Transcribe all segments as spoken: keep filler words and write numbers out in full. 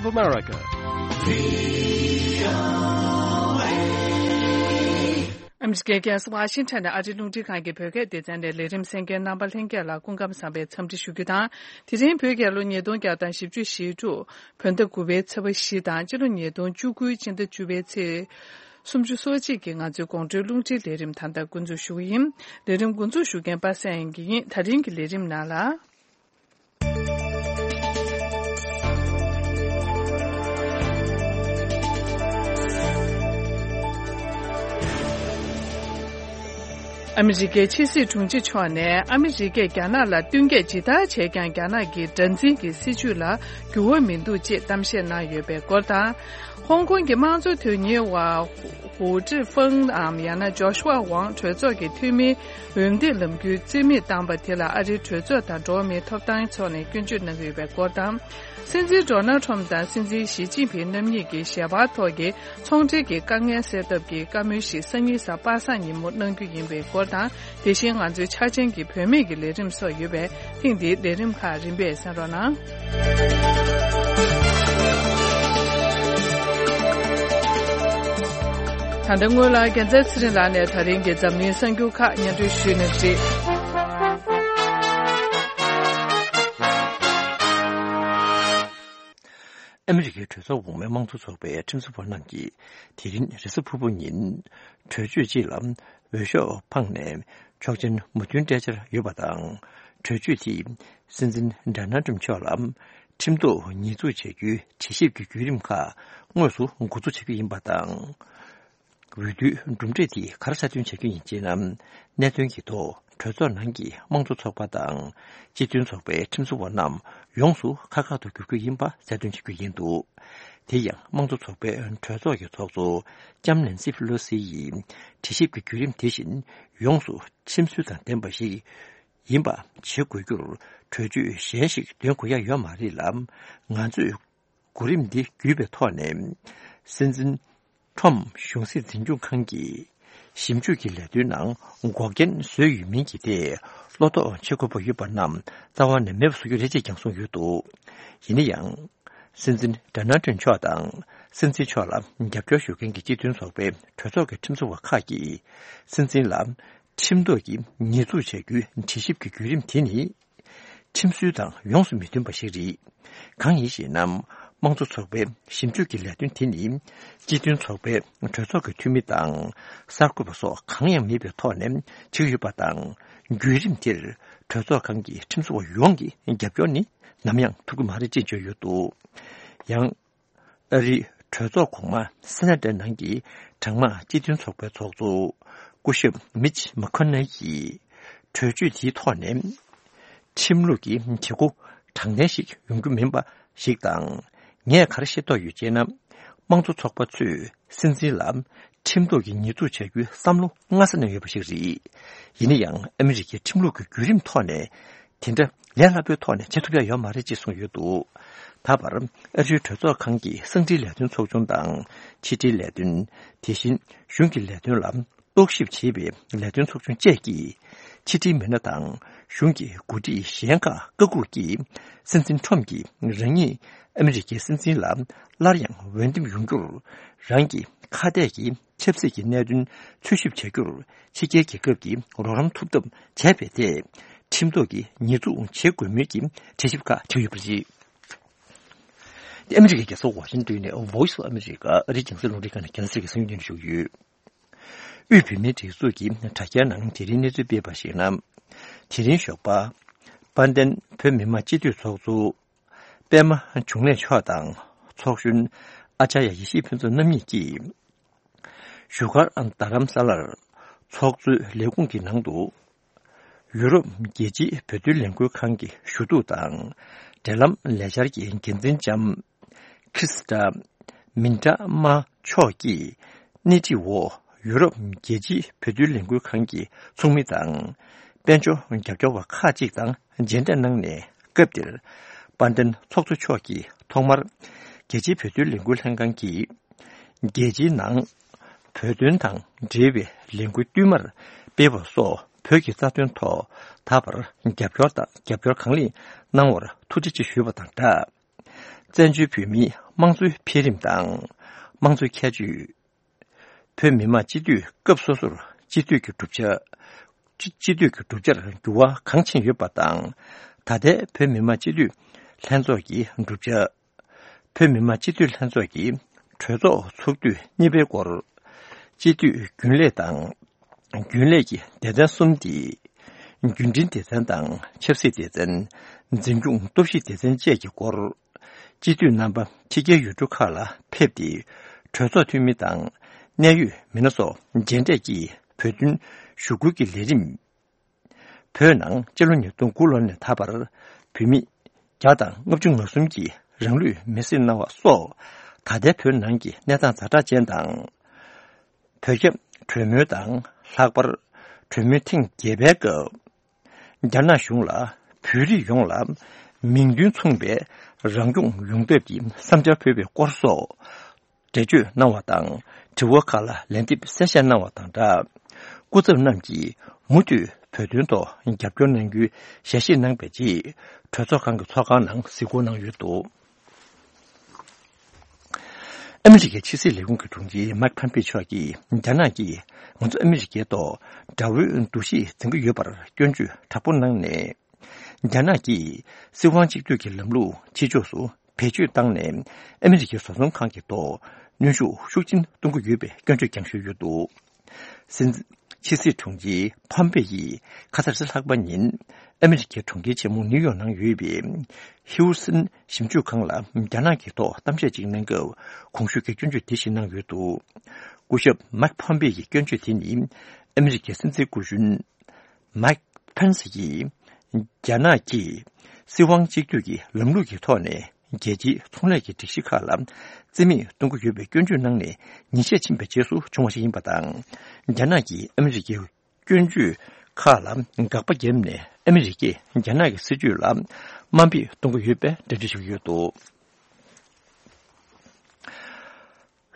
America. ཨ་མི་རི་ཀའི་རྒྱལ་ས་ཝ་ཤིང་ཊོན་ནས་ཨ་རིའི་རླུང་འཕྲིན་ཁང་གི་བོད་སྐད་སྡེ་ཚན་ནས་ལས་རིམ་གསན་མཁན་རྣམ་པ་ལྷན་རྒྱས་ལ་སྐུ་ཁམས་བཟང་བའི་འཚམས་འདྲི་ཞུ་རྒྱུ་དང་། དེ་རིང་བོད་རྒྱལ་ལོ་ཉིས་སྟོང་བརྒྱ་དང་བཞི་བཅུ་ཞེ་དྲུག་བོད་ཟླ་དགུ་པའི་ཚེས་པ་བཞི་དང་སྤྱི་ལོ་ཉིས་སྟོང་བཅུ་དགུའི་སྤྱི་ཟླ་བཅུ་པའི་ཚེས་སུམ་ཅུ་སོ་གཅིག་གི་ང་ཚོའི་དགོང་དྲོའི་རླུང་འཕྲིན་ལས་རིམ་ད་ལྟ་འགོ་འཛུགས་ཞུ་གི་ཡིན། ལས་རིམ་འགོ་འཛུགས་ཞུ་མཁན་པ་སངས་དབྱངས་སྐྱིད་ཡིན། ད་རིང་གི་ལས་རིམ་ནང་ལ། ཨ་མི་རི་ཀའི་ཕྱི་སྲིད་དྲུང་ཆེ་མཆོག་ནས་ཨ་མི་རི་ཀས་རྒྱ་ནག་ལ་བསྟུན་མཁས་ཇི་ལྟར་བྱས་ཀྱང་རྒྱ་ནག་གི་དགྲར་འཛིན་གྱི་སྲིད་བྱུས་ལ་འགྱུར་བ་མི་འདུག་ཅེས་གཏམ་བཤད་གནང་ཡོད་པའི་སྐོར་དང་། ཧོང་ཀོང་གི་དམངས་གཙོ་དོན་གཉེར་བ་ཧུའུ་ཀྲི་ཧྥང་ནམ་ཡང་ན་ཇོ་ཤུ་ཝ་ཝང་གྲོས་ཚོགས་ཀྱི་འཐུས་མིའི་འོས་འདེམས་ལམ་འགུལ་རྩིས་མེད་བཏང་པ་དེ་ལ་ཨ་རིའི་གྲོས་ཚོགས་དང་འགྲོ་བ་མིའི་ཐོབ་ཐང་ཚོགས་ནས་སྐྱོན་བརྗོད་གནང་གི་ཡོད་པའི་སྐོར་དང་། སྲིད་འཛིན་ཌོ་ནལ་ཁྲོམ་དང་སྲིད་འཛིན་ཞི་ཅིན་ཕིང་རྣམ་གཉིས་ཀྱི་ཞལ་པར་ཐོག་གི་ཚོང་འབྲེལ་གྱི་དཀའ་ངལ་སེལ་ཐབས་ཀྱི་བཀའ་མོལ་ཞིག་སང་ཉིན་གཟའ་པ་སངས་ཉིན་མོ་གནང་རྒྱུ་ཡིན་པའི་སྐོར་དང་། དེ་བཞིན་ང་ཚོའི་འཆར་ཅན་གྱི་བུད་མེད་ཀྱི་ལས་རིམ་སོགས་ཡོད་པས། ཐེངས་འདིའི་ལས་རིམ་ཁག་རིམ་པས་གསན་རོགས་གནང་། ད་ལྟ་སྔོན་ལ་རྒྱལ་མཚན་ཚེ་རིང་ལགས་ནས་ད་རིང་གི་འཛམ་གླིང་གསར་འགྱུར་ཁག་སྙན་སྒྲོན་ཞུས་གནང་གི་རེད། ཨ་མི་རི་ཀའི་གྲོས་ཚོགས་འོག་མའི་དམངས་གཙོ་ཚོགས་པའི་ཁྲིམས་བཟོ་བ་རྣམས་ཀྱིས་དེ་རིང་རེས་གཟའ་ཕུར་བུ་ཉིན་གྲོས་ཆོད་ཅིག་ལ་འོས་ཤོག་འཕངས་ནས་ཆོག་མཆན་མོས་མཐུན་སྤྲད་འཆར་ཡོད་པ་དང་། གྲོས་ཆོད་དེས་སྲིད་འཛིན་ཌོ་ནལ་ཊམ་མཆོག་ལ་ཁྲིམས་ཐོག་ཉེས་འཛུགས་བྱ་རྒྱུའི་དྲི་ཞིབ་ཀྱི་བརྒྱུད་རིམ་ཁག་དངོས་སུ་འགོ་འཛུགས་བྱ་རྒྱུ་ཡིན་པ་དང་། འོས་བསྡུའི་གྲུབ་འབྲས་དེ་ག་རེ་གསལ་སྟོན་བྱ་རྒྱུ་ཡིན་ཅེ་ན། གནད་དོན་གྱི་ཐོག་གྲོས་ཚོགས་ནང་གི་དམངས་གཙོ་ཚོགས་པ་དང་སྤྱི་མཐུན་ཚོགས་པའི་ཁྲིམས་བཟོ་བ་རྣམས་ཡོངས་སུ་ཁག་ཁག་ཏུ་འགྱུར་རྒྱུ་ཡིན་པ་གསལ་སྟོན་བྱ་རྒྱུ་ཡིན་འདུག་དེ་ཡང་དམངས་གཙོ་ཚོགས་པའི་གྲོས་ཚོགས་ཀྱི་ཚོགས་གཙོ་ལྕམ་ནན་སི་ཕེ་ལོ་སི་ཡིས་དྲི་ཞིབ་ཀྱི་བརྒྱུད་རིམ་དེ་བཞིན་ཡོངས་སུ་ཁྲིམས་སྲོལ་དང་ལྡན་པ་ཞིག་ཡིན་པ་བྱེད་དགོས་རྒྱུར་གྲོས་ཆོད་གཞན་ཞིག་འདོན་དགོས་ཡ་ཡོད་མ་རེད་ལ། ང་ཚོས་གོ་རིམ་འདི་བརྒྱུད་པའི་ཐོག་ནས་སྲིད་འཛིན་ཁྲོམ་གཞུང་སྲིད་འཛིན་སྐྱོང་ཁང་གི་ཞིབ་འཇུག་གི་ལས་དོན་ནང་འགོག་རྐྱེན་བཟོས་ཡོད་མིན་གྱི་ཐད་བློ་དོགས་བྱེད་དགོས་པ་ཡོད་པ་རྣམས་རྩ་བ་ནས་མེད་པ་བཟོ་རྒྱུ་རེད་ཅེས་ཀྱང་གསུངས་ཡོད་འདུག་ཡིན་ན་ཡང་། སྲིད་འཛིན་ཌོ་ནལ་ཊམ་མཆོག་དང་སྲིད་འཛིན་མཆོག་ལ་རྒྱབ་སྐྱོར་ཞུ་མཁན་གྱི་སྤྱི་མཐུན་ཚོགས་པའི་གྲོས་ཚོགས་ཀྱི་ཁྲིམས་བཟོ་བ་ཁག་གིས་སྲིད་འཛིན་ལ་ཁྲིམས་ཐོག་གི་ཉེས་འཛུགས་བྱ་རྒྱུའི་དྲི་ཞིབ་ཀྱི་བརྒྱུད་རིམ་དེ་ནི། ཁྲིམས་སྲོལ་དང་ཡོངས་སུ་མི་མཐུན་པ་ཞིག་རེད། གང་ཡིན་ཞེ་ན། དམངས་གཙོ་ཚོགས་པའི་ཞིབ་འཇུག་གི་ལས་དོན་དེ་ནི། སྤྱི་མཐུན་ཚོགས་པའི་གྲོས་ཚོགས་ཀྱི་འཐུས་མི་དང་གསར་འགོད་པ་སོགས་གང་ཡང་མེད་པའི་ཐོག་ནས་བྱེད་ཀྱི་ཡོད་པ་དང་། བརྒྱུད་རིམ་དེར་གྲོས་ཚོགས་ཁང་གི་ཁྲིམས་བཟོ་བ་ཡོངས་ཀྱི་རྒྱབ་སྐྱོར་ནི་ནམ་ཡང་ཐོབ་ཀྱི་མ་རེད་ཅེས་བརྗོད་ཡོད་འདུག་ཡང་། ཨ་རིའི་གྲོས་ཚོགས་གོང་མ་སེ་ན་ཏི་ནང་གི་གྲངས་མང་སྤྱི་མཐུན་ཚོགས་པའི་ཚོགས་གཙོ་སྐུ་ཞབས་མིཆ་མེ་ཁོ་ནེལ་གྱིས་གྲོས་ཆོད་དེའི་ཐོག་ནས་ཁྲིམས་ལུགས་ཀྱི་བྱེད་སྒོ་དྲང་བདེན་ཞིག་ཡོང་རྒྱུ་མིན་པ་ཞིག་དང་། ངས་ག་རེ་ཤེས་རྟོགས་ཡོད་ཅེ་ན། དམངས་གཙོ་ཚོགས་པ་ཚོས་སྲིད་འཛིན་ལ་ཁྲིམས་ཐོག་གི་ཉེས་འཛུགས་བྱ་རྒྱུའི་བསམ་བློ་སྔ་ས་ནས་ཡོད་པ་ཞིག་རེད། ཡིན་ན་ཡང་ཨ་མི་རི་ཀའི་ཁྲིམས་ལུགས་ཀྱི་བརྒྱུད་རིམ་ཐོག་ནས། དེ་འདྲ་ལས་སླ་པོའི་ཐོག་ནས་བྱེད་ཐུབ་ཡ་ཡོད་མ་རེད་ཅེས་གསུངས་ཡོད་འདུག་ད་བར་ཨ་རིའི་གྲོས་ཚོགས་ཁང་གི་གསང་འཕྲིན་ལས་དོན་ཚོགས་ཆུང་དང་ཕྱི་དྲིལ་ལས་དོན། དེ་བཞིན་གཞུང་གི་ལས་དོན་ལ་རྟོག་ཞིབ་བྱེད་པའི་ལས་དོན་ཚོགས་ཆུང་བཅས་ཀྱིས་ཕྱི་དྲིལ་མི་སྣ་དང་གཞུང་གི་འགོ་ཁྲིད་གཞན་ཁག་བཀའ་བཀོད་ཀྱིས་སྲིད་འཛིན་ཁྲོམ་གྱིས་རང་ཉིད་ཨ་མི་རི་ཀའི་སྲིད་འཛིན་ལ་སླར་ཡང་འོས་འདེམས་ཡོང་རྒྱུར་རང་གི་ཁ་གཏད་ཀྱི་ཆབ་སྲིད་ཀྱི་གནད་དོན་འཚོལ་ཞིབ་བྱ་རྒྱུར་ཕྱི་རྒྱལ་རྒྱལ་ཁབ་ཀྱིས་རོགས་རམ་ཐུབ་ཐབས་བྱས་པའི་ཐད་ཁྲིམས་ཐོག་གི་ཉེས་འཛུགས་བྱེད་དགོས་མིན་གྱི་དྲི་ཞིབ་ཁག་བྱས་ཡོད་པ་རེད། ཨ་མི་རི་ཀའི་རྒྱལ་ས་ཝ་ཤིང་ཏོན་ནས་Voice of America ཨ་རིའི་རྒྱང་སྲིང་རླུང་འཕྲིན་ཁང་ནས་རྒྱང་སྲིང་གི་གསན་ཡོང་ཞུ་གི་ཡོད། དབུས་བོད་མིའི་སྒྲིག་འཛུགས་ཀྱི་དྲ་རྒྱའི་ནང་དེ་རིང་གནས་ཚུལ་སྤེལ་བར་གཞིགས་ན། དེ་རིང་ཞོགས་པ། དཔལ་ལྡན་བོད་མི་མང་སྤྱི་འཐུས་ཚོགས་གཙོ། པད་མ་འབྱུང་གནས་མཆོག་དང་ཚོགས་གཞོན་ཨ་ཅཱརྱ་ཡེ་ཤེས་ཕུན་ཚོགས་རྣམ་གཉིས་ཀྱིས། བཞུགས་སྒར་རྡ་རམ་ས་ལར་ཚོགས་གཙོའི་ལས་ཁུངས་ཀྱི་ནང་དུ། ཡུ་རོབ་རྒྱལ་སྤྱིའི་བོད་དོན་ལས་འགུལ་ཁང་གི་ཞུ་གཏུག་དང་། འབྲེལ་ལམ་ལས་འཆར་གྱི་འགན་འཛིན་ལྕམ་ཁྲིས་ཏ་མིན་ཏྲ་མ་མཆོག་གིས་སྣེ་ཁྲིད་འོག་ཡུ་རོབ་རྒྱལ་སྤྱིའི་བོད་དོན་ལས་འགུལ་ཁང་གི་ཚོགས་མི་དང་། དཔལ་འབྱོར་རྒྱབ་སྐྱོར་བ་ཁག་ཅིག་དང་མཇལ་འཕྲད་གནང་ནས། སྐབས་དེར་དཔལ་ལྡན་ཚོགས་གཙོ་མཆོག་གིས་ཐོག་མར་རྒྱལ་སྤྱིའི་བོད་དོན་ལས་འགུལ་ལྷན་ཁང་གིས་རྒྱལ་སྤྱིའི་ནང་བོད་དོན་དང་འབྲེལ་བའི་ལས་འགུལ་བསྟུད་མར་སྤེལ་བ་སོགས་བོད་ཀྱི་རྩ་དོན་ཐོག་ད་བར་རྒྱབ་སྐྱོར་དང་རྒྱབ་སྐྱོར་གང་ལེགས་གནང་བར་ཐུགས་རྗེ་ཆེ་ཞུས་པ་དང་སྦྲགས། བཙན་བྱོལ་བོད་མིའི་དམངས་གཙོའི་འཕེལ་རིམ་དང་། དམངས་གཙོའི་ཁྱད་ཆོས། བོད་མི་མང་སྤྱི་འཐུས་སྐབས་སོ་སོར་སྤྱི་འཐུས་ཀྱི་གྲུབ་ཆ། སྤྱི་སྤྱི་འཐུས་ཀྱི་གྲུབ་ཆར་འགྱུར་བ་གང་ཕྱིན་ཡོད་པ་དང་། ད་ལྟའི་བོད་མི་མང་སྤྱི་འཐུས་ལྷན་ཚོགས་ཀྱི་གྲུབ་ཆ། བོད་མི་མང་སྤྱི་འཐུས་ལྷན་ཚོགས་ཀྱི་གྲོས་ཚོགས་ཚོགས་དུས་གཉིས་པའི་སྐོར། སྤྱི་འཐུས་རྒྱུན་ལས་དང་། རྒྱུན་ལས་ཀྱི་སྡེ་ཚན་གསུམ་སྟེ། རྒྱུན་འབྲེལ་སྡེ་ཚན་དང་ཆབ་སྲིད་སྡེ་ཚན། འཛིན་སྐྱོང་སྟོབས་ཤུགས་སྡེ་ཚན་བཅས་ཀྱི་སྐོར། སྤྱི་འཐུས་རྣམ་པ་ཕྱི་རྒྱལ་ཡུལ་གྲུ་ཁག་ལ་ཕེབས་ཏེ། གྲོས་ཚོགས་འཐུས་མི་དང་གནད་ཡོད་མི་སྣ་སོགས་མཇལ་འཕྲད་ཀྱིས་བོད་དོན་ཞུ་སྐུལ་གྱི་ལས་རིམ། བོད་ནང་སྤྱི་ལོ་ཉིས་སྟོང་དགུ་ལོ་ནས་ད་བར་བོད་མི་བརྒྱ་དང་ལྔ་བཅུ་ང་གསུམ་གྱིས་རང་ལུས་མེར་སྲེག་གནང་བ་སོགས། ད་ལྟའི་བོད་ནང་གི་གནས་སྟངས་ཛ་དྲག་ཅན་དང་། བོད་རྒྱ་གྲོས་མོལ་དང་། ལྷག་པར་གྲོས་མོལ་ཐེངས་བརྒྱད་པའི་སྐབས། རྒྱ་ནག་གཞུང་ལ་བོད་རིགས་ཡོངས་ལ་མིང་དོན་མཚུངས་པའི་རང་སྐྱོང་ཡོང་ཐབས་ཀྱི་བསམ་འཆར་ཕུལ་བའི་སྐོར་སོགས། འགྲེལ་བརྗོད་གནང་བ་དང་། དྲི་བ་ཁག་ལ་ལན་འདེབས་གསལ་བཤད་གནང་བ་དང་སྦྲགས། སྐུ་ཚབ་རྣམས་ཀྱིས་མུ་མཐུད་བོད་དོན་ཐོག་རྒྱབ་སྐྱོར་གནང་རྒྱུའི་ཞལ་བཞེས་གནང་བའི་རྗེས། གྲོས་ཚོགས་ཁང་གི་ཚོགས་ཁང་ནང་གཟིགས་སྐོར་གནང་ཡོད་འདུག་ཨ་མི་རི་ཀའི་ཕྱི་སྲིད་ལས་ཁུངས་ཀྱི་དྲུང་ཆེ་མཱིག་ཕམ་པེ་མཆོག་གིས། རྒྱ་ནག་གིས་ང་ཚོ་ཨ་མི་རི་ཀའི་ཐོག་དགྲ་བོའི་འདུ་ཤེས་འཛིན་གྱི་ཡོད་པར་སྐྱོན་བརྗོད་དྲག་པོ་གནང་ནས། རྒྱ་ནག་གིས་སྲིད་དབང་གཅིག་སྡུད་ཀྱི་ལམ་ལུགས་ཕྱི་ཕྱོགས་སུ་བེད་སྤྱོད་བཏང་ནས། ཨ་མི་རི་ཀའི་བཟོ་ཚོང་ཁང་གི་ཐོག་གནོན་ཤུགས་ཤུགས་ཆེན་གཏོང་གི་ཡོད་པའི་སྐྱོན་བརྗོད་ཀྱང་ཞུས་ཡོད་འདུག་སྲིད་འཛིན་ཕྱི་སྲིད་དྲུང་ཆེ་ཕམ་པེ་ཡིས་ཁ་སང་རེས་གཟའ་ལྷག་པ་ཉིན་ཨ་མི་རི་ཀའི་གྲོང་ཁྱེར་ཆེན་མོ་ནིའུ་ཡོག་ནང་ཡོད་པའི་ཧིའུ་སིན་ཞིབ་འཇུག་ཁང་ལ་རྒྱ་ནག་གི་ཐོག་གཏམ་བཤད་ཅིག་གནང་སྐབས། གོང་ཞུས་ཀྱི་སྐྱོན་བརྗོད་དེ་བཞིན་གནང་ཡོད་འདུག་སྐུ་ཞབས་མཱིག་ཕམ་པེ་ཡི་སྐྱོན་བརྗོད་དེ་ནི། ཨ་མི་རི་ཀའི་སྲིད་འཛིན་སྐུ་གཞོན་མཱིག་ཕེན་སི་ཡིས། རྒྱ་ནག་གིས་སྲིད་དབང་གཅིག་སྡུད་ཀྱི་ལམ་ལུགས་ཀྱི་ཐོག་ནས་རྒྱལ་སྤྱིའི་ཚོང་ལས་ཀྱི་སྒྲིག་གཞི་ཁག་ལ་རྩིས་མེད་གཏོང་གི་ཡོད་པའི་སྐྱོན་བརྗོད་གནང་ནས། ཉིན་ཤས་ཕྱིན་པའི་རྗེས་སུ་བྱུང་བ་ཞིག་ཡིན་པ་དང་། རྒྱ་ནག་གིས་ཨ་མི་རི་ཀའི་སྐྱོན་བརྗོད་ཁག་ལ་དགག་པ་བརྒྱབ་ནས། ཨ་མི་རི་ཀས་རྒྱ་ནག་གི་སྲིད་ཇུས་ལ་དམའ་འབེབས་གཏོང་གི་ཡོད་པའི་འགྲེལ་བརྗོད་ཞུས་ཡོད་འདུག་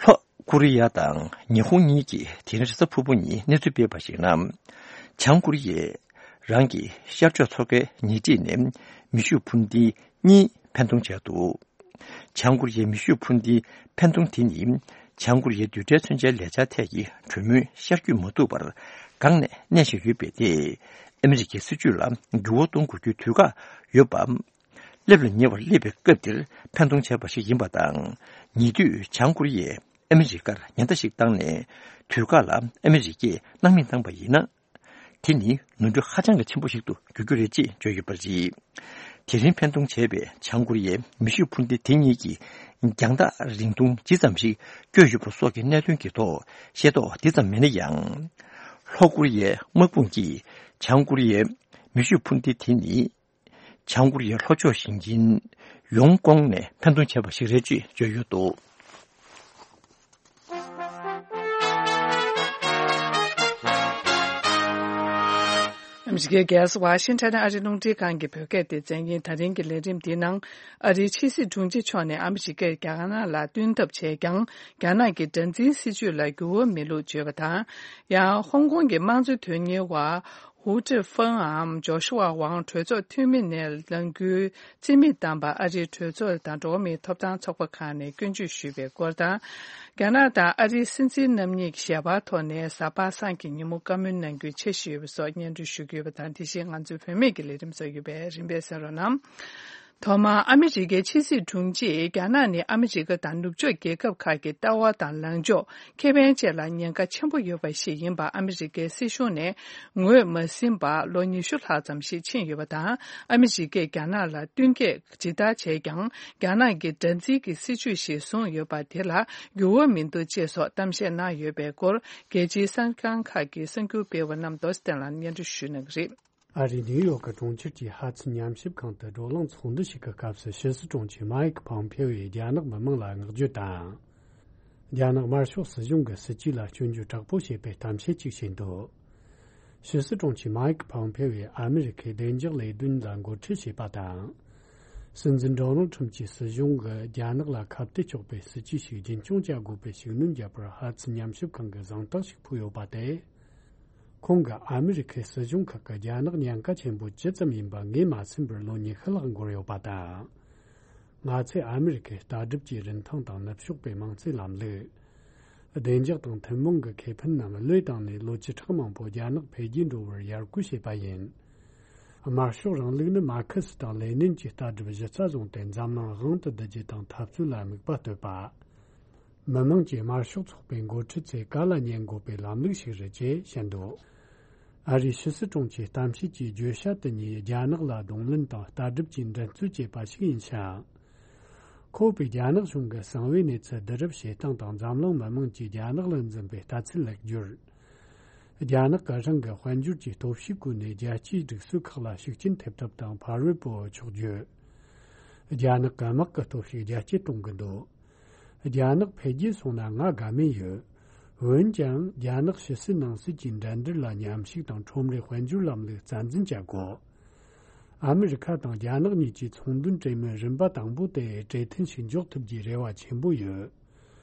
ལྷོ་ཀོ་རི་ཡ་དང་ཉི་ཧོང་གཉིས་ཀྱིས་དེ་རིང་རེས་གཟའ་ཕུར་བུ་ཉིན་གནས་ཚུལ་སྤེལ་བར་གཞིགས་ན། བྱང་ཀོ་རི་ཡས་རང་གི་ཤར་ཕྱོགས་མཚོ་ཁའི་ཉེ་འཁྲིས་ནས་མེ་ཤུགས་འཕུར་མདེལ་གཉིས་འཕེན་གཏོང་བྱས་འདུག་བྱང་ཀོ་རི་ཡའི་མེ་ཤུགས་འཕུར་མདེལ་འཕེན་གཏོང་དེ་ནི། བྱང་ཀོ་རི་ཡའི་རྡུལ་ཕྲན་མཚོན་ཆའི་ལས་འཆར་ཐད་ཀྱི་གྲོས་མོལ་ཤར་བསྐྱོད་མ་ཐུབ་པར་འགག་ནས་གནས་བཞིན་ཡོད་པས། དེས་ཨ་མི་རི་ཀའི་སྲིད་ཇུས་ལ་འགྱུར་བ་གཏོང་དགོས་རྒྱུའི་དུས་བཀག་ཡོད་པ། སླེབས་ལ་ཉེ་བར་སླེབས་པའི་སྐབས་འདིར་འཕེན་གཏོང་བྱས་པ་ཞིག་ཡིན་པ་དང་། ཉེ་དུས་བྱང་ཀོ་རི་ཡས་ཨ་མི་རི་ཀར་ཉེན་བརྡ་ཞིག་བཏང་ནས། དུས་བཀག་ལ་ཨ་མི་རི་ཀས་སྣང་མེད་བཏང་པ་ཡིན་ན། དེ་ནི་ནོར་འཁྲུལ་ཧ་ཅང་གི་ཆེན་པོ་ཞིག་ཏུ་འགྱུར་རྒྱུ་རེད་ཅེས་བརྗོད་ཡོད་པ་རེད། དེ་རིང་འཕེན་གཏོང་བྱས་པའི་བྱང་ཀོ་རི་ཡའི་མེ་ཤུགས་འཕུར་མདེལ་དེ་གཉིས་ཀྱིས་རྒྱང་ཐག་རིང་ཐུང་ཇི་ཙམ་ཞིག་བསྐྱོད་ཡོད་པ་སོགས་ཀྱི་གནད་དོན་གྱི་ཐོག་ཤེས་རྟོགས་དེ་ཙམ་མེད་ན་ཡང་། ལྷོ་ཀོ་རི་ཡའི་དམག་དཔུང་གིས་བྱང་ཀོ་རི་ཡའི་མེ་ཤུགས་འཕུར་མདེལ་དེ་ནི། བྱང་ཀོ་རི་ཡའི་ལྷོ་ཕྱོགས་ཞིང་ཆེན་ཡོང་ཀོང་ནས་འཕེན་གཏོང་བྱས་པ་ཞིག་རེད་ཅེས་བརྗོད་ཡོད་འདུག་ཨ་མི་རི་ཀའི་རྒྱལ་ས་ཝ་ཤིང་ཊོན་ཨ་རིའི་རླུང་འཕྲིན་ཁང་གི་བོད་སྐད་སྡེ་ཚན་ཡིན། ད་རིང་གི་ལས་རིམ་འདིའི་ནང་། ཨ་རིའི་ཕྱི་སྲིད་དྲུང་ཆེ་མཆོག་ནས་ཨ་མི་རི་ཀས་རྒྱ་ནག་ལ་བསྟུན་ཐབས་བྱས་ཀྱང་། རྒྱ་ནག་གི་དགྲར་འཛིན་སྲིད་ཇུས་ལ་འགྱུར་བ་མེད་ལུགས་བརྗོད་པ་དང་། ཡང་ཧོང་ཀོང་གི་དམངས་གཙོའི་དོན་གཉེར་བ། ཧུའུ་ཀྲི་ཧྥང་འམ་ཇོ་ཤུ་ཝ་ཝང་གྲོས་ཚོགས་འཐུས་མི་ནས་ལངས་རྒྱུའི་རྩིས་མེད་བཏང་པར་ཨ་རིའི་གྲོས་ཚོགས་དང་འགྲོ་བ་མིའི་ཐོབ་ཐང་ཚོགས་པ་ཁག་ནས་སྐྱོན་བརྗོད་ཞུས་པའི་སྐོར་དང་། རྒྱ་ནག་དང་ཨ་རིའི་སྲིད་འཛིན་རྣམ་གཉིས་ཀྱིས་ཞལ་པར་ཐོག་ནས་གཟའ་པ་སངས་ཀྱི་ཉིན་མོ་བཀའ་མོལ་གནང་རྒྱུའི་འཆར་གཞི་ཡོད་པ་སོགས་སྙན་སྒྲོན་ཞུ་གི་ཡོད་པ་དང་། དེ་བཞིན་ང་ཚོའི་བུད་མེད་ཀྱི་ལས་རིམ་སོགས་ཡོད་པས་རིམ་པས་གསན་རོགས་གནང་། ཐོག་མར་ཨ་མི་རི་ཀའི་ཕྱི་སྲིད་དྲུང་ཆེས། རྒྱ་ནག་ནི་ཨ་མི་རི་ཀ་དང་ནུབ་ཕྱོགས་རྒྱལ་ཁབ་ཁག་གི་ལྟ་བ་དང་ལངས་ཕྱོགས། ཁེ་ཕན་བཅས་ལ་ཉེན་ཁ་ཆེན་པོ་ཡོད་པ་ཞིག་ཡིན་པ་ཨ་མི་རི་ཀའི་སྲིད་གཞུང་ནས་ངོས་མ་ཟིན་པར་ལོ་ཉི་ཤུ་ལྷག་ཙམ་ཞིག་ཕྱིན་ཡོད་པ་དང་། ཨ་མི་རི་ཀས་རྒྱ་ནག་ལ་བསྟུན་མཁས་ཇི་ལྟར་བྱས་ཀྱང་། རྒྱ་ནག་གིས་དགྲར་འཛིན་གྱི་སྲིད་བྱུས་ཤིག་བཟུང་ཡོད་པ་དེ་ལ་འགྱུར་བ་མི་འདུག་ཅེས་སོགས་གཏམ་བཤད་གནང་ཡོད་པའི་སྐོར། རྒྱལ་སྤྱིའི་གསར་ཁང་ཁག་གི་གསར་འགྱུར་སྤེལ་བ་རྣམས་རྡོ་རྗེ་བསྟན་ལ་སྙན་སྒྲོན་ཞུ་གནང་གི་རེད། ཨ་རིའི་ནིའུ་ཡོག་གི་གྲོང་ཁྱེར་གྱི་ཧ་ཙི་ཉམས་ཞིབ་ཁང་དུ་བགྲོ་གླེང་ཚོགས་འདུ་ཞིག་གི་སྐབས་སུ། ཕྱི་སྲིད་དྲུང་ཆེ་མཱ་ཡིག་ཕོམ་ཕེའོ་ཡིས་རྒྱ་ནག་མི་མང་ལ་བསྔགས་བརྗོད་དང་། རྒྱ་ནག་དམར་ཤོག་སྲིད་གཞུང་གི་སྲིད་ཇུས་ལ་སྐྱོན་བརྗོད་དྲག་པོ་བྱས་པའི་གཏམ་བཤད་ཅིག་བྱས་འདུག་ཕྱི་སྲིད་དྲུང་ཆེ་མཱ་ཡིག་ཕོམ་ཕེའོ་ཡིས་ཨ་མི་རི་ཁའི་བདེ་འཇགས་ལས་དོན་ལ་འགོ་ཁྲིད་བྱས་པ་དང་། སྲིད་འཛིན་ཌོ་ནལ་ཁྲིམ་གྱི་སྲིད་གཞུང་གིས་རྒྱ་ནག་ལ་ཁ་གཏད་གཅོག་པའི་སྲིད་ཇུས་ཤིག་རྒྱུན་སྐྱོང་བྱ་དགོས་པའི་ཤུགས་སྣོན་བརྒྱབ་པར་ཧ་ཙི་ཉམས་ཞིབ་ཁང་གིས་གཟེངས་རྟགས་ཤིག་ཕུལ་ཡོད་པ་དེ། ཁོང་གིས་ཨ་མི་རི་ཁའི་སྲིད་གཞུང་ཁག་གིས་རྒྱ་ནག་ཉེན་ཁ་ཆེན་པོ་ཇི་ཙམ་ཡིན་པ་ངོས་མ་ཟིན་པར་ལོ་ཉི་ཤུ་ལྷག་འགོར་ཡོད་པ་དང་། ང་ཚོས་ཨ་མི་རི་ཀའི་ལྟ་གྲུབ་ཀྱི་རིན་ཐང་དང་ནུབ་ཕྱོགས་པའི་དམངས་གཙོའི་ལམ་ལུགས། བདེ་འཇགས་དང་ཐུན་མོང་གི་ཁེ་ཕན་རྣམས་བློས་བཏང་ནས་ལོ་བཅུ་ཕྲག་མང་པོ་རྒྱ་ནག་འཕེལ་རྒྱས་འགྲོ་བར་ཡར་སྐུལ་བྱས་པ་ཡིན། དམར་ཤོག་རིང་ལུགས་ནི་མར་ཁེ་སི་དང་ལེ་ནིན་གྱི་ལྟ་གྲུབ་གཞི་རྩ་བཟུང་སྟེ་འཛམ་གླིང་དབང་དུ་བསྡུ་རྒྱུ་དང་འཐབ་རྩོད་ལ་དམིགས་པ་གཏོད་པ། མི་དམངས་ཀྱིས་དམར་ཤོག་ཚོགས་པའི་འགོ་ཁྲིད་ཚོས་བཀའ་ལ་ཉན་དགོས་པའི་ལམ་ལུགས་ཤིག་རེད་ཅེས་བཤད་འདུག་ཨ་རིའི་ཕྱི་སྲིད་དྲུང་ཆེའི་གཏམ་བཤད་ཀྱི་བརྗོད་བྱ་དེ་ཉིད་རྒྱ་ནག་ལ་གདོང་ལེན་དང་ལྟ་གྲུབ་ཀྱི་འགྲན་རྩོད་བྱེད་པ་ཞིག་ཡིན་ཞིང་། ཁོ་པས་རྒྱ་ནག་གཞུང་གི་གསང་བའི་གནས་ཚུལ་བསྡུ་རུབ་བྱེད་སྟངས་དང་འཛམ་གླིང་མི་དམངས་ཀྱིས་རྒྱ་ནག་ལ་འཛིན་པའི་ལྟ་ཚུལ་ལེགས་བསྒྱུར། རྒྱ་ནག་གི་རང་གི་དཔལ་འབྱོར་གྱི་སྟོབས་ཤུགས་བཀོལ་ནས་རྒྱལ་སྤྱིའི་སྒྲིག་སྲོལ་ཁག་ལ་ཤུགས་རྐྱེན་ཐེབས་ཐབས་དང་ཕ་རོལ་པོ་ཕྱོགས་བསྒྱུར། རྒྱ་ནག་གི་དམག་གི་སྟོབས་ཤུགས་རྒྱ་སྐྱེད་གཏོང་གི་འདུག་རྒྱ་ནག་འཕེལ་རྒྱས་སོང་ན་ང་དགའ་མོས་ཡོད། འོན་ཀྱང་རྒྱ་ནག་ཕྱི་སྲིད་ནང་སྲིད་ཀྱི་འགྲན་བསྡུར་ལ་མཉམ་ཞུགས་དང་ཁྲོམ་རའི་དཔལ་འབྱོར་ལམ་ལུགས་རྩ་འཛིན་བྱ་དགོས། ཨ་མི་རི་ཁ་དང་རྒྱ་ནག་གཉིས་ཀྱི་ཚོང་དོན་གྲོས་མོལ་རིམ་པ་དང་པོ་དེ་གྲོས་མཐུན་ཞིག་འཇོག་ཐུབ་རྒྱུའི་རེ་བ་ཆེན་པོ་ཡོད།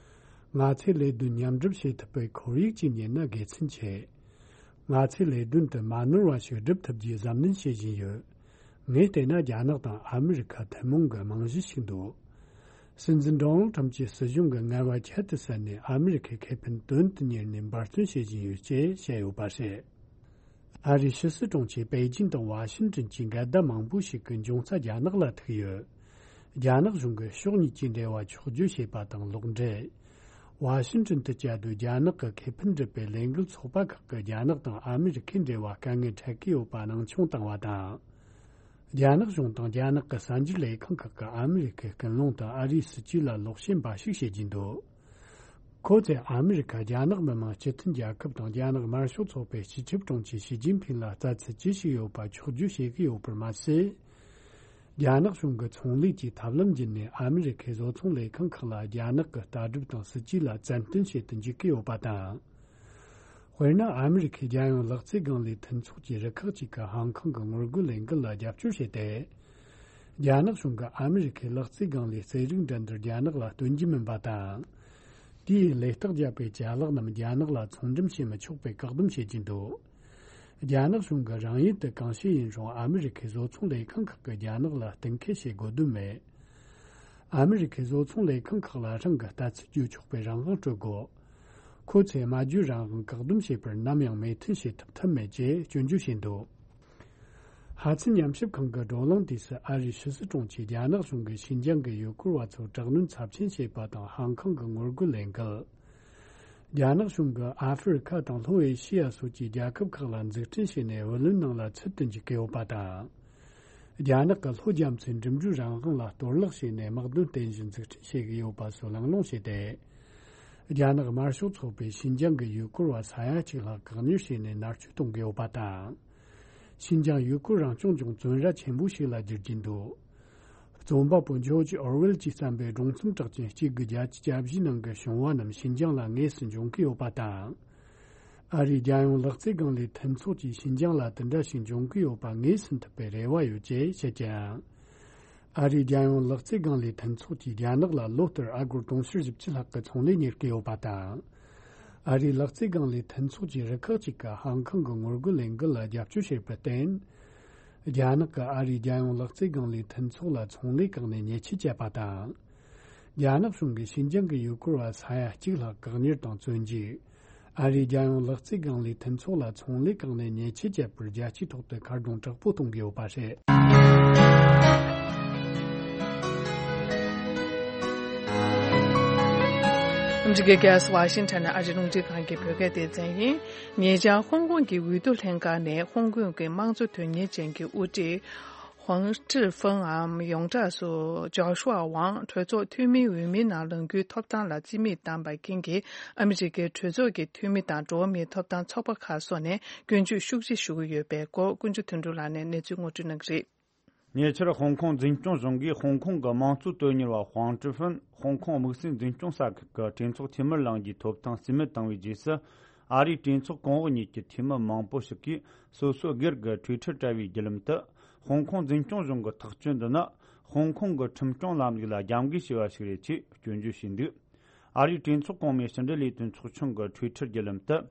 ང་ཚོས་ལས་དོན་མཉམ་སྒྲུབ་བྱེད་ཐུབ་པའི་ཁོར་ཡུག་ཅིག་རྙེད་ན་དགེ་མཚན་ཆེ། ང་ཚོས་ལས་དོན་དུ་མ་ནོར་བ་ཞིག་སྒྲུབ་ཐུབ་རྒྱུའི་གཟབ་ནན་བྱེད་བཞིན་ཡོད། ངས་བལྟས་ན་རྒྱ་ནག་དང་ཨ་མི་རི་ཁ་ཐུན་མོང་གི་རྨང་གཞི་ཞིག་འདུག་སྲིད་འཛིན་ཌོ་ནལ་ཁྲམ་གྱི་སྲིད་གཞུང་གི་ངལ་བ་ཁྱད་དུ་བསད་ནས་ཨ་མི་རི་ཁའི་ཁེ་ཕན་དོན་དུ་གཉེར་ནས་འབད་བརྩོན་བྱེད་བཞིན་ཡོད་ཅེས་བཤད་ཡོད་པ་རེད། ཨ་རིའི་ཕྱི་སྲིད་དྲུང་ཆེ་པེ་ཅིན་དང་ཝ་ཤིན་ཀྲན་གྱི་འགལ་ཟླ་མང་པོ་ཞིག་གི་འབྱུང་རྩ་རྒྱ་ནག་ལ་ཐུག་ཡོད། རྒྱ་ནག་གཞུང་གིས་ཕྱོགས་གཉིས་ཀྱི་འབྲེལ་བ་འཁྱོག་བརྗོད་བྱས་པ་དང་ལོག་འགྲེལ། ཝ་ཤིན་ཀྲན་དུ་བཅའ་སྡོད་རྒྱ་ནག་གི་ཁེ་ཕན་སྒྲུབ་པའི་ལས་འགུལ་ཚོགས་པ་ཁག་གིས་རྒྱ་ནག་དང་ཨ་མི་རི་ཁའི་འབྲེལ་བ་དཀའ་ངལ་འཕྲད་ཀྱི་ཡོད་པ་སྣང་ཆུང་བཏང་བ་དང་། རྒྱ་ནག་གཞུང་དང་རྒྱ་ནག་གི་གསར་འགྱུར་ལས་ཁང་ཁག་གིས་ཨ་མི་རི་ཁའི་ཀུན་སློང་དང་ཨ་རིའི་སྲིད་ཇུས་ལ་ལོག་བཤད་འབའ་ཞིག་བྱེད་ཀྱིན་འདུག་ཁོ་ཚོས་ཨ་མི་རི་ཁ་རྒྱ་ནག་མི་དམངས་སྤྱི་མཐུན་རྒྱལ་ཁབ་དང་རྒྱ་ནག་དམར་ཤོག་ཚོགས་པའི་སྤྱི་ཁྱབ་དྲུང་ཆེ་ཞི་ཅིན་ཕིང་ལ་ལྟ་ཚུལ་ཅི་ཞིག་ཡོད་པ་འཁྱོག་བརྗོད་བྱེད་ཀྱི་ཡོད་པར་མ་ཟད། རྒྱ་ནག་གཞུང་གི་ཚོང་ལས་ཀྱི་ཐབས་ལམ་བརྒྱུད་ནས་ཨ་མི་རི་ཁའི་བཟོ་ཚོང་ལས་ཁང་ཁག་ལ་རྒྱ་ནག་གི་ལྟ་གྲུབ་དང་སྲིད་ཇུས་ལ་བཙན་གཏོང་བྱེད་དུ་འཇུག་གི་ཡོད་པ་དང་། དཔེར་ན། ཨ་མི་རི་ཁའི་རྒྱལ་ཡོངས་ལག་རྩལ་སྒང་ལས་མཐུན་ཚོགས་ཀྱི་རུ་ཁག་ཅིག་གིས་ཧང་ཀང་གི་ངོ་རྒོལ་ལས་འགུལ་ལ་རྒྱབ་སྐྱོར་བྱས་ཏེ། རྒྱ་ནག་གཞུང་གིས་ཨ་མི་རི་ཁའི་ལག་རྩལ་སྒང་ལས་རྩེད་རིགས་འགྲན་བསྡུར་རྒྱ་ནག་ལ་སྟོན་རྒྱུ་མིན་པ་དང་། དེའི་ལས་རྟགས་བརྒྱབ་པའི་ཅ་ལག་རྣམས་རྒྱ་ནག་ལ་ཚོང་འགྲེམས་བྱེད་མི་ཆོག་པའི་བཀག་སྡོམ་བྱེད་ཀྱིན་འདུག་རྒྱ་ནག་གཞུང་གིས་རང་ཡུལ་དུ་གང་བྱས་ཡིན་རུང་ཨ་མི་རི་ཁའི་བཟོ་ཚོང་ལས་ཁང་ཁག་གིས་རྒྱ་ནག་ལ་གཏན་འཁེལ་བྱེད་དགོས་དོན་མེད། ཨ་མི་རི་ཁའི་བཟོ་ཚོང་ལས་ཁང་ཁག་ལ་རང་གི་ལྟ་ཚུལ་བརྗོད་ཆོག་པའི་རང་དབང་སྤྲོད་དགོས། ཁོ་ཚོས་སྨྲ་བརྗོད་རང་དབང་བཀག་སྡོམ་བྱས་པར་ནམ་ཡང་མོས་མཐུན་བྱེད་ཐུབ་ཐབས་མེད་ཅེས་སྐྱོན་བརྗོད་བྱས་འདུག་ཧ་ཚན་ཉམས་ཞིབ་ཁང་གི་བགྲོ་གླེང་དུས་སུ་ཨ་རིའི་ཕྱི་སྲིད་དྲུང་ཆེས་རྒྱ་ནག་གཞུང་གིས་ཤིན་ཅང་གི་ཡུལ་སྐོར་བ་ཚོར་དྲག་གནོན་ཚབས་ཆེན་བྱས་པ་དང་ཧང་ཀང་གི་ངོ་རྒོལ་ལས་འགུལ། རྒྱ་ནག་གཞུང་གིས་ཨ་ཧྥེ་རི་ཁ་དང་ལྷོ་ཨེ་ཤི་ཡ་སོགས་ཀྱི་རྒྱལ་ཁབ་ཁག་ལ་འཛུགས་སྐྲུན་བྱས་ནས་བུ་ལོན་ནང་ལ་ཚུད་དུ་འཇུག་གི་ཡོད་པ་དང་། རྒྱ་ནག་གི་ལྷོ་རྒྱ་མཚོའི་འགྲིམ་འགྲུལ་རང་དབང་ལ་གཏོར་བརླག་བྱས་ནས་དམག་དོན་རྟེན་གཞི་འཛུགས་སྐྲུན་བྱེད་ཀྱི་ཡོད་པ་སོགས་གླེང་སློང་བྱས་ཏེ། རྒྱ་ནག་དམར་ཤོག་ཚོགས་པས་ཤིན་ཅང་གི་ཡུལ་སྐོར་བ་ས་ཡ་གཅིག་ལྷག་བཀག་ཉར་བྱས་ནས་མནར་གཅོད་གཏོང་གི་ཡོད་པ་དང་། ཤིན་ཅང་ཡུལ་སྐོར་རང་སྐྱོང་ལྗོངས་བཙོན་ར་ཆེན་པོ་ཞིག་ལ་འགྱུར་གྱིན་འདུག་རྩོམ་པ་པོ་ཇོརྗ་ཨོར་ཝེལ་གྱིས་བརྩམས་པའི་སྒྲུང་རྩོམ་གྲགས་ཅན་གཅིག་དགུ་བརྒྱད་ཅུ་གྱ་བཞི་ནང་གི་བྱུང་བ་རྣམས་ཤིན་ཅང་ལ་དངོས་སུ་འབྱུང་གི་ཡོད་པ་དང་། ཨ་རིའི་རྒྱལ་ཡོངས་ལག་རྩལ་སྒང་ལས་མཐུན་ཚོགས་ཀྱིས་ཤིན་ཅང་ལ་དེ་འདྲ་ཞིག་འབྱུང་གི་ཡོད་པ་ངེས་ཟིན་ཐུབ་པའི་རེ་བ་ཡོད་ཅེས་བཤད་ཀྱང་། ཨ་རིའི་རྒྱལ་ཡོངས་ལག་རྩལ་སྒང་ལས་མཐུན་ཚོགས་ཀྱིས་རྒྱ་ནག་ལ་ལོ་ལྟར་ཨ་སྒོར་དུང་ཕྱུར་བཞི་བཅུ་ལྷག་གི་ཚོང་ལས་གཉེར་གྱི་ཡོད་པ་དང་། ཨ་རིའི་ལག་རྩལ་སྒང་ལས་མཐུན་ཚོགས་ཀྱི་རུ་ཁག་ཅིག་གིས་ཧང་ཀང་གི་ངོ་རྒོལ་ལས་འགུལ་ལ་རྒྱབ་སྐྱོར་བྱས་པར་བརྟེན། རྒྱ་ནག་གིས་ཨ་རིའི་རྒྱལ་ཡོངས་ལག་རྩལ་སྒང་ལས་མཐུན་ཚོགས་ལ་ཚོང་ལས་བཀག་ནས་ཉེས་ཆད་བཅད་པ་དང་། རྒྱ་ནག་གཞུང་གིས་ཤིན་ཅང་གི་ཡུལ་སྐོར་བ་ས་ཡ་གཅིག་ལྷག་བཀག་ཉར་དང་བཙོན་འཇུག་ཨ་རིའི་རྒྱལ་ཡོངས་ལག་རྩལ་སྒང་ལས་མཐུན་ཚོགས་ལ་ཚོང་ལས་བཀག་ནས་ཉེས་ཆད་བཅད་པར་རྒྱལ་སྤྱིའི་ཐོག་ཏུ་ཁ་རྡུང་དྲག་པོ་གཏོང་གི་ཡོད་པ་རེད། ཨ་མི་རི་ཀའི་རྒྱལ་ས་ཝ་ཤིང་ཊོན་ནས་ཨ་རིའི་རླུང་འཕྲིན་ཁང་གི་བོད་སྐད་སྡེ་ཚན་ཡིན། ཉེ་ཆར་ཧོང་ཀོང་གི་འོས་བསྡུ་ལྷན་ཁང་ནས་ཧོང་ཀོང་གི་དམངས་གཙོ་དོན་གཉེར་ཅན་གྱི་དབུ་ཁྲིད་ཧོང་ཀྲི་ཧྥུང་འམ་ཡོངས་གྲགས་སུ་ཇོ་ཤུ་ཝ་ཝང་གྲོས་ཚོགས་འཐུས་མིའི་འོས་མིའི་ནང་ལངས་རྒྱུའི་ཐོབ་ཐང་ལ་རྩིས་མེད་བཏང་བའི་རྐྱེན་གྱིས་ཨ་མི་རི་ཀའི་གྲོས་ཚོགས་ཀྱི་འཐུས་མི་དང་འགྲོ་བ་མིའི་ཐོབ་ཐང་ཚོགས་པ་ཁག་སོགས་ནས་སྐྱོན་བརྗོད་ཤུགས་ཆེ་ཞུ་གི་ཡོད་པའི་སྐོར་ཀུན་སྤྱོད་དོན་གྲུབ་ལགས་ནས་གནས་ཚུལ་ངོ་སྤྲོད་གནང་གི་རེད། ཉེ་ཆར་ཧོང་ཀོང་འཛིན་སྐྱོང་གཞུང་གིས་ཧོང་ཀོང་གི་དམངས་གཙོ་དོན་གཉེར་བ་ཧོང་ཀྲི་ཧྥུན་ཧོང་ཀོང་དམིགས་བསལ་འཛིན་སྐྱོང་ས་ཁུལ་གྱི་གྲོས་ཚོགས་འཐུས་མིར་ལངས་རྒྱུའི་ཐོབ་ཐང་རྩིས་མེད་བཏང་བའི་རྗེས་སུ། ཨ་རིའི་གྲོས་ཚོགས་གོང་འོག་གཉིས་ཀྱི་འཐུས་མི་མང་པོ་ཞིག་གིས་སོ་སོ་སྒེར་གྱི་ཊུའི་ཊར་དྲ་བའི་བརྒྱུད་ལམ་དུ། ཧོང་ཀོང་འཛིན་སྐྱོང་གཞུང་གི་ཐག་གཅོད་འདི་ནི་ཧོང་ཀོང་གི་ཁྲིམས་སྐྱོང་ལམ་ལུགས་ལ་རྒྱབ་འགལ་བྱས་པ་ཞིག་རེད་ཅེས་སྐྱོན་བརྗོད་བྱས་འདུག་ཨ་རིའི་གྲོས་ཚོགས་གོང་མའི་ཕྱི་འབྲེལ་ལས་དོན་ཚོགས་ཆུང་གི་ཊུའི་ཊར་བརྒྱུད་ལམ་དུ།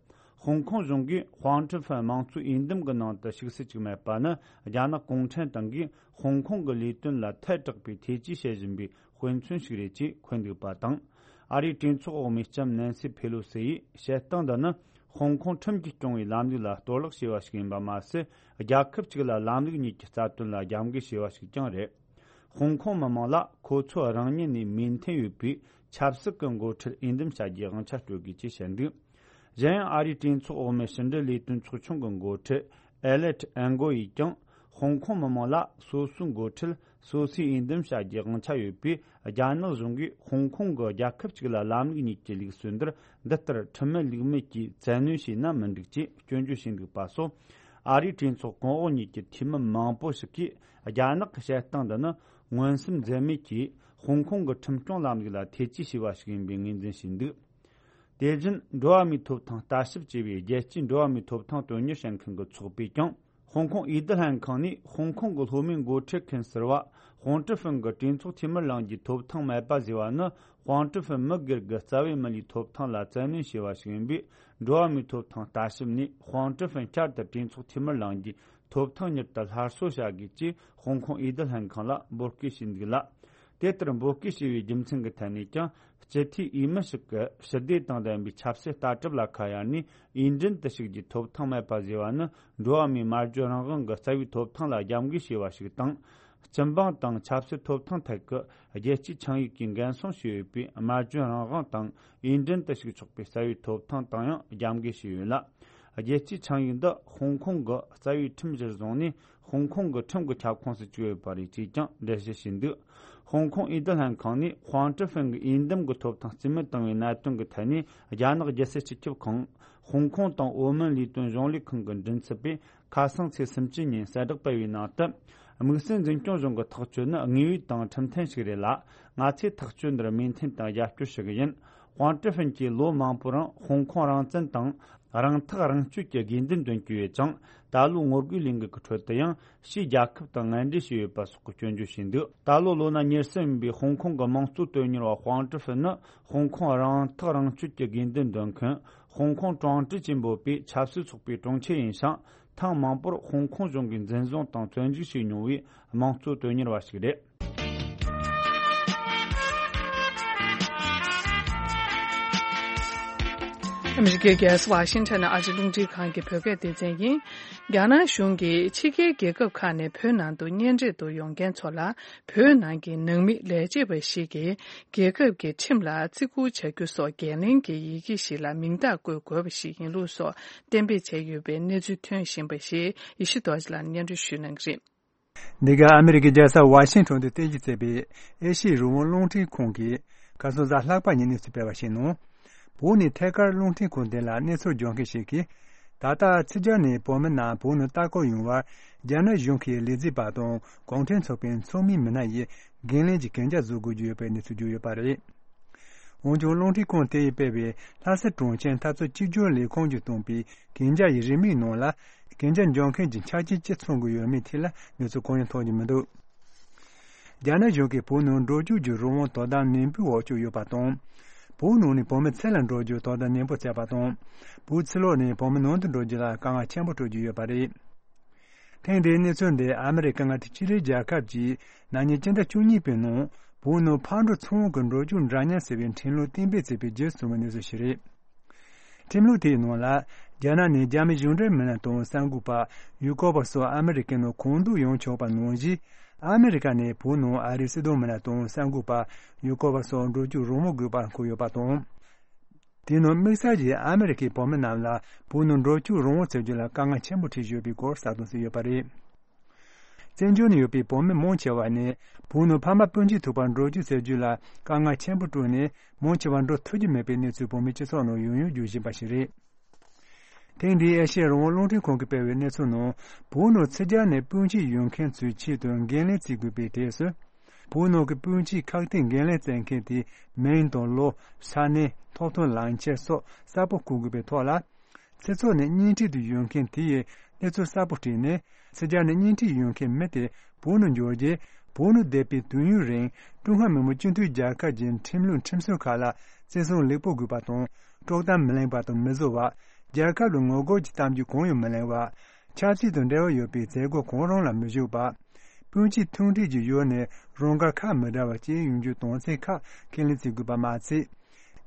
ཧོང་ཀོང་གཞུང་གིས་ཧུང་ཀྲི་ཧྥིན་དམངས་གཙོའི་འོས་འདེམས་ཀྱི་ནང་དུ་ཞུགས་སུ་བཅུག་མེད་པ་ནི། རྒྱ་ནག་གུང་ཁྲན་ཏང་གིས་ཧོང་ཀོང་གི་ལས་དོན་ལ་ཐལ་དྲགས་པའི་ཐེ་ཇུས་བྱེད་བཞིན་པའི་དཔེ་མཚོན་ཞིག་རེད་ཅེས་འཁོད་འདུག་པ་དང་། ཨ་རིའི་གྲོས་ཚོགས་འོག་མའི་ལྕམ་ནན་སི་ཕེ་ལོ་སི་ཡིས་བཤད་སྟངས་འདི་ནི། ཧོང་ཀོང་ཁྲིམས་ཀྱིས་སྐྱོང་བའི་ལམ་ལུགས་ལ་གཏོར་བརླག་བྱས་པ་ཞིག་ཡིན་པ་མ་ཟད། རྒྱལ་ཁབ་གཅིག་ལ་ལམ་ལུགས་གཉིས་ཀྱི་རྩ་དོན་ལ་རྒྱབ་འགལ་བྱས་པ་ཞིག་ཀྱང་རེད། ཧོང་ཀོང་མི་མང་ལ་ཁོ་ཚོ་རང་ཉིད་ནས་མོས་མཐུན་ཡོད་པའི་ཆབ་སྲིད་ཀྱི་འགོ་ཁྲིད་འོས་འདེམས་བྱ་རྒྱུའི་དབང་ཆ་སྤྲོད་དགོས་ཅེས་བཤད་འདུག་གཞན་ཡང་ཨ་རིའི་གྲོས་ཚོགས་འོག་མའི་ཕྱི་འབྲེལ་ལས་དོན་ཚོགས་ཆུང་གི་འགོ་ཁྲིད་ཨེ་ལེད་ཨན་གོ་ཡིས་ཀྱང་། ཧོང་ཀོང་མི་མང་ལ་སོ་སོའི་འགོ་ཁྲིད་སོ་སོས་འོས་འདེམས་བྱ་རྒྱུའི་དབང་ཆ་ཡོད་པས། རྒྱ་ནག་གཞུང་གིས་ཧོང་ཀོང་གི་རྒྱལ་ཁབ་གཅིག་ལ་ལམ་ལུགས་གཉིས་ཀྱི་ལུགས་སྲོལ་འདིར། འདི་ལྟར་ཁྲིམས་མེད་ལུགས་མེད་ཀྱིས་བཙན་གནོན་བྱས་ན་མི་འགྲིག་ཅེས་སྐྱོན་བརྗོད་བྱས་འདུག་པ་སོགས། ཨ་རིའི་གྲོས་ཚོགས་གོང་འོག་གཉིས་ཀྱི་འཐུས་མི་མང་པོ་ཞིག་གིས། རྒྱ་ནག་གི་བཤད་སྟངས་འདི་ནི་མངོན་སུམ་འཛེམ་མེད་ཀྱིས་ཧོང་ཀོང་གི་ཁྲིམས་སྐྱོང་ལམ་ལུགས་ལ་ཐེ་ཇུས་བྱས་པ་ཞིག་ཡིན་པའི་ངོས་འཛིན་བྱས་འདུག་དེ་བཞིན། འགྲོ་བ་མིའི་ཐོབ་ཐང་ལྟ་ཞིབ་ཅེས་པའི་རྒྱལ་སྤྱིའི་འགྲོ་བ་མིའི་ཐོབ་ཐང་དོན་གཉེར་བྱེད་མཁན་གྱི་ཚོགས་པས་ཀྱང་། ཧོང་ཀོང་ཨུ་ལྷན་ཁང་ནས་ཧོང་ཀོང་གི་སློབ་མའི་འགོ་ཁྲིད་མཁན་ཟུར་པ་ཧོང་ཀྲི་ཧྥིན་གྱི་གྲོས་ཚོགས་འཐུས་མི་ལངས་རྒྱུའི་ཐོབ་ཐང་མེད་པ་ཟེར་བ་ནི། ཧོང་ཀྲི་ཧྥིན་མི་སྒེར་གྱི་རྩ་བའི་མི་ལུས་ཐོབ་ཐང་ལ་བཙན་གནོན་བྱས་པ་ཞིག་ཡིན་པས། འགྲོ་བ་མིའི་ཐོབ་ཐང་ལྟ་ཞིབ་ནས་ཧོང་ཀྲི་ཧྥིན་བསྐྱར་དུ་གྲོས་ཚོགས་འཐུས་མི་ལངས་རྒྱུའི་ཐོབ་ཐང་མྱུར་དུ་སླར་གསོ་བྱ་དགོས་ཅེས་ཧོང་ཀོང་ཨུ་ལྷན་ཁང་ལ་འབོད་སྐུལ་བྱས་འདུག་ལ། དེ་ལྟར་འབོད་སྐུལ་བྱས་པའི་རྒྱུ་མཚན་གྱི་ཐད་ནས་ཀྱང་། སྤྱི་འཐུས་འོས་མི་ཞིག་གིས་ཞི་བདེ་དང་ལྡན་པའི་ཆབ་སྲིད་ལྟ་གྲུབ་ལ་ཁ་གཡར་ནས། འོས་འགྲན་དུ་ཞུགས་རྒྱུའི་ཐོབ་ཐང་མེད་པ་ཟེར་བ་ནི། འགྲོ་བ་མིའི་སྨྲ་བརྗོད་རང་དབང་གི་རྩ་བའི་ཐོབ་ཐང་ལ་རྒྱབ་འགལ་བྱས་པ་ཞིག་དང་། སྤྱི་འབངས་དང་ཆབ་སྲིད་ཐོབ་ཐང་ཐད་ཀྱི་རྒྱལ་སྤྱིའི་ཆིངས་ཡིག་གིས་འགན་སྲུང་བྱས་ཡོད་པའི་སྨྲ་བརྗོད་རང་དབང་དང་། འོས་འགྲན་དུ་ཞུགས་ཆོག་པའི་རྩ་བའི་ཐོབ་ཐང་དང་ཡང་རྒྱབ་འགལ་བྱས་ཡོད་ལ། རྒྱལ་སྤྱིའི་ཆིངས་ཡིག་འདི་ཧོང་ཀོང་གི་རྩ་བའི་ཁྲིམས་གཞིར་བཟུང་ནས། ཧོང་ཀོང་གི་ཁྲིམས་ཀྱི་ཁྱབ་ཁོངས་སུ་བཅུག་ཡོད་པ་རེད་ཅེས་ཀྱང་འགྲེལ་བཤད་བྱས་འདུག་ཧོང་ཀོང་ཨུ་ལྷན་ཁང་ནས་ཧོང་ཀྲི་ཧྥིན་གྱི་འོས་འདེམས་ཀྱི་ཐོབ་ཐང་རྩིས་མེད་བཏང་བའི་གནད་དོན་གྱི་ཐད་ནས། རྒྱ་ནག་རྒྱལ་སྲིད་སྤྱི་ཁྱབ་ཁང་། ཧོང་ཀོང་དང་ཨོ་མོན་ལས་དོན་གཞུང་ལས་ཁང་གི་མགྲིན་ཚབ་པས། ཁ་སང་ཚེས་སུམ་ཅུ་ཉིན་གསལ་བསྒྲགས་སྤེལ་བའི་ནང་དུ། དམིགས་བསལ་འཛིན་སྐྱོང་གཞུང་གི་ཐག་གཅོད་ནི་དངོས་ཡོད་དང་ཁྲིམས་མཐུན་ཞིག་རེད་ལ། ང་ཚོས་ཐག་གཅོད་འདིར་མོས་མཐུན་དང་རྒྱབ་སྐྱོར་ཞུ་གི་ཡིན། ཧོང་ཀྲི་ཧྥིན་གྱིས་ལོ་མང་པོའི་རིང་ཧོང་ཀོང་རང་བཙན་དང་རང་ཐག་རང་གཅོད་ཀྱི་དགོས་འདུན་འདོན་གྱི་ཡོད་ཅིང་། ད་ལོའི་ངོ་རྒོལ་ལས་འགུལ་གྱི་ཁྲོད་དུ་ཡང་། ཕྱིའི་རྒྱལ་ཁབ་དང་ངན་འབྲེལ་བྱས་ཡོད་པ་སོགས་ཀྱི་སྐྱོན་བརྗོད་བྱས་འདུག་ད་ལོ་ལོ་ན་ཉེར་གསུམ་ཡིན་པའི་ཧོང་ཀོང་གི་དམངས་གཙོ་དོན་གཉེར་བ་ཧོང་ཀྲི་ཧྥིན་ནི། ཧོང་ཀོང་རང་ཐག་རང་གཅོད་ཀྱི་དགོས་འདུན་འདོན་མཁན། ཧོང་ཀོང་ཀྲུང་ཀྲི་ཅེས་འབོད་པའི་ཆབ་སྲིད་ཚོགས་པའི་དྲུང་ཆེ་ཡིན་ཞིང་། ཐེངས་མང་པོར་ཧོང་ཀོང་གཞུང་གིས་འཛིན་བཟུང་དང་བཙོན་འཇུག་བྱས་མྱོང་བའི་དམངས་གཙོ་དོན་གཉེར་བ་ཞིག་རེད། ཨ་མི་རི་ཀའི་རྒྱལ་ས་ཝ་ཤིང་ཊོན་ནས་ཨ་རིའི་རླུང་འཕྲིན་ཁང་གི་བོད་སྐད་སྡེ་ཚན་ཡིན། རྒྱ་ནག་གཞུང་གིས་ཕྱི་རྒྱལ་རྒྱལ་ཁབ་ཁག་ནས་བོད་ནང་དུ་གཉེན་སྒྲིག་ཏུ་ཡོང་མཁན་ཚོ་ལ། བོད་ནང་གི་ནང་མི་ལས་བྱེད་པ་ཞིག་གིས་རྒྱལ་ཁབ་ཀྱི་ཁྲིམས་ལ་བརྩི་བཀུར་བྱ་རྒྱུ་སོགས་འགན་ལེན་གྱི་ཡི་གེ་ཞིག་ལ་མིང་རྟགས་བཀོད་དགོས་པ་ཞིག་ཡིན་ལུགས་སོགས་གཏན་འབེབས་བྱས་ཡོད་པའི་གནས་ཚུལ་ཐོན་བཞིན་པ་ཞིག་ཡེ་ཤེས་རྡོ་རྗེ་ལགས་སྙན་སྒྲོན་ཞུ་གནང་གི་རེད། འདི་ག་ཨ་མི་རི་ཀའི་རྒྱལ་ས་ཝ་ཤིང་ཊོན་དུ་རྟེན་གཞི་བྱས་པའི་ཨེ་ཤི་ཡའི་རང་དབང་རླུང་འཕྲིན་ཁང་གིས་ཁ་སང་གཟའ་ལྷག་པ་ཉིན་གནས་ཚུལ་སྤེལ་བར་གཞིགས་ན། བོད་ནས་ཐད་ཀར་རླུང་འཕྲིན་ཁང་དེ་ལ་གནས་ཚུལ་སྦྱོང་མཁན་ཞིག་གིས། ད་ལྟ་ཕྱི་རྒྱལ་ནས་བོད་མི་རྣམས་བོད་ནང་ལྟ་སྐོར་ཡོང་བར་རྒྱ་ནག་གཞུང་གིས་ལས་བྱེད་པ་དང་གུང་ཁྲན་ཚོགས་པའི་ཚོགས་མི་མི་སྣ་ཡིས་འགན་ལེན་གྱི་གན་རྒྱ་བཟོ་དགོས་ཀྱི་ཡོད་པའི་གནས་ཚུལ་བརྗོད་ཡོད་པ་རེད། འོན་ཀྱང་རླུང་འཕྲིན་ཁང་དེ་ཡིས་སྤེལ་བའི་ལྷ་ས་གྲོང་ཁྱེར་འཐབ་རྩོད་གཅིག་གྱུར་ལས་ཁུངས་ཀྱིས་བཏོན་པའི་གན་རྒྱ་ཡི་རིན་མེད་ནང་ལ། གན་རྒྱ་འཇོག་མཁན་གྱི་ཆ་རྐྱེན་ཅི་ཚང་དགོས་ཡོད་མེད་ཐད་ལ་གནས་ཚུལ་གང་ཡང་ཐོན་གྱི་མི་འདུག་རྒྱ་ནག་གཞུང་གིས་བོད་ནང་འགྲོ་སྐྱོད་ཀྱི་རང་དབང་དོ་དམ་ནན་པོའི་འོག་བཅུག་ཡོད་པ་དང་། བོད་ནང་ནས་བོད་མི་ཕྱི་ལ་འགྲོ་རྒྱུ་དོ་དམ་ནན་པོ་བྱས་པ་དང་། བོད་ཕྱི་ལོགས་ནས་བོད་མི་ནང་དུ་འགྲོ་རྒྱུ་ལ་དཀའ་ངལ་ཆེན་པོ་སྤྲོད་ཀྱི་ཡོད་པ་རེད། ཐེངས་འདིའི་གནས་ཚུལ་འདི་ཨ་མི་རི་ཀ་མངའ་སྡེ་ཕྱི་འབྲེལ་རྒྱལ་ཁབ་ཀྱིས་ན་ནིང་སྤྱི་ཟླ་བཅུ་གཉིས་པའི་ནང་བོད་ནང་ཕར་འགྲོ་ཚུར་འོང་གི་འགྲོ་སྐྱོད་འདྲ་མཉམ་ཟེར་བའི་ཁྲིམས་ལུགས་གཏན་འབེབས་བྱས་པའི་རྗེས་སུ་བྱུང་བའི་གནས་ཚུལ་ཞིག་རེད། ཁྲིམས་ལུགས་དེའི་ནང་ལ། རྒྱ་ནག་ནས་རྒྱ་མི་གཞུང་འབྲེལ་མི་སྣ་དང་གསར་འགོད་པ། ཡུལ་སྐོར་བ་སོགས་ཨ་མི་རི་ཀའི་ནང་གང་འདོད་ཡོང་ཆོག་པ་ནང་བཞིན། ཨ་མི་རི་ཀ་ནས་བོད་ནང་ཨ་རིའི་སྲིད་དོན་མི་སྣ་དང་གསར་འགོད་པ། ཡུལ་སྐོར་བ་སོགས་འགྲོ་སྐྱོད་རང་དབང་དགོས་པ་འཁོད་ཡོད་པ་དང་། དེའི་ནང་དམིགས་བསལ་གྱིས་ཨ་མི་རི་ཀའི་བོད་མི་རྣམས་ལ་བོད་ནང་འགྲོ་སྐྱོད་རང་དབང་བྱེད་རྒྱུ་ལ་དཀའ་ངལ་ཆེན་པོ་འཕྲད་བཞིན་ཡོད་པའི་སྐོར་གསལ་སྟོན་བྱས་ཡོད་པ་རེད། བཙན་བྱོལ་ནང་ཡོད་པའི་བོད་མི་མང་ཆེ་བ་ནས་བོད་ནང་ཕ་མ་སྤུན་མཆེད་ཐུག་པར་འགྲོ་སྐྱོད་བྱེད་རྒྱུ་ལ་དཀའ་ངལ་ཆེན་པོ་སྤྲོད་ནས་མང་ཆེ་བ་འགྲོ་ཐུབ་ཀྱི་མེད་པའི་གནས་ཚུལ་བོད་མིའི་སྤྱི་ཚོགས་ནང་ཡང་ཡང་བརྗོད་བཞིན་པ་ཞིག་རེད། ཐེངས་འདིའི་ཨེ་ཤེ་ཡ་རང་དབང་རླུང་འཕྲིན་ཁང་གིས་སྤེལ་བའི་གནས་ཚུལ་ནང་བོད་ནང་ཕྱི་རྒྱལ་ནས་སྤུན་མཆེད་ཡོང་མཁན་ཚོའི་ཆེད་དུ་འགན་ལེན་བྱེད་དགོས་པའི་གྲས་སུ། བོད་ནང་གི་སྤུན་མཆེད་ཁག་ཐེག་འགན་ལེན་བྱེད་མཁན་དེའི་མིང་དང་ལོ། ས་གནས། ཐོབ་ཐང་ལག་ཁྱེར་སོགས་གསལ་པོ་བཀོད་དགོས་པའི་ཐོག་ལ། སྤྱི་ཚོགས་ནས་གཉེན་སྒྲིག་ཏུ་ཡོང་མཁན་དེ་ཡིས་གནས་ཚུལ་གསལ་པོ་བྲིས་ནས། ཕྱི་རྒྱལ་ནས་གཉེན་སྒྲིག་ཡོང་མཁན་མི་དེ་བོད་ནང་འབྱོར་རྗེས་བོད་ནང་བསྡད་པའི་དུས་ཡུན་རིང་ཀྲུང་ཧྭ་མི་དམངས་སྤྱི་མཐུན་རྒྱལ་ཁབ་ཀྱི་ཁྲིམས་ལུགས་ཁྲིམས་སྲོལ་ཁག་ལ་བརྩི་སྲུང་ལེགས་པོ་དགོས་པ་དང་། དཀྲོག་གཏམ་མི་གླེང་བ་དང་མི་བཟོ་བ། རྒྱལ་ཁབ་ལ་ངོ་རྒོལ་གྱི་གཏམ་རྒྱུད་གང་ཡང་མི་གླེང་བ། ཆབ་སྲིད་དང་འབྲེལ་བ་ཡོད་པའི་མཛད་སྒོ་གང་རུང་ལ་མི་ཞུགས་པ། སྤུན་མཆེད་མཐུན་སྒྲིལ་གྱི་ཡུལ་ནས་རང་དགར་ཁ་མི་བྲལ་བ་བཅས་ཡོང་རྒྱུའི་དོན་ཚན་ཁག་ཁས་ལེན་བྱེད་དགོས་པ་མ་ཚད།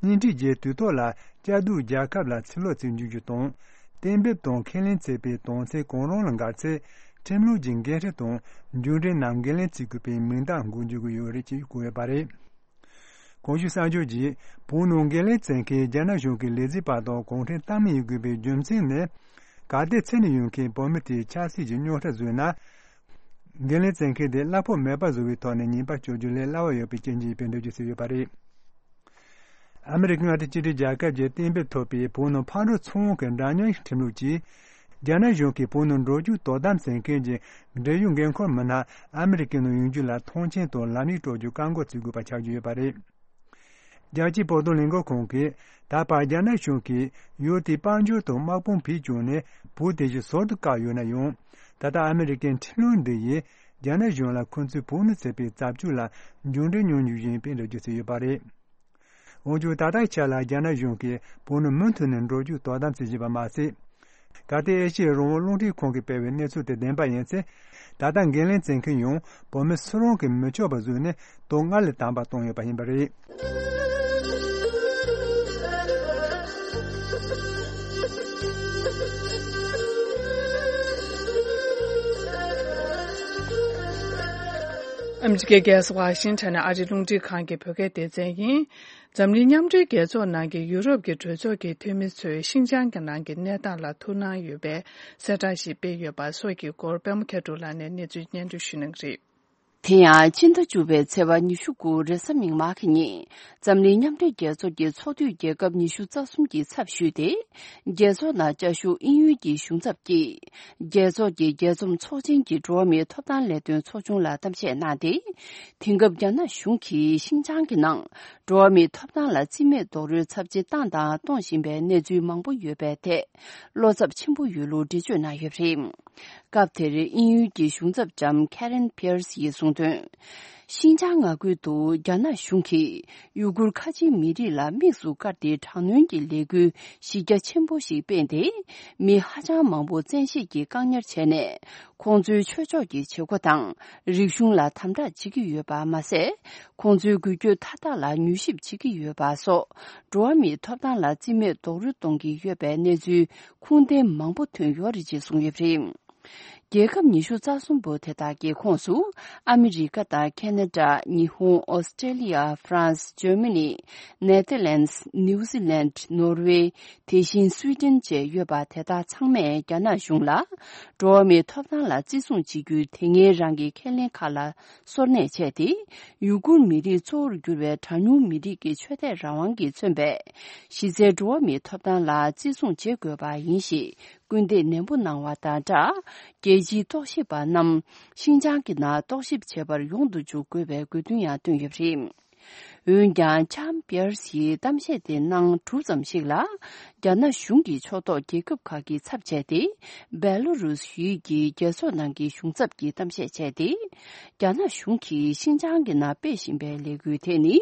གཉེན་སྒྲིག་རྗེས་དུས་ཐོག་ལ་བཅའ་སྡོད་རྒྱལ་ཁབ་ལ་ཕྱིར་ལོག་བྱེད་འཇུག་རྒྱུ་དང་། གཏན་འབེབས་དང་ཁས་ལེན་བྱས་པའི་དོན་ཚན་གང་རུང་ལ་འགལ་ཚེ། ཁྲིམས་ལུགས་ཀྱི་འགན་འཁྲི་དང་མཇུག་འབྲས་རྣམས་འགན་ལེན་བྱེད་དགོས་པའི་མིང་རྟགས་འགོད་འཇུག་གི་ཡོད་རེད་ཅེས་བཀོད་ཡོད་པ་རེད། གོང་ཞུས་གསར་འགྱུར་གྱིས་བོད་ནང་འགན་ལེན་བྱེད་མཁན་རྒྱ་ནག་གཞུང་གི་ལས་བྱེད་པ་དང་གུང་ཁྲན་ཏང་མི་ཡིན་དགོས་པའི་རྒྱུ་མཚན་ནི། ག་དེ་ཚེ་ནས་ཡོང་མཁན་བོད་མི་དེའི་ཆབ་སྲིད་ཀྱི་རྙོག་དྲ་བཟོས་ན། འགན་ལེན་བྱེད་མཁན་དེ་གླ་ཕོགས་མེད་པ་བཟོ་བའི་ཐོག་ནས་ཉེས་པ་གཅོད་རྒྱུ་ལས་སླ་བ་ཡོད་པའི་རྐྱེན་གྱིས་ཡིན་པའི་འགྲེལ་བརྗོད་བྱས་ཡོད་པ་རེད། ཨ་མི་རི་ཀ་མངའ་སྡེ་གཅིག་སྒྲིལ་རྒྱལ་ཁབ་ཀྱི་གཏན་འབེབས་ཐོབ་པའི་བོད་ནང་ཕར་འགྲོ་ཚུར་འོང་གི་འདྲ་མཉམ་ཁྲིམས་ལུགས་ཀྱིས། རྒྱ་ནག་གཞུང་གིས་བོད་ནང་འགྲོ་རྒྱུག་དོ་དམ་བྱེད་མཁན་གྱི་འབྲེལ་ཡོད་འགན་འཁུར་མི་སྣ་ཨ་མི་རི་ཀའི་ནང་ཡོང་རྒྱུ་ལ་ཐོངས་མཆན་དང་ལམ་ཡིག་སྤྲོད་རྒྱུ་བཀག་འགོག་བྱེད་དགོས་པ་ཆགས་ཀྱི་ཡོད་པ་རེད། རྒྱལ་སྤྱིའི་བོད་དོན་ལས་འགུལ་ཁང་གིས་ད་བར་རྒྱ་ནག་གཞུང་གིས་ཡུལ་དེའི་དཔལ་འབྱོར་དང་དམག་དཔུང་བེད་སྤྱོད་ནས་བོད་དེ་བཞིན་ཟུར་དུ་བཀག་ཡོད་ན་ཡང་། ད་ལྟ་ཨ་མི་རི་ཀའི་ཁྲིམས་ལུགས་འདི་ཡིས་རྒྱ་ནག་གཞུང་ལ་ཁོ་ཚོས་བོད་ནང་བྱས་པའི་རྩབ་སྤྱོད་ལ་མཇུག་འབྲས་མྱོང་རྒྱུ་ཡིན་པའི་འགྲེལ་བརྗོད་བྱས་ཡོད་པ་རེད། འོན་ཀྱང་ད་ལྟའི་ཆ་ལ་རྒྱ་ནག་གཞུང་གིས་བོད་ནང་མུ་མཐུད་ནས་འགྲོ་རྒྱུག་དོ་དམ་བྱེད་བཞིན་པ་མ་ཟད། གལ་ཏེ་ཨེ་ཤི་ཡའི་རང་དབང་རླུང་འཕྲིན་ཁང་གིས་སྤེལ་བའི་གནས་ཚུལ་དེ་བདེན་པ་ཡིན་ཚེ། ད་ལྟ་འགན་ལེན་བྱེད་མཁན་ཡང་བོད་མི་སུ་རང་གིས་མི་ཆོག་པ་བཟོས་ནས་དོན་སྔར་ལས་དམ་པ་བཏང་ཡོད་པ་ཡིན་པ་རེད། ཨ་མི་རི་ཀའི་རྒྱལ་ས་ཝ་ཤིང་ཊོན་ནས་ཨ་རིའི་རླུང་འཕྲིན་ཁང་གི་བོད་སྐད་སྡེ་ཚན་ཡིན། འཛམ་གླིང་མཉམ་འབྲེལ་རྒྱལ་ཚོགས་ནང་གི་ཡུ་རོབ་ཀྱི་གྲོས་ཚོགས་ཀྱི་འཐུས་མི་ཚོས་ཤིན་ཅང་གི་ནང་གི་གནས་སྟངས་ལ་ཐུགས་སྣང་ཡོད་པའི་གསལ་བསྒྲགས་ཤིག་སྤེལ་ཡོད་པ་སོགས་ཀྱི་སྐོར་པད་མ་མཁས་གྲུབ་ལགས་ནས་གནས་ཚུལ་སྙན་སྒྲོན་ཞུ་གནང་གི་རེད། དེ་ཡང་ཕྱི་ཟླ་བཅུ་པའི་ཚེས་པ་ཉི་ཤུ་དགུ་རེས་གཟའ་མིག་དམར་གྱི་ཉིན་འཛམ་གླིང་མཉམ་འབྲེལ་རྒྱལ་ཚོགས་ཀྱི་ཚོགས་འཐུས་རྒྱལ་ཁབ་ཉི་ཤུ་རྩ་གསུམ་གྱི་ཚབ་ཞུས་ཏེ། རྒྱལ་ཚོགས་ནང་བཅའ་བཞུགས་དབྱིན་ཡུལ་གྱི་གཞུང་ཚབ་ཀྱིས། རྒྱལ་ཚོགས་ཀྱི་རྒྱས་འཛོམས་ཚོགས་ཆེན་གྱི་འགྲོ་བ་མིའི་ཐོབ་ཐང་ལས་དོན་ཚོགས་ཆུང་ལ་གཏམ་བཤད་གནང་སྟེ། དེང་སྐབས་རྒྱ་ནག་གཞུང་གིས་ཤིན་ཅང་གི་ནང་འགྲོ་བ་མིའི་ཐོབ་ཐང་ལ་རྩིས་མེད་རྡོག་རོལ་ཚབས་ཆེ་བཏང་དང་གཏོང་བཞིན་པའི་གནས་ཚུལ་མང་པོ་ཡོད་པའི་ཐད་བློ་འཚབ་ཆེན་པོ་ཡོད་ལུགས་འགྲེལ་བརྗོད་གནང་ཡོད་པ་རེད། སྐབས་དེར་དབྱིན་ཡུལ་གྱི་གཞུང་ཚབ་ལྕམ་Karen Pierce ཡིས་གསུངས་དོན། ཤིན་ཅང་མངའ་ཁུལ་དུ་རྒྱ་ནག་གཞུང་གིས་ཡུ་གུར་ཁ་ཆེའི་མི་རིགས་ལ་དམིགས་སུ་བཀར་ཏེ་དྲག་གནོན་གྱི་ལས་འགུལ་གཞི་རྒྱ་ཆེན་པོ་ཞིག་སྤེལ་ཏེ། མི་ཧ་ཅང་མང་པོ་བཙན་ཤེད་ཀྱིས་བཀག་ཉར་བྱས་ནས། ཁོང་ཚོའི་ཆོས་ཕྱོགས་ཀྱི་བྱེད་སྒོ་དང་རིག་གཞུང་ལ་དམ་དྲག་བྱེད་ཀྱི་ཡོད་པ་མ་ཟད། ཁོང་ཚོའི་འགུལ་སྐྱོད་མཐའ་དག་ལ་མྱུལ་ཞིབ་བྱེད་ཀྱི་ཡོད་པ་སོགས། འགྲོ་བ་མིའི་ཐོབ་ཐང་ལ་རྩིས་མེད་རྡོག་རོལ་གཏོང་གི་ཡོད་པའི་གནས་ཚུལ་ཁུངས་ལྡན་མང་པོ་ཐོན་ཡོད་རེད་ཅེས་གསུངས་ཡོད་པ་རེད། རྒྱལ་ཁབ་ཉི་ཤུ་རྩ་གསུམ་པོ་དེ་དག་གི་ཁོངས་སུ། ཨ་མི་རི་ཀ་དང་ཁེ་ན་ཌ། ཉི་ཧོང་། ཨོ་སི་ཀྲེ་ལི་ཡ། ཧྥ་རན་སི། ཇར་མ་ནི། ནེ་ཐར་ལེན་སི། ནིའུ་ཛི་ལན། ནོར་ཝེ། དེ་བཞིན་སུའི་ཌེན་བཅས་ཡོད་པ་དེ་དག་ཚང་མས་རྒྱ་ནག་གཞུང་ལ། འགྲོ་བ་མིའི་ཐོབ་ཐང་ལ་བརྩི་སྲུང་བྱེད་རྒྱུའི་དེ་སྔའི་རང་གི་ཁས་ལེན་ཁག་ལ་སོར་གནས་བྱས་ཏེ། ཡུ་གུར་མི་རིགས་གཙོ་བོར་གྱུར་བའི་གྲངས་ཉུང་མི་རིགས་ཀྱི་ཆོས་དད་རང་དབང་གིས་མཚོན་པའི་གཞི་རྩའི་འགྲོ་བ་མིའི་ཐོབ་ཐང་ལ་བརྩི་སྲུང་བྱེད་དགོས་པ་ཡིན་ཞེས་སྐུལ་འདེད་ནན་པོ་གནང་བ་དང་སྦྲགས། རྒྱལ་སྤྱིའི་རྟོག་ཞིབ་པ་རྣམས་ཤིན་ཅང་གི་ནང་རྟོག་ཞིབ་བྱེད་པར་ཡོང་དུ་འཇུག་དགོས་པའི་དགོས་འདུན་ཡང་བཏོན་ཡོད་པ་རེད། འོན་ཀྱང་། ལྕམ་པེར་སིའི་གཏམ་བཤད་དེ་གནང་གྲུབ་ཙམ་ཞིག་ལ། རྒྱ་ནག་གཞུང་གི་ཕྱོགས་གཏོགས་རྒྱལ་ཁབ་ཁག་གིས་ཚབ་བྱས་ཏེ། སྦེ་ལོ་རུས་ཡུལ་གྱི་རྒྱལ་ཚོགས་ནང་གི་གཞུང་ཚབ་ཀྱིས་གཏམ་བཤད་བྱས་ཏེ། རྒྱ་ནག་གཞུང་གིས་ཤིན་ཅང་གི་ནང་སྤེལ་བཞིན་པའི་ལས་འགུལ་དེ་ནི།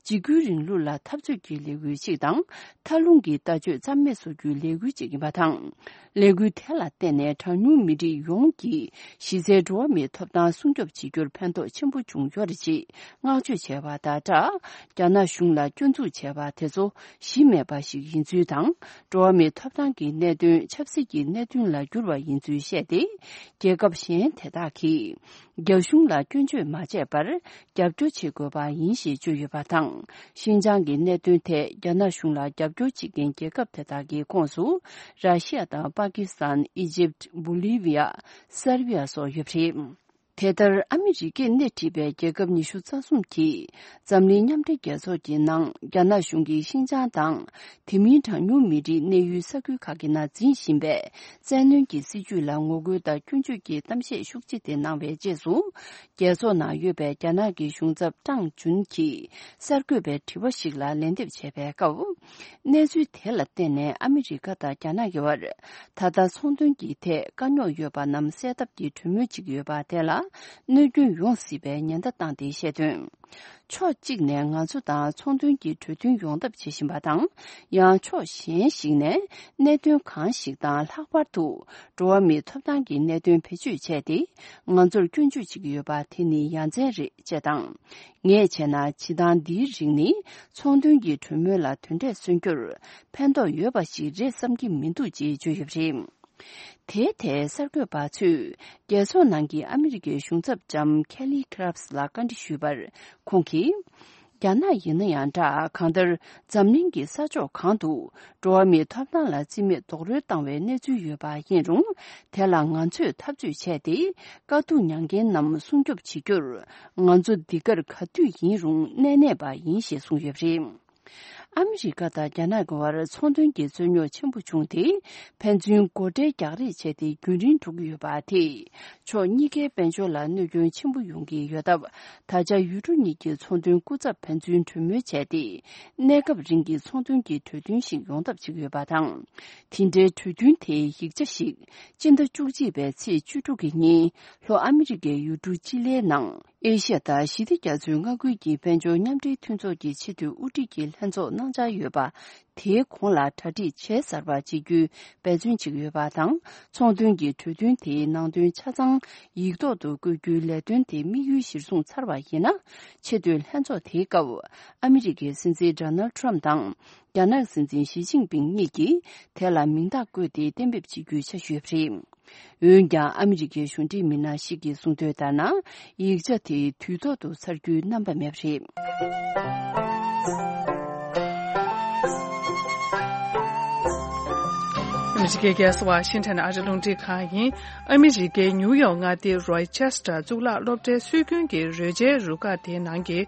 འཇིགས་སྐུལ་རིང་ལུགས་ལ་འཐབ་རྩོད་ཀྱི་ལས་འགུལ་ཞིག་དང་། མཐའ་ལྷུང་གི་ལྟ་སྤྱོད་རྩ་མེད་བཟོ་རྒྱུའི་ལས་འགུལ་ཞིག་ཡིན་པ་དང་། ལས་འགུལ་དེ་ལ་བརྟེན་ནས་གྲངས་ཉུང་མི་རིགས་ཡོངས་ཀྱི་གཞི་རྩའི་འགྲོ་བ་མིའི་ཐོབ་ཐང་སྲུང་སྐྱོབ་བྱེད་རྒྱུར་ཕན་ཐོགས་ཆེན་པོ་བྱུང་ཡོད་རེད་ཅེས་བསྔགས་བརྗོད་བྱས་པ་དང་སྦྲགས། རྒྱ་ནག་གཞུང་ལ་སྐྱོན་འཛུགས་བྱས་པ་དེ་ཚོ་གཞི་མེད་པ་ཞིག་ཡིན་ཚུལ་དང་། འགྲོ་བ་མིའི་ཐོབ་ཐང་གི་གནད་དོན་ཆབ་སྲིད་ཀྱི་གནད་དོན་ལ་བསྒྱུར་བ་ཡིན་ཚུལ་བཤད་དེ། རྒྱལ་ཁབ་གཞན་དེ་དག་གིས། རྒྱ་གཞུང་ལ་སྐྱོན་བརྗོད་མ་བྱས་པར་རྒྱབ་སྐྱོར་བྱེད་དགོས་པ་ཡིན་ཞེས་བརྗོད་ཡོད་པ་དང་། ཤིན་ཅང་གི་གནད་དོན་ཐད་རྒྱ་ནག་གཞུང་ལ་རྒྱབ་སྐྱོར་བྱེད་མཁན་རྒྱལ་ཁབ་དེ་དག་གི་ཁོངས་སུ། ར་ཤི་ཡ་དང་པ་ཀི་སི་ཐན། ཨི་ཇིབ། བོ་ལི་བི་ཡ། སར་བི་ཡ་སོགས་ཡོད་པ་རེད། དེ་ལྟར་ཨ་མི་རི་ཀས་སྣེ་ཁྲིད་པའི་རྒྱལ་ཁབ་ཉི་ཤུ་རྩ་གསུམ་གྱིས། འཛམ་གླིང་མཉམ་འབྲེལ་རྒྱལ་ཚོགས་ཀྱི་ནང་རྒྱ་ནག་གཞུང་གིས་ཤིན་ཅང་དང་། དེ་མིན་གྲངས་ཉུང་མི་རིགས་གནས་ཡུལ་ས་ཁུལ་ཁག་གི་ནང་འཛིན་བཞིན་པའི་བཙན་གནོན་གྱི་སྲིད་བྱུས་ལ་ངོ་རྒོལ་དང་སྐྱོན་བརྗོད་ཀྱི་གཏམ་བཤད་ཤུགས་ཆེ་དེ་གནང་བའི་རྗེས་སུ། རྒྱལ་ཚོགས་ནང་ཡོད་པའི་རྒྱ་ནག་གི་གཞུང་ཚབ་ཀྲང་ཅུན་གྱིས་གསར་འགོད་པའི་དྲི་བ་ཞིག་ལ་ལན་འདེབས་བྱས་པའི་སྐབས། གནས་ཚུལ་དེ་ལ་བརྟེན་ནས་ཨ་མི་རི་ཀ་དང་རྒྱ་ནག་གི་བར་ད་ལྟ་ཚོང་དོན་གྱི་ཐད་དཀའ་རྙོག་ཡོད་པ་རྣམས་སེལ་ཐབས་ཀྱི་གྲོས་མོལ་བྱེད་ཀྱི་ཡོད་པ་དེ་ལ། གནོད་སྐྱོན་ཡོང་སྲིད་པའི་ཉེན་བརྡ་བཏང་སྟེ་བཤད་དོན། ཕྱོགས་གཅིག་ནས་ང་ཚོ་དང་ཚོང་དོན་གྱི་གྲོས་མཐུན་ཡོང་ཐབས་བྱེད་བཞིན་པ་དང་། ཡང་ཕྱོགས་གཞན་ཞིག་ནས་གནད་དོན་གང་ཞིག་དང་ལྷག་པར་དུ་འགྲོ་བ་མིའི་ཐོབ་ཐང་གི་གནད་དོན་བེད་སྤྱོད་བྱས་ཏེ་ང་ཚོར་སྐྱོན་བརྗོད་བྱེད་ཀྱི་ཡོད་པ་དེ་ནི་ཡ་མཚན་རེད་ཅེས་དང་། ངས་བྱས་ན་བྱེད་སྟངས་འདིའི་རིགས་ནི་ཚོང་དོན་གྱི་གྲོས་མོལ་ལ་དོན་འབྲས་སོན་རྒྱུར་ཕན་ཐོགས་ཡོད་པ་ཞིག་རེད་བསམ་གྱི་མི་འདུག་ཅེས་བརྗོད་ཡོད་པ་རེད། དེའི་ཐད་གསར་འགོད་པ་ཚོས་རྒྱལ་ཚོགས་ནང་གི་ཨ་མི་རི་ཀའི་གཞུང་ཚབ་ལྕམ་ཁེ་ལི་ཁི་རབ་སི་ལ་བཀའ་འདྲི་ཞུས་པར། ཁོང་གིས། རྒྱ་ནག་ཡིན་ན་ཡང་འདྲ། གང་ལྟར་འཛམ་གླིང་གི་ས་ཕྱོགས་གང་དུ་འགྲོ་བ་མིའི་ཐོབ་ཐང་ལ་བརྩི་མེད་རྡོག་རོལ་བཏང་བའི་གནས་ཚུལ་ཡོད་པ་ཡིན་རུང་། དེ་ལ་ང་ཚོས་འཐབ་རྩོད་བྱས་ཏེ། དཀའ་སྡུག་མྱངས་མཁན་རྣམས་སྲུང་སྐྱོབ་བྱེད་རྒྱུར། ང་ཚོ་འདི་གར་ག་དུས་ཡིན་རུང་གནས་གནས་པ་ཡིན་ཞེས་གསུངས་ཡོད་པ་རེད། ཨ་མི་རི་ཀ་དང་རྒྱ་ནག་གི་བར་ཚོང་དོན་གྱི་རྩོད་རྙོག་ཆེན་པོ་བྱུང་སྟེ། ཕན་ཚུན་སྒོ་ཁྲལ་རྒྱག་རེས་བྱས་ཏེ་རྒྱུན་རིང་འགྲོ་གི་ཡོད་པ་དེས། ཕྱོགས་གཉིས་ཀའི་དཔལ་འབྱོར་ལ་གནོད་སྐྱོན་ཆེན་པོ་ཡོང་གི་ཡོད་སྟབས། ད་ཆ་ཡུལ་གྲུ་གཉིས་ཀྱི་ཚོང་དོན་སྐུ་ཚབ་ཕན་ཚུན་གྲོས་མོལ་བྱས་ཏེ། གནས་སྐབས་རིང་གི་ཚོང་དོན་གྱི་གྲོས་མཐུན་ཞིག་ཡོང་ཐབས་བྱེད་ཀྱི་ཡོད་པ་དང་། དེ་འབྲེལ་གྲོས་མཐུན་དེའི་ཡིག་ཆ་ཞིག་སྤྱི་ཟླ་བཅུ་གཅིག་པའི་ཚེས་བཅུ་དྲུག་གི་ཉིན་ལྷོ་ཨ་མི་རི་ཀའི་ཡུལ་གྲུ་ཅི་ལིའི་ནང་། ཨེ་ཤ་ཡ་དང་ཞི་བདེ་རྒྱ་མཚོའི་མངའ་ཁུལ་གྱི་དཔལ་འབྱོར་མཉམ་འབྲེལ་མཐུན་ཚོགས་ཀྱི་ཆེས་མཐོའི་དབུ་ཁྲིད་ཀྱི་ལྷན་ཚོགས་གནང་འཆར་ཡོད་པ། དེའི་གོང་ལ་གྲ་སྒྲིག་བྱས་ཚར་བ་བྱེད་རྒྱུའི་འབད་བརྩོན་བྱེད་ཀྱི་ཡོད་པ་དང་། ཚོང་དོན་གྱི་གྲོས་མཐུན་དེའི་ནང་དོན་ཆ་ཚང་ཡིག་ཐོག་ཏུ་བཀོད་རྒྱུའི་ལས་དོན་དེ་དམིགས་ཡུལ་གཞིར་བཟུང་ཚར་བ་ཡིན་ན། ཆེས་མཐོའི་ལྷན་ཚོགས་དེའི་སྐབས། ཨ་མི་རི་ཀའི་སྲིད་འཛིན་ཌོ་ནལ་ཊམ་དང་། རྒྱ་ནག་སྲིད་འཛིན་ཞི་ཅིན་ཕིང་གཉིས་ཀྱིས་དེ་ལ་མིང་རྟགས་བཀོད་དེ་གཏན་འབེབས་བྱེད་རྒྱུའི་འཆར་གཞི་ཡོད་པ་རེད། འོན་ཀྱང་ཨ་མི་རི་ཀའི་གཞུང་འབྲེལ་མི་སྣ་ཞིག་གིས་གསུངས་དོན་ལྟར་ན། ཡིག་ཆ་དེ་དུས་ཐོག་ཏུ་ཚར་རྒྱུའི་རྣམ་པ་མེད་པ་རེད། ཨ་མི་རི་ཀའི་རྒྱལ་ས་ཝ་ཤིང་ཊོན་ཨ་རི་རླུང་འཕྲིན་ཁང་ཡིན། ཨ་མི་རི་ཀའི་ཉིའུ་ཡོག་མངའ་སྡེའི་རོ་ཆེ་སི་ཊར་གཙུག་ལག་སློབ་གྲྭའི་སྲོལ་རྒྱུན་གྱི་རོལ་ཆའི་རུ་ཁག་དེའི་ནང་གི་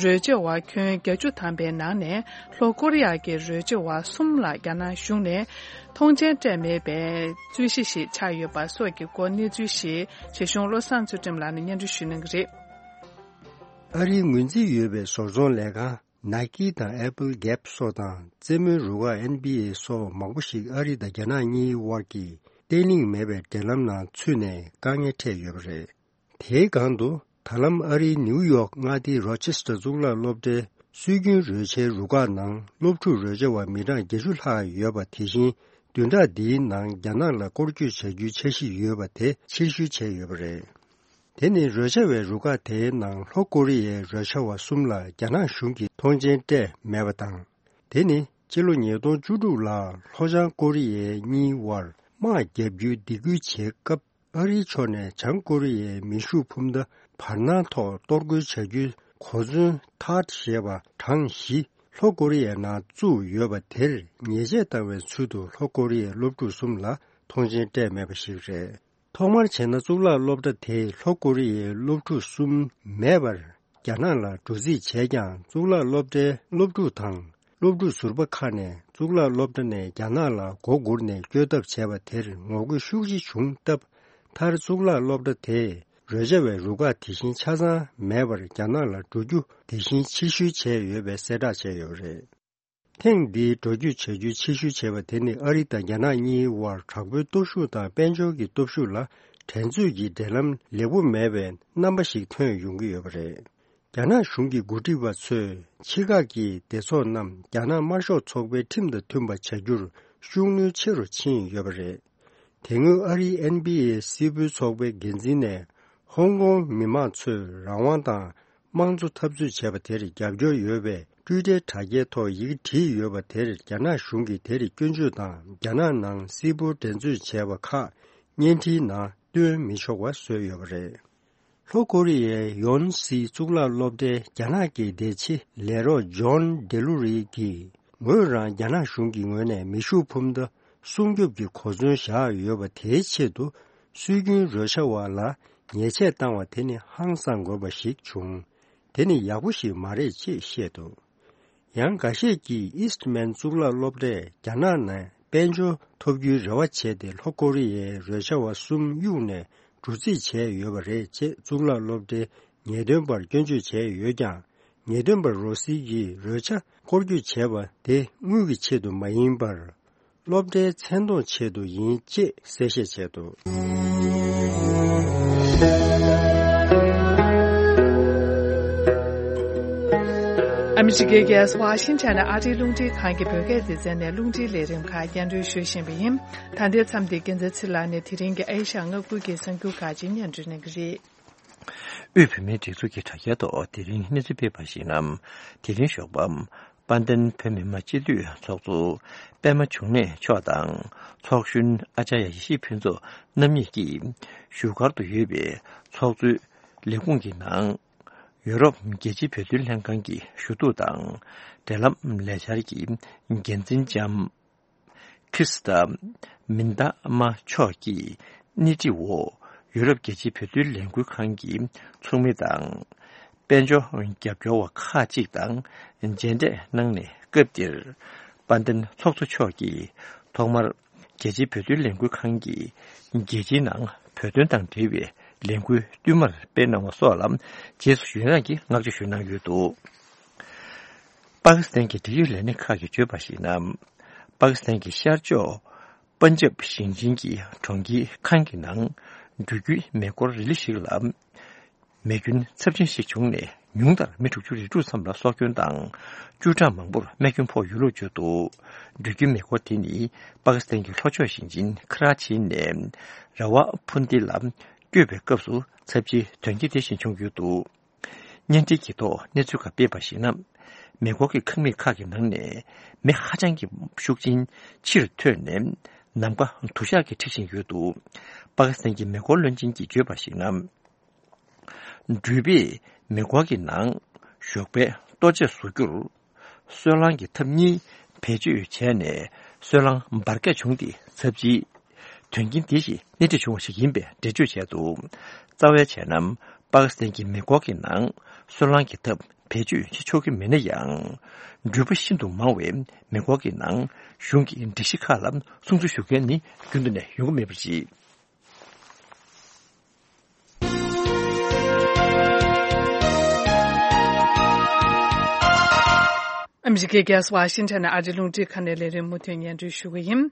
རོལ་ཆ་བ་ཁྱོན་བརྒྱད་ཅུ་ཐམ་པའི་ནང་ནས། ལྷོ་ཀོ་རི་ཡ་གི་རོལ་ཆ་བ་གསུམ་ལ་རྒྱ་ནག་གཞུང་ནས་ཐོངས་མཆན་སྤྲད་མེད་པའི་རྩོད་གཞི་ཞིག་ཆགས་ཡོད་པ་སོགས་ཀྱི་སྐོར་གནས་ཚུལ་ཞིག་བྱེད་གཞུང་བློ་བཟང་ཚུལ་ཁྲིམས་ལགས་ནས་སྙན་སྒྲོན་ཞུ་གནང་གི་རེད། ཨ་རིའི་ངོས་འཛིན་ཡོད་པའི་བཟོ་ཚོང་ལས་ཁང་ནཱི་ཀི་དང་ཨེ་པལ་གེབ་སོགས་དང་རྩེད་མོའི་རུ་ཁག་ཨེན་བྷི་ཨེ་སོགས་མང་པོ་ཞིག་ཨ་རི་དང་རྒྱ་ནག་གཉིས་དབར་གྱི་བརྟན་ལྷིང་མེད་པའི་འབྲེལ་ལམ་ནང་ཚུད་ནས་དཀའ་ངལ་འཕྲད་ཡོད་པ་རེད། དེའི་སྒང་དུ་ད་ལམ་ཨ་རིའི་ནིའུ་ཡོག་མངའ་སྡེའི་རོ་ཆེ་སི་ཊར་གཙུག་ལག་སློབ་གྲྭའི་སྲོལ་རྒྱུན་རོལ་ཆའི་རུ་ཁག་ནང་སློབ་ཕྲུག་རོལ་ཆ་བ་མི་གྲངས་བརྒྱད་ཅུ་ལྷག་ཡོད་པ། དེ་བཞིན་བདུན་ཕྲག་འདིའི་ནང་རྒྱ་ནག་ལ་སྐོར་སྐྱོད་བྱ་རྒྱུའི་འཆར་གཞི་ཡོད་པ་དེ་ཕྱིར་བཤོལ་བྱས་ཡོད་པ་རེད། དེ་ནི་རོལ་ཆ་བའི་རུ་ཁག་དེའི་ནང་ལྷོ་ཀོ་རི་ཡའི་རོལ་ཆ་བ་གསུམ་ལ་རྒྱ་ནག་གཞུང་གིས་ཐོངས་མཆན་སྤྲད་མེད་པ་དང་། དེ་ནི་ཕྱི་ལོ་ཉིས་སྟོང་བཅུ་དྲུག་ལ་ལྷོ་བྱང་ཀོ་རི་ཡའི་གཉིས་དབར་དམག་བརྒྱབ་རྒྱུའི་སྡིགས་སྐུལ་བྱེད་སྐབས། ཨ་རིའི་ཕྱོགས་ནས་བྱང་ཀོ་རི་ཡའི་མེ་ཤུགས་འཕུར་མདའ་བར་སྣང་ཐོག་གཏོར་རྒོལ་བྱ་རྒྱུའི་གོ་མཚོན་ཐཱད་ཞེས་པ་གྲངས་བཞི་ལྷོ་ཀོ་རི་ཡའི་ནང་བཙུགས་ཡོད་པ་དེར་ཉེས་ཆད་བཏང་བའི་ཚུལ་དུ་ལྷོ་ཀོ་རི་ཡའི་སློབ་ཕྲུག་གསུམ་ལ་ཐོངས་མཆན་སྤྲད་མེད་པ་ཞིག་རེད། ཐོག་མར་བྱས་ན་གཙུག་ལག་སློབ་གྲྭ་དེས་ལྷོ་ཀོ་རི་ཡའི་སློབ་ཕྲུག་གསུམ་མེད་པར་རྒྱ་ནག་ལ་འགྲོ་རྩིས་བྱས་ཀྱང་། གཙུག་ལག་སློབ་གྲྭའི་སློབ་ཕྲུག་དང་སློབ་ཕྲུག་ཟུར་པ་ཁག་ནས་གཙུག་ལག་སློབ་གྲྭ་ནས་རྒྱ་ནག་ལ་མགོ་སྒུར་ནས་བསྐྱོད་ཐབས་བྱས་པ་དེར་ངོ་རྒོལ་ཤུགས་ཆེ་བྱུང་སྟབས། མཐར་གཙུག་ལག་སློབ་གྲྭ་དེས་རོལ་ཆ་བའི་རུ་ཁག་དེ་བཞིན་ཆ་ཚང་མེད་པར་རྒྱ་ནག་ལ་འགྲོ་རྒྱུ་དེ་བཞིན་ཕྱིར་བཤོལ་བྱས་ཡོད་པའི་གསལ་བསྒྲགས་བྱས་ཡོད་པ་རེད། ཐེངས་འདིའི་འགྲོ་སྐྱོད་བྱ་རྒྱུ་ཕྱིར་བཤོལ་བྱས་པ་དེ་ནི་ཨ་རི་དང་རྒྱ་ནག་གཉིས་དབར་དྲག་པོའི་སྟོབས་ཤུགས་དང་དཔལ་འབྱོར་གྱི་སྟོབས་ཤུགས་ལ་འགྲན་རྩོད་ཀྱི་འབྲེལ་ལམ་ལེགས་པོ་མེད་པའི་རྣམ་པ་ཞིག་ཐོན་ཡོང་གི་ཡོད་པ་རེད། རྒྱ་ནག་གཞུང་གི་འགོ་ཁྲིད་པ་ཚོས་ཕྱི་ཁག་གི་སྡེ་ཚོགས་རྣམས་རྒྱ་ནག་དམར་ཤོག་ཚོགས་པའི་ཁྲིམས་དང་མཐུན་པ་བྱ་རྒྱུར་ཤུགས་སྣོན་ཆེ་རུ་ཕྱིན་ཡོད་པ་རེད། དེ་སྔོན་ཨ་རིའི་ཨེན་བྷི་ཨེ་སིལ་བུའི་ཚོགས་པའི་འགན་འཛིན་ནས་ཧོང་ཀོང་མི་མང་ཚོས་རང་དབང་དང་དམངས་གཙོ་འཐབ་རྩོད་བྱས་པ་དེར་རྒྱབ་སྐྱོར་ཡོད་པའི་ཊུའི་ཊར་དྲ་རྒྱའི་ཐོག་ཡི་གེ་བྲིས་ཡོད་པ་དེར་རྒྱ་ནག་གཞུང་གིས་དེར་སྐྱོན་བརྗོད་དང་། རྒྱ་ནག་ནང་སིལ་བུར་འགྲན་རྩོད་བྱས་པ་ཁག་བརྙན་འཕྲིན་ནང་སྟོན་མི་ཆོག་པ་བཟོས་ཡོད་པ་རེད། ལྷོ་ཀོ་རི་ཡའི་ཡོན་སི་གཙུག་ལག་སློབ་གྲྭའི་རྒྱ་ནག་གི་བདེ་ཆེ་ལས་རོགས་ཇོན་ཌེ་ལུ་རི་གིས། ངོས་རང་རྒྱ་ནག་གཞུང་གི་ངོས་ནས་མེ་ཤུགས་འཕུར་མདའ་སྲུང་སྐྱོབ་ཀྱི་གོ་མཚོན་བཞག་ཡོད་པ་དེའི་ཆེད་དུ་སྲོལ་རྒྱུན་རོལ་ཆ་བ་ལ་ཉེས་ཆད་བཏང་བ་དེ་ནི་ཧང་སང་དགོས་པ་ཞིག་བྱུང་། དེ་ནི་ཡག་པོ་ཞིག་མ་རེད་ཅེས་བཤད་འདུག། ཡང་འགའ་ཤས་ཀྱིས་ཨིསྟ་མན་གཙུག་ལག་སློབ་གྲྭས་རྒྱ་ནག་ནས་དཔལ་འབྱོར་ཐོབ་རྒྱུའི་རེ་བ་བྱས་ཏེ། ལྷོ་ཀོ་རི་ཡའི་རོལ་ཆ་བ་གསུམ་གཡུགས་ནས་འགྲོ་རྩིས་བྱས་ཡོད་པ་རེད་ཅེས་གཙུག་ལག་སློབ་གྲྭའི་ངེས་སྟོན་པར་སྐྱོན་བརྗོད་བྱས་ཡོད་ཀྱང་། ངེས་སྟོན་པ་རོ་སི་ཡིས་རོལ་ཆ་སྐོར་སྐྱོད་བྱས་པ་དེ་དངུལ་གྱི་ཆེད་དུ་མ་ཡིན་པར། སློབ་གྲྭའི་མཚན་མཐོང་ཆེད་དུ་ཡིན་ཅེས་གསལ་བཤད་བྱས་འདུག། ཨ་མི་རི་ཀའི་རྒྱལ་ས་ཝ་ཤིང་ཊོན་ནས་ཨ་རིའི་རླུང་འཕྲིན་ཁང་གི་བོད་སྐད་སྡེ་ཚན་ནས་རླུང་འཕྲིན་ལས་རིམ་ཁག་སྙན་སྒྲོན་ཞུ་བཞིན་པ་ཡིན། ད་ལྟའི་མཚམས་འདིར་རྒྱལ་མཚན་ཚེ་ལགས་ནས་དེ་རིང་གི་ཨེ་ཤ་ཡ་མངའ་ཁུལ་གྱི་གསར་འགྱུར་ཁག་ཅིག་སྙན་སྒྲོན་གནང་གི་རེད། དབུས་བོད་མིའི་སྒྲིག་འཛུགས་ཀྱི་དྲ་རྒྱའི་ཐོག་དེ་རིང་གནས་ཚུལ་སྤེལ་བར་གཞིགས་ན། དེ་རིང་ཞོགས་པ། དཔལ་ལྡན་བོད་མི་མང་སྤྱི་འཐུས་ཚོགས་གཙོ་པད་མ་འབྱུང་གནས་མཆོག་དང་། ཚོགས་གཞོན་ཨ་ཅརྱ་ཡེ་ཤེས་ཕུན་ཚོགས་རྣམ་གཉིས་ཀྱིས་བཞུགས་སྒར་དུ་ཡོད་པའི་ཚོགས་གཙོའི་ལས་ཁུངས་ཀྱི་ནང་། ཡུ་རོབ་རྒྱལ་སྤྱིའི་བོད་དོན་ལྷན་ཁང་གི་ཞུ་གཏུག་དང་། འབྲེལ་ལམ་ལས་འཆར་གྱི་འགན་འཛིན་ལྕམ་ཁིར་སི་ཏ་མིན་ཏ་མ་མཆོག་གིས་སྣེ་ཁྲིད་འོག་ཡུ་རོབ་རྒྱལ་སྤྱིའི་བོད་དོན་ལས་འགུལ་ཁང་གི་ཚོགས་མི་དང་། དཔལ་འབྱོར་རྒྱབ་སྐྱོར་བ་ཁག་ཅིག་དང་མཇལ་འཕྲད་གནང་ནས། སྐབས་དེར་དཔལ་ལྡན་ཚོགས་གཙོ་མཆོག་གིས་ཐོག་མར་རྒྱལ་སྤྱིའི་བོད་དོན་ལས་འགུལ་ཁང་གིས་རྒྱལ་སྤྱིའི་ནང་བོད་དོན་དང་འབྲེལ་བའི་ལས་འགུལ་བསྟུད་མར་སྤེལ་གནང་བ་སོགས་ལ་རྗེས་སུ་ཡི་རངས་ཀྱི་བསྔགས་བརྗོད་ཞུས་གནང་ཡོད་འདུག། པ་ཀི་སི་ཐན་གྱི་འབྲེལ་ཡོད་ལས་སྣེ་ཁག་གིས་བརྗོད་པར་གཞིགས་ན། པ་ཀི་སི་ཐན་གྱི་ཤར་ཕྱོགས་པན་ཇབ་ཞིང་ཆེན་གྱི་གྲོང་ཁྱེར་ཁཱན་གྱི་ནང་འགྲུལ་སྐྱོད་མེ་འཁོར་རི་ལི་ཞིག་ལ། མེ་སྐྱོན་ཚབས་ཆེན་ཞིག་བྱུང་ནས། ཉུང་མཐར་མི་དྲུག་ཅུ་རེ་དྲུག་ཙམ་ལ་སྲོག་སྐྱོན་དང་། བཅུ་ཕྲག་མང་པོར་རྨས་སྐྱོན་ཕོག་ཡོད་ལུགས་བརྗོད་འདུག། འགྲུལ་སྐྱོད་མེ་འཁོར་དེ་ནི་པ་ཀི་སི་ཐན་གྱི་ལྷོ་ཕྱོགས་ཞིང་ཆེན་ཁ་ར་ཆི་ནས་ར་ཝ་ཕུན་ཏི་ལ་བསྐྱོད་པའི་སྐབས་སུ་ཚབས་ཆེའི་དོན་རྐྱེན་དེ་བཞིན་བྱུང་ཡོད་འདུག། བརྙན་འཕྲིན་གྱི་ཐོག་གནས་ཚུལ་ཁག་སྤེལ་བར་གཞིགས་ན། མེ་འཁོར་གྱི་ཁང་མིག་ཁག་གི་ནང་ནས་མེ་ཧ་ཅང་གི་ཤུགས་ཆེན་ཕྱིར་འཐོན་ནས། ནམ་མཁའ་དུ་ཞག་གིས་འཁྲིགས་བཞིན་ཡོད་འདུག། པ་ཀི་སི་ཐན་གྱི་མེ་འཁོར་བློན་ཆེན་གྱིས་བརྗོད་པར་གཞིགས་ན། འགྲུལ་པས་མེ་འཁོར་གྱི་ནང་ཞོགས་པའི་ལྟོ་ཆས་བཟོ་རྒྱུར། སོལ་རླངས་ཀྱི་ཐབ་གཉིས་བེད་སྤྱོད་བྱས་ནས། སོལ་རླངས་འབར་གས་བྱུང་སྟེ། ཚབས་ཆེའི་དོན་རྐྱེན་དེ་བཞིན་སྣེ་ཁྲིད་བྱུང་བ་ཞིག་ཡིན་པའི་འགྲེལ་བརྗོད་བྱས་འདུག། རྩ་བའི་བྱས་ན། པ་ཀི་སི་ཐན་གྱི་མེ་འཁོར་གྱི་ནང་སོལ་རླངས་ཀྱི་ཐབ་བེད་སྤྱོད་བྱེད་ཆོག་གི་མེད་ན་ཡང་། འགྲུལ་པ་ཤིན་ཏུ་མང་བས་མེ་འཁོར་གྱི་ནང་གཞུང་གི་སྒྲིག་གཞི་ཁག་ལ་སྲུང་བརྩི་ཞུ་མཁན་ནི་རྒྱུན་དུ་ནས་ཡོང་གི་མེད་པ་རེད། ཨ་མི་རི་ཀའི་རྒྱལ་ས་ཝ་ཤིང་ཊོན་ནས་ཨ་རིའི་རླུང་འཕྲིན་ཁང་ནས་ལས་རིམ་མུ་མཐུད་སྙན་སྒྲོན་ཞུ་གི་ཡིན།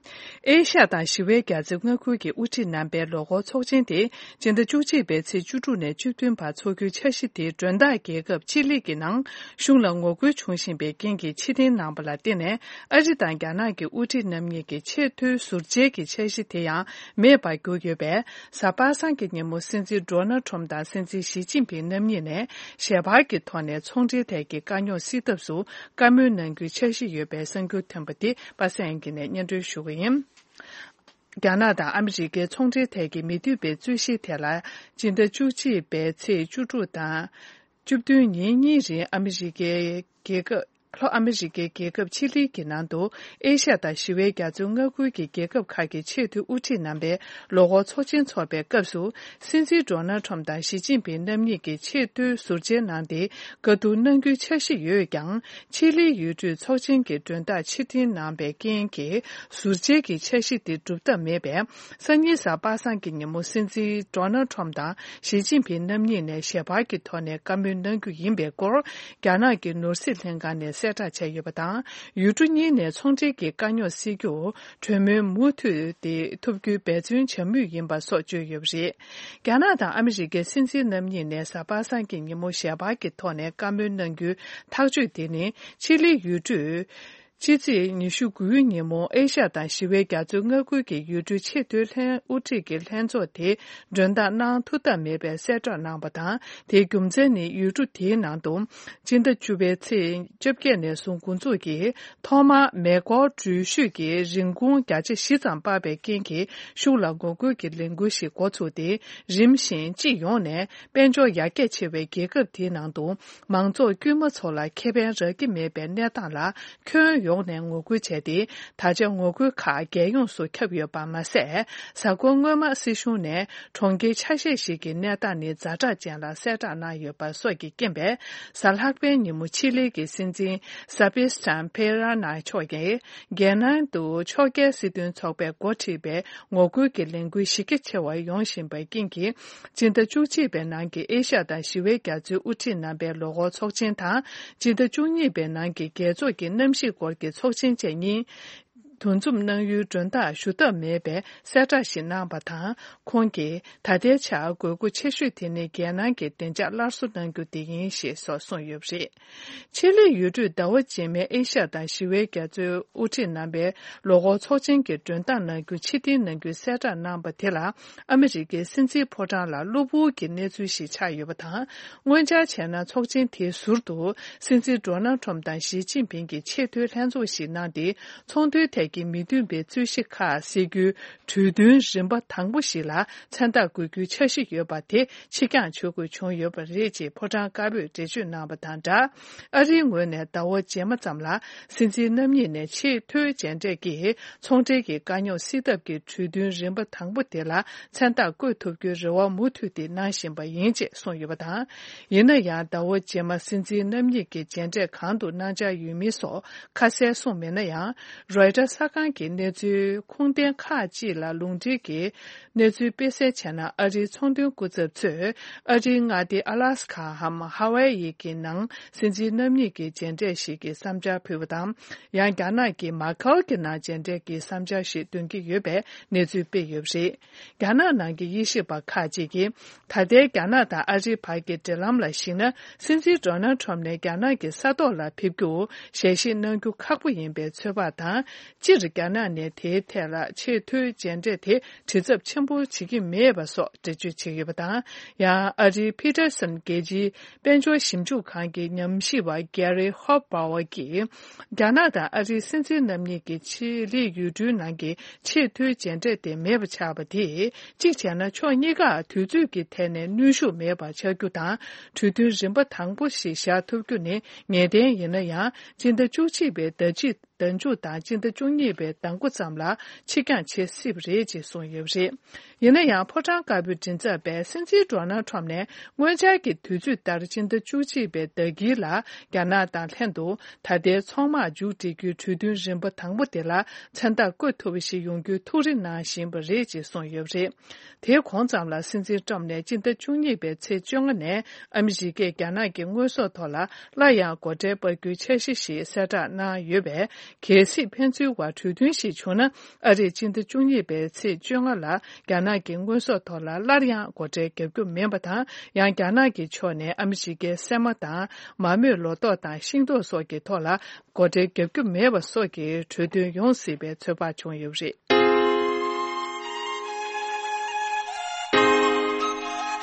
ཨེ་ཤ་ཡ་དང་ཞི་བའི་རྒྱ་མཚོའི་མངའ་ཁུལ་གྱི་དབུ་ཁྲིད་རྣམ་པའི་ལོ་འཁོར་ཚོགས་ཆེན་དེ་སྤྱི་ཟླ་བཅུ་གཅིག་པའི་ཚེས་བཅུ་དྲུག་ནས་བཅུ་བདུན་བར་འཚོགས་རྒྱུའི་འཆར་གཞི་དེ་མགྲོན་བདག་རྒྱལ་ཁབ་ཆི་ལི་གི་ནང་གཞུང་ལ་ངོ་རྒོལ་བྱུང་བཞིན་པའི་རྐྱེན་གྱིས་ཕྱིར་འཐེན་གནང་བ་ལ་བརྟེན་ནས། ཨ་རི་དང་རྒྱ་ནག་གི་དབུ་ཁྲིད་རྣམ་གཉིས་ཀྱི་ཆེས་མཐོའི་ཟུར་མཇལ་གྱི་འཆར་གཞི་དེ་ཡང་མེད་པར་གྱུར་ཡོད་པས། གཟའ་པ་སངས་ཀྱི་ཉིན་མོ་སྲིད་འཛིན་ཌོ་ནལ་ཁྲོམ་དང་སྲིད་འཛིན་ཞི་ཅིན་ཕིང་རྣམ་གཉིས་ནས་ཞལ་པར་གྱི་ཐོག་ནས་ཚོང་འབྲེལ་ཐད་ཀྱི་དཀའ་རྙོག་སེལ་ཐབས་སུ་བཀའ་མོལ་གནང་རྒྱུའི་འཆར་གཞི་ཡོད་པའི་གསར་འགྱུར་ཐོན་པ་དེ་པ་སངས་ཀྱིས་ནས་སྙན་སྒྲོན་ཞུ་གི་ཡིན། རྒྱ་ནག་དང་ཨ་མི་རི་ཀའི་ཚོང་འབྲེལ་ཐད་ཀྱི་མི་མཐུན་པའི་རྩོད་གཞི་ཐད་ལ། སྤྱི་ཟླ་བཅུ་གཅིག་པའི་ཚེས་བཅུ་དྲུག་དང་བཅུ་བདུན་ཉིན་གཉིས་རིང་ཨ་མི་རི་ཀའི་རྒྱལ་ཁབ། ལྷོ་ཨ་མི་རི་ཀའི་རྒྱལ་ཁབ་ཆི་ལི་གི་ནང་དུ། ཨེ་ཤ་ཡ་དང་ཞི་བའི་རྒྱ་མཚོའི་མངའ་ཁུལ་གྱི་རྒྱལ་ཁབ་ཁག་གི་ཆེས་མཐོའི་དབུ་ཁྲིད་རྣམ་པའི་ལོ་འཁོར་ཚོགས་ཆེན་འཚོགས་པའི་སྐབས་སུ། སྲིད་འཛིན་ཌོ་ནལ་ཁྲོམ་དང་ཞི་ཅིན་ཕིང་རྣམ་གཉིས་ཀྱིས་ཆེས་མཐོའི་ཟུར་མཇལ་གནང་སྟེ། བཀའ་བསྡུར་གནང་རྒྱུའི་འཆར་གཞི་ཡོད་ཀྱང་། ཆི་ལིའི་ཡུལ་གྲུས་ཚོགས་ཆེན་གྱི་མགྲོན་བདག་ཕྱིར་འཐེན་གནང་བའི་རྐྱེན་གྱིས། ཟུར་མཇལ་གྱི་འཆར་གཞི་དེ་སྒྲུབ་ཐབས་མེད་པས། སང་ཉིན་གཟའ་པ་སངས་ཀྱི་ཉིན་མོ་སྲིད་འཛིན་ཌོ་ནལ་ཁྲོམ་དང་ཞི་ཅིན་ཕིང་རྣམ་གཉིས་ནས་ཞལ་པར་གྱི་ཐོག་ནས་བཀའ་མོལ་གནང་རྒྱུ་ཡིན་པའི་སྐོར། རྒྱ་ནག་གི་ནོར་སྲིད་ལྷན་ཁང་ནས་གསལ་བསྒྲགས་བྱས་ཡོད་པ་དང་། ཡུལ་གྲུ་གཉིས་ནས་ཚོང་འབྲེལ་གྱི་དཀའ་རྙོག་སེལ་རྒྱུར་གྲོས་མོལ་མུ་མཐུད་དེ་ཐུབ་རྒྱུའི་འབད་བརྩོན་བྱ་མུས་ཡིན་པ་སོགས་བརྗོད་ཡོད་པ་རེད། རྒྱ་ནག་དང་ཨ་མི་རི་ཀའི་སྲིད་འཛིན་རྣམ་གཉིས་ནས་གཟའ་པ་སངས་ཀྱི་ཉིན་མོ་ཞལ་པར་གྱི་ཐོག་ནས་བཀའ་མོལ་གནང་རྒྱུའི་ཐག་གཅོད་དེ་ནི། ཆི་ལི་ཡུལ་གྲུས། ཕྱི་ཚེས་ཉི་ཤུ་དགུའི་ཉིན་མོ་ཨེ་ཤ་ཡ་དང་ཞི་བའི་རྒྱ་མཚོའི་མངའ་ཁུལ་གྱི་ཡུལ་གྲུའི་ཆེས་མཐོའི་ལྷན་དབུ་ཁྲིད་ཀྱི་ལྷན་ཚོགས་དེ་མགྲོན་བདག་གནང་ཐུབ་ཐབས་མེད་པའི་གསལ་བསྒྲགས་གནང་བ་དང་། དེའི་རྒྱུ་མཚན་ནི་ཡུལ་གྲུ་དེའི་ནང་དུ་སྤྱི་ཟླ་བཅུ་པའི་ཚེས་བཅོ་བརྒྱད་ནས་བཟུང་འགོ་འཛུགས་ཀྱིས། ཐོག་མར་མེ་འཁོར་འགྲུལ་བཞུད་ཀྱི་རིན་གོང་བརྒྱ་ཆ་བཞི་ཙམ་སྤར་བའི་རྐྱེན་གྱིས། གཞུང་ལ་ངོ་རྒོལ་གྱི་ལས་འགུལ་ཞིག་འགོ་ཚུགས་ཏེ། རིམ་བཞིན་སྤྱི་ཡོངས་ནས་དཔལ་འབྱོར་ཡར་རྒྱས་ཆེ་བའི་རྒྱལ་ཁབ་དེའི་ནང་དུ། མང་ཚོགས་དཀྱུས་མ་ཚོ་ལ་ཁེ་ཕན་རག་གི་མེད་པའི་གནས་སྟངས་ལ་ཁྱོན་ཡོངས་ནས་ངོ་རྒོལ་བྱས་ཏེ། ད་ཆ་ངོ་རྒོལ་ཁག་རྒྱལ་ཡོངས་སུ་ཁྱབ་ཡོད་པ་མ་ཟད། གཟའ་འཁོར་སྔོན་མ་སྲིད་གཞུང་ནས་གྲོང་ཁྱེར་ཆ་ཤས་ཤིག་གི་གནས་སྟངས་ནི་ཛ་དྲག་ཅན་ལ་གསལ་བསྒྲགས་གནང་ཡོད་པ་སོགས་ཀྱི་རྐྱེན་པས། གཟའ་ལྷག་པའི་ཉིན་མོ་ཆི་ལི་གི་སྲིད་འཛིན་སེ་བེ་སི་ཊན་ཕེ་ར་ན་མཆོག་གིས། རྒྱལ་ནང་དུ་ཕྱོགས་འགལ་སྲིད་དོན་ཚོགས་པས་འགོ་ཁྲིད་པའི་ངོ་རྒོལ་གྱི་ལས་འགུལ་གཞི་རྒྱ་ཆེ་བ་ཡོང་བཞིན་པའི་རྐྱེན་གྱིས། སྤྱི་ཟླ་བཅུ་གཅིག་པའི་ནང་གི་ཨེ་ཤ་ཡ་དང་ཞི་བའི་རྒྱ་མཚོའི་དབུ་ཁྲིད་རྣམ་པའི་ལོ་འཁོར་ཚོགས་ཆེན་དང་། སྤྱི་ཟླ་བཅུ་གཉིས་པའི་ནང་གི་རྒྱལ་ཚོགས་ཀྱི་གནམ་གཤིས་སྐོར་གྱི་ཚོགས་ཆེན་བཅས་གཉིས། འདུ་འཛོམས་གནང་ཡུལ་མགྲོན་བདག་ཞུ་ཐབས་མེད་པའི་གསལ་བསྒྲགས་ཤིག་གནང་བ་དང་། ཁོང་གིས་ད་ལྟའི་ཆར་དགོས་མཁོ་ཆེ་ཤོས་དེ་ནི་རྒྱལ་ནང་གི་བདེ་འཇགས་སླར་གསོ་གནང་རྒྱུ་དེ་ཡིན་ཞེས་སོགས་གསུངས་ཡོད་པ་རེད། ཆེད་ལས་ཡུལ་གྲུས་ཟླ་བ་རྗེས་མའི་ཨེ་ཤ་ཡ་དང་ཞི་བའི་རྒྱ་མཚོའི་དབུ་ཁྲིད་རྣམ་པའི་ལོ་འཁོར་ཚོགས་ཆེན་གྱི་མགྲོན་བདག་གནང་རྒྱུ་ཕྱིར་འཐེན་གནང་རྒྱུའི་གསལ་བསྒྲགས་གནང་བ་དེ་ལ། ཨ་མི་རི་ཀའི་སྲིད་འཛིན་ཕོ་བྲང་ལ་གློ་བུར་གྱི་གནས་ཚུལ་ཞིག་ཆགས་ཡོད་པ་དང་། སྔོན་འཆར་བྱས་ན་ཚོགས་ཆེན་དེའི་ཟུར་དུ་སྲིད་འཛིན་ཌོ་ནལ་ཁྲོམ་དང་ཞི་ཅིན་ཕིང་གིས་ཆེས་མཐོའི་ལྷན་ཚོགས་ཤིག་གནང་སྟེ། ཚོང་དོན་ཐད་ཀྱི་མི་མཐུན་པའི་རྩོད་གཞི་ཁག་སེལ་རྒྱུའི་གྲོས་མཐུན་རིམ་པ་དང་པོ་ཞིག་ལ་མཚན་རྟགས་འགོད་རྒྱུའི་འཆར་གཞི་ཡོད་པ་དེ་ཕྱིར་འགྱངས་བྱེད་དགོས་བྱུང་ཡོད་པ་རེད་ཅེས་ཕོ་བྲང་དཀར་པོས་འགྲེལ་བརྗོད་གནང་བ་དང་སྦྲགས། ཨ་རིའི་ངོས་ནས་ཟླ་བ་རྗེས་མ་ཙམ་ལ་སྲིད་འཛིན་རྣམ་གཉིས་ནས་ཆེས་མཐོའི་མཇལ་འཕྲད་ཀྱིས་ཚོང་འབྲེལ་གྱི་དཀའ་རྙོག་སེལ་ཐབས་ཀྱི་གྲོས་མཐུན་རིམ་པ་དང་པོ་དེ་ལ་མཚན་རྟགས་བཀོད་ཐུབ་རྒྱུའི་རེ་བ་མུ་མཐུད་དེ་གནང་བཞིན་པ་ཡིན་ཅེས་གསུངས་ཡོད་པ་དང་། ཡིན་ན་ཡང་ཟླ་བ་རྗེས་མ་སྲིད་འཛིན་རྣམ་གཉིས་ཀྱི་མཇལ་འཕྲད་གང་དུ་གནང་འཆར་ཡོད་མིན་སོགས་ཁ་གསལ་གསུངས་མེད་ན་ཡང་། རོའི་ཊར་གསར་ཁང་གི་གནས་ཚུལ་ཁུངས་ལྡན་ཁག་ཅིག་ལ་ལུང་འདྲེན་གྱིས། གནས་ཚུལ་སྤེལ་གསལ་བྱས་ན། ཨ་རིའི་ཚོང་དོན་སྐུ་ཚབ་ཚོས་ཨ་རིའི་མངའ་སྡེ་ཨ་ལ་སི་ཁའམ་ཧ་ཝའེ་ཡི་གི་ནང་སྲིད་འཛིན་རྣམ་གཉིས་ཀྱི་མཇལ་འཕྲད་ཞིག་གི་བསམ་འཆར་ཕུལ་བ་དང་། ཡང་རྒྱ་ནག་གི་མ་ཁའོ་གི་ནང་མཇལ་འཕྲད་ཀྱི་བསམ་འཆར་ཞིག་འདོན་གྱི་ཡོད་པའི་གནས་ཚུལ་སྤེལ་ཡོད་པ་རེད། རྒྱ་ནག་ནང་གི་དབྱེ་ཞིབ་པ་ཁག་ཅིག་གིས། ད་ལྟའི་རྒྱ་ནག་དང་ཨ་རིའི་བར་གྱི་འབྲེལ་ལམ་ལ་གཞིགས་ན། སྲིད་འཛིན་ཌོ་ནལ་ཁྲོམ་ནས་རྒྱ་ནག་གི་ས་ཐོག་ལ་ཕེབས་རྒྱུར་ཞལ་བཞེས་གནང་རྒྱུ་ཁག་པོ་ཡིན་པའི་ཚོད་དཔག་དང་། སྤྱིར་རྒྱ་ནག་ནས་དེའི་ཐད་ལ་ཆེས་མཐོའི་མཇལ་འཕྲད་དེ་དྲི་ཚབ་ཆེན་པོ་བྱེད་ཀྱི་མེད་པ་སོགས་འགྲེལ་བརྗོད་བྱས་ཡོད་པ་དང་། ཡང་ཨ་རིའི་ཕི་ཊར་སན་རྒྱལ་སྤྱིའི་དཔལ་འབྱོར་ཞིབ་འཇུག་ཁང་གི་ཉམས་ཞིབ་པ་གེ་རི་ཧོབ་བྷ་ཝར་གྱིས། རྒྱ་ནག་དང་ཨ་རིའི་སྲིད་འཛིན་རྣམ་གཉིས་ཀྱི་ཆེད་ལས་ཡུལ་གྲུའི་ནང་གི་ཆེས་མཐོའི་མཇལ་འཕྲད་དེ་མེད་པ་ཆགས་པ་དེས། གཅིག་བྱས་ན་ཕྱོགས་གཉིས་ཀར་དུས་ཚོད་ཀྱི་ཐད་ནས་གནོན་ཤུགས་མེད་པ་ཆགས་རྒྱུ་དང་། གྲོས་མཐུན་རིམ་པ་དང་པོ་ཞིག་བཞག་ཐུབ་རྒྱུ་ནི་ངེས་གཏན་ཡིན་ན་ཡང་། སྤྱི་ཟླ་བཅུ་གཅིག་པའི་ཟླ་གཅིག་ཟླ་མཇུག་དང་སྤྱི་ཟླ་བཅུ་གཉིས་པའི་ཟླ་མགོ་ཙམ་ལ་ཕྱིར་འགྱངས་བྱེད་སྲིད་པ་རེད་ཅེས་གསུངས་ཡོད་པ་རེད། ཡིན་ན་ཡང་། ཕོ་བྲང་དཀར་པོའི་མགྲིན་ཚབ་པས་སྲིད་འཛིན་ཌོ་ནལ་ཁྲོམ་ནས་སྔོན་འཆར་གྱི་དུས་ཚོད་ལྟར་སྤྱི་ཟླ་བཅུ་གཅིག་པའི་ཟླ་དཀྱིལ་ལ་རྒྱ་ནག་དང་ལྷན་དུ་ད་ལྟའི་ཚོང་དམག་མཇུག་སྒྲིལ་རྒྱུའི་གྲོས་མཐུན་རིམ་པ་དང་པོ་དེ་ལ་མཚན་རྟགས་བཀོད་ཐུབ་པ་ཞིག་ཡོང་རྒྱུའི་ཐུགས་རེ་གནང་བཞིན་པ་རེད་ཅེས་གསུངས་ཡོད་པ་རེད། དེའི་གོང་ཙམ་ལ་སྲིད་འཛིན་ཀྲམ་ནས་སྤྱི་ཟླ་བཅུ་གཉིས་པའི་ཚེས་བཅོ་ལྔ་ནས་ཨ་མི་རི་ཀས་རྒྱ་ནག་གི་དངོས་ཟོག་ཐོག་ལ་སླར་ཡང་སྒོ་ཁྲལ་སྤར་རྒྱུའི་འཆར་གཞི་ཞིག་གསལ་བསྒྲགས་གནང་ཡོད་པས། གལ་སྲིད་ཕན་ཚུན་བར་གྲོས་མཐུན་ཞིག་བྱུང་ན། ཨ་རིས་སྤྱི་ཟླ་བཅུ་གཉིས་པའི་ཚེས་བཅོ་ལྔ་ལ་རྒྱ་ནག་གི་དངོས་ཟོག་ཐོག་ལ་སླར་ཡང་སྒོ་ཁྲལ་བརྒྱབ་རྒྱུ་མིན་པ་དང་། ཡང་རྒྱ་ནག་གི་ཕྱོགས་ནས་ཨ་མི་རི་ཀའི་སྲན་མ་དང་མ་རྨོས་ལོ་ཏོག་དང་ཤིང་ཏོག་སོགས་ཀྱི་ཐོག་ལ་སྒོ་ཁྲལ་བརྒྱབ་རྒྱུ་མེད་པ་སོགས་ཀྱི་གྲོས་མཐུན་ཡོང་སྲིད་པའི་ཚོད་དཔག་བྱུང་ཡོད་པ་རེད།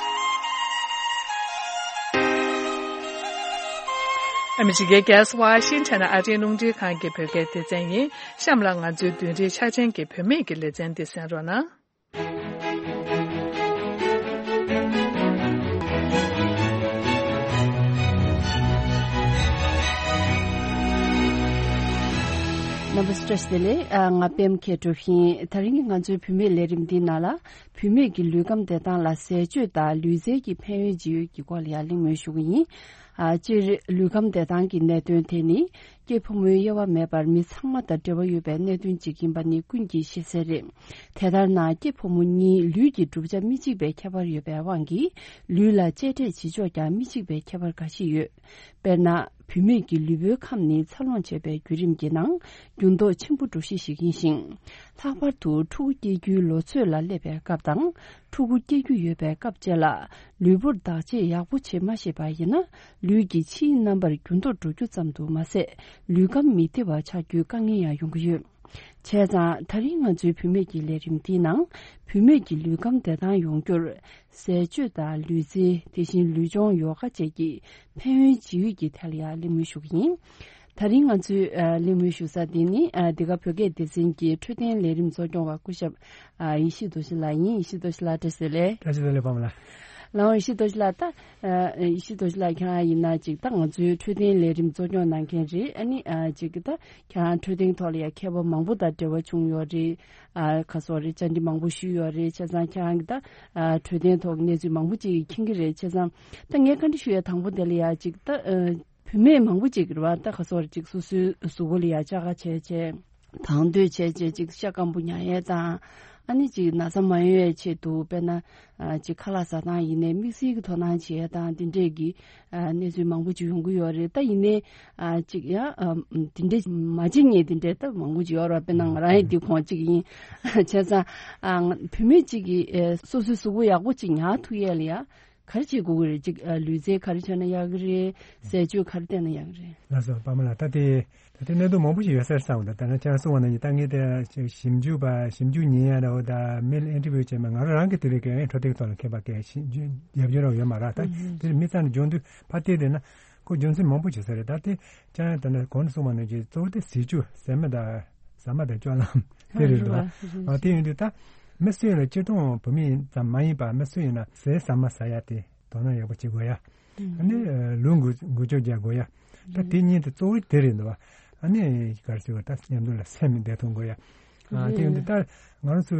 ཨ་མི་རི་ཀའི་རྒྱལ་ས་ཝ་ཤིང་ཊོན་ཨ་རིའི་རླུང་འཕྲིན་ཁང་གི་བོད་སྐད་སྡེ་ཚན་ཡིན། གཤམ་ལ་ང་ཚོའི་བདུན་རེའི་འཆར་ཅན་གྱི་བུད་མེད་ཀྱི་ལེ་ཚན་འདི་གསན་རོགས་གནང་། རྣམ་པ་བཀྲ་ཤིས་བདེ་ལེགས། ཨ། ང་པད་མ་མཁས་གྲུབ་ཡིན། དེ་རིང་གི་ང་ཚོའི་བུད་མེད་ལས་རིམ་འདིའི་ནང་ལ། བུད་མེད་ཀྱི་ལུས་ཁམས་བདེ་ཐང་ལ་ཟས་སྤྱོད་དང་ལུས་རྩལ་གྱི་ཕན་ཡོན་ཇི་ཡོད་ཀྱི་སྐོར་ལ་ཡང་གླེང་མོལ་ཞུ་གི་ཡིན། ཨ། སྤྱིར་ལུས་ཁམས་བདེ་ཐང་གི་གནད་དོན་དེ་ནི། སྐྱེས་ཕོ་མོའི་དབྱེ་བ་མེད་པར་མི་ཚང་མ་དང་འབྲེལ་བ་ཡོད་པའི་གནད་དོན་ཅིག་ཡིན་པ་ནི་ཀུན་གྱིས་ཤེས་གསལ་རེད། དེ་ལྟར་ན། སྐྱེས་ཕོ་མོ་གཉིས་ལུས་ཀྱི་གྲུབ་ཆ་མི་གཅིག་པའི་ཁྱད་པར་ཡོད་པའི་དབང་གིས། ལུས་ལ་གཅེས་སྤྲས་བྱེད་ཕྱོགས་ཀྱང་མི་གཅིག་པའི་ཁྱད་པར་འགའ་ཞིག་ཡོད། དཔེར་ན། བུད་མེད་ཀྱི་ལུས་པོའི་ཁམས་ནི་འཚར་ལོངས་བྱེད་པའི་བརྒྱུད་རིམ་གྱི་ནང་འགྱུར་ལྡོག་ཆེན་པོ་འགྲོ་གཞི་ཞིག་ཡིན་ཞིང་། ལྷག་པར་དུ་ཕྲུ་གུ་སྐྱེ་རྒྱུའི་ལོ་ཚོད་ལ་སླེབས་པའི་སྐབས་དང་། ཕྲུ་གུ་སྐྱེ་རྒྱུ་ཡོད་པའི་སྐབས་བཅས་ལ། ལུས་པོར་བདག་གཅེས་ཡག་པོ་བྱེད་མ་ཤེས་པ་ཡིན་ན། ལུས་ཀྱི་ཕྱིའི་རྣམ་པར་འགྱུར་ལྡོག་འགྲོ་རྒྱུ་ཙམ་དུ་མ་ཟད། ལུས་ཁམས་མི་བདེ་བ་ཆགས་རྒྱུའི་དཀའ་ངལ་ཡང་ཡོང་གི་ཡོད། བྱས་ཙང་། དེ་རིང་ང་ཚོའི་བུད་མེད་ཀྱི་ལས་རིམ་འདིའི་ནང་། བུད་མེད་ཀྱི་ལུས་ཁམས་བདེ་ཐང་ཡོང་རྒྱུར། ཟས་སྤྱོད་དང་ལུས་རྩལ། དེ་བཞིན་ལུས་སྦྱོང་ཡོ་ག་བཅས་ཀྱི་ཕན་ཡོན་ཇི་ཡོད་ཀྱི་ཐད་ལ་ཡང་གླེང་མོལ་ཞུ་གི་ཡིན། དེ་རིང་ང་ཚོའི། ཨ། གླེང་མོལ་ཞུ་ས་འདི་ནི། ཨ། འདི་ག་བོད་སྐད་སྡེ་ཚན་གྱི་འཕྲོད་བསྟེན་ལས་རིམ་གཙོ་སྐྱོང་བ་སྐུ་ཞབས། ཨ། ཡེ་ཤེས་རྡོ་རྗེ་ལགས་ཡིན། ཡེ་ཤེས་རྡོ་རྗེ་ལགས་བཀྲ་ཤིས་བདེ་ལེགས། བཀྲ་ཤིས་བདེ་ལེགས་པ་མ་ལགས། ལགས་འོང་། ཡེ་ཤེས་རྡོ་རྗེ་ལགས། ད། ཨ། ཡེ་ཤེས་རྡོ་རྗེ་ལགས་ཁྱེད་རང་ཡིན་ན་ཅིག་ད་ང་ཚོའི་འཕྲོད་བསྟེན་ལས་རིམ་གཙོ་སྐྱོང་གནང་མཁན་རེད། ཨ་ནི། ཨ། ཅིག་ད་ཁྱེད་རང་འཕྲོད་བསྟེན་ཐོག་ལ་ཡང་མཁས་པ་མང་པོ་དང་འབྲེལ་བ་བྱུང་ཡོད་རེད། ཨ། ག་སོགས་རེད། བཅར་འདྲི་མང་པོ་ཞུས་ཡོད་རེད། བྱས་ཙང་ཁྱེད་རང་གི་ད། ཨ། འཕྲོད་བསྟེན་ཐོག་གི་གནས་ཚུལ་མང་པོ་ཅིག་མཁྱེན་གྱི་རེད། བྱས་ཙང་ད་ངས་བཀའ་འདྲི་ཞུ་ཡ་དང་པོ་དེ་ལ་ཡ་ཅིག་ད། ཨ། བུད་མེད་མང་པོ་ཅིག་རེད་བ། ད་ག་སོགས་རེད། ཅིག་སོ་སོའི་གཟུགས་པོ་ལ་ཡ་བཅག་ག་བྱས་བྱས། དང་དོད་བྱས་བྱས་ཅིག་ཤ་སྐམ་པོ་ཉར་ཡས་དང་། ཨ་ནི་ཅིག་ན་ཚ་མ་ཡོང་བའི་ཆེད་དུ་དཔེར་ན་ཨ་ཅིག་ཁ་ལག་ཟ་སྟངས་ཡིན་ནའི་དམིགས་བསལ་གྱི་དོ་སྣང་བྱེད་ཡས་དང་དེ་འདྲས་ཀྱི་ཨ་གནས་ཚུལ་མང་པོ་ཅིག་ཡོང་གི་ཡོད་རེད། ད་ཡིན་ནའི་ཨ་ཅིག་ཡང་ཨ་དེ་འདྲས་མ་བྱེད་མཁན་དེ་འདྲས་ད་མང་པོ་ཅིག་ཡོད་རེད། དཔེར་ན་ང་རང་ཡང་དེ་ཁོངས་གཅིག་ཡིན། བྱས་ཙང་ཨ་ང་བུད་མེད་ཅིག་གིས་ཨ་སོ་སོའི་གཟུགས་པོ་ཡག་པོ་ཅིག་ཉར་ཐུབ་ཡས་ལ་ཡ། ག་རེ་བྱེད་དགོས་ཀྱི་རེད། ཅིག་ཨ་ལུས་རྩལ་ག་རེ་བྱས་ན་ཡག་གི་རེད། ཟས་སྤྱོད་ག་རེ་བསྟེན་ན་ཡག་གི་རེད། ལགས་སོ་པདྨ་ལགས། ད་དེ་ད་དེ་གནད་དོན་མང་པོ་ཞིག་ཡོད་ས་རེད་བསམ་གི་འདུག་ད་ནང་ཁྱེད་རང་གསུངས་པ་ནང་བཞིན་ད་ངས་དེ་ཞིབ་འཇུག་པ་ཞིབ་འཇུག་ཉན་ཡ་འདྲ་བོ་དང་མི་ལ་ཨིན་ཊར་བིའུ་བྱས་མ་ང་རང་རང་གི་དེ་རིགས་ཀྱི་འཕྲོ་སྟེགས་ཐོག་ལ་མཁས་པ་གས་ཞིབ་འཇུག་རྒྱབ་སྐྱོར་རོགས་ཡོད་མ་རེད། ད་དེ་མི་ཚང་ནས་འཇོན་དུས་ཕར་བལྟས་བསྡད་ན་ཁོ་རྒྱུ་མཚན་མང་པོ་བྱེད་ས་རེད། ད་དེ་ཅང་ད་ནི་གོང་དུ་གསུངས་པ་ནང་བཞིན་གཙོ་བོ་དེ་ཟས་སྤྱོད་ཟས་མ་དང་ཟ་མ་དང་སྤྱོད་ལམ་དེ་རེད་འདུག་ཨ་དེ་ཡིན་དུས་ད་མི་སུ་ཡིན་ལ་སྤྱིར་བཏང་བུད་མེད་ཙམ་མ་ཡིན་པར་མི་སུ་ཡིན་ན་ཟས་ཟ་མ་ཟ་ཡ་དེ་དོ་སྣང་ཡག་པོ་བྱེད་དགོས་ཡ། ཨ་ནི་ལུས་འགུལ་འགུལ་སྐྱོད་རྒྱག་དགོས་ཡ། ད་དེ་གཉིས་དེ་གཙོ་བོ་དེ་རེད་འདུག་ཨ་ནི་ག་རེ་ཟེར་བ་ད་མཉམ་དུ་ལ་སེམས་བདེ་ཐོན་དགོས་ཡ། ཨ་དེ་ཡིན་དུས་ད་ང་རང་ཚོ་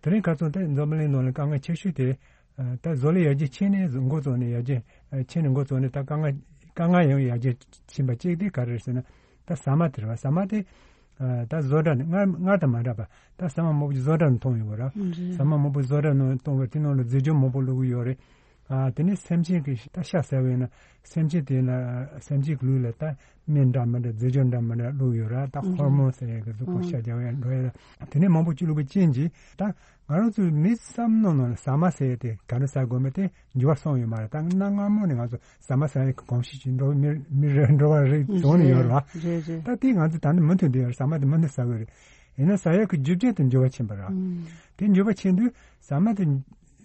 དེ་རིང་ཁ་སང་ད་འཛམ་བུ་གླིང་ནང་ལ་དཀའ་ངལ་ཆེ་ཤོས་དེ། ད་བཟོ་ལས་ཡར་རྒྱས་ཕྱིན་ནས་འགོ་བཙུགས་ནས་ཡར་རྒྱས་ཕྱིན་ནས་འགོ་བཙུགས་ནས་ད་དཀའ་ངལ་དཀའ་ངལ་ཡང་ཡར་རྒྱས་ཕྱིན་པ་གཅིག་དེ་ག་རེ་རེད་ཟེར་ན་ད་ཟ་མ་དེ་རེད་བ། ཟ་མ་དེ་ད་བཟོ་གྲྭ་ནས་སྔར་སྔར་དང་མ་འདྲ་བ་ད་ཟ་མ་མང་པོ་ཞིག་བཟོ་གྲྭ་ནས་གཏོང་ཡོང་གི་རེད། ཟ་མ་མང་པོ་བཟོ་གྲྭ་ནས་གཏོང་བའི་དེ་ནང་ལ་རྫས་སྦྱོར་མང་པོ་བླུགས་ཀྱི་ཡོད་རེད། དེ་ནས་སེམས་ཅན་གྱི་ད་ཤ་ཟ་བས་ན་སེམས་ཅན་དེ་ལ་སེམས་ཅན་གྱི་ལུས་ལ་ད་སྨན་འདྲ་མི་འདྲ་རྫས་སྦྱོར་འདྲ་མི་འདྲ་བླུགས་ཡོད་རེད། ད་ཧོར་མོན་ཟེར་ཡས་ཀྱི་གཟུགས་པོ་ཤ་རྒྱག་ཡས་འགྲོ་ཡས་ལ་དེ་ནས་མང་པོ་ཅིག་བླུགས་པའི་རྐྱེན་གྱིས་ད། ང་རང་ཚོའི་མི་བསམ་བློ་ནང་ལ་ཟ་མ་ཟ་ཡས་དེ་ག་འདྲ་ཟ་དགོས་མིན་དེ་འགྱུར་བ་སོང་ཡོད་མ་རེད། ད་གནའ་སྔ་མོ་ནས་ང་ཚོ་ཟ་མ་ཟ་ཡས་ཀྱི་གོམས་གཤིས་ཅིག་འགྲོ་མི་མི་རེ་འགྲོ་བ་རེད་བྱུང་ནས་ཡོད་རེད་བ། རེད་རེད། ད་དེ་ང་ཚོ་ད་ནི་མུ་མཐུད་དུ་ཡོད་རེད། ཟ་མ་དེ་མུ་མཐུད་ཟ་དགོས་རེད། ཡིན་ན་ཟ་ཡས་ཀྱི་རྒྱུ་རྐྱེན་དེ་འགྱུར་བ་ཕྱིན་པ་རེད། དེ་འགྱུར་བ་ཕྱིན་དུས་ཟ་མ་དེ་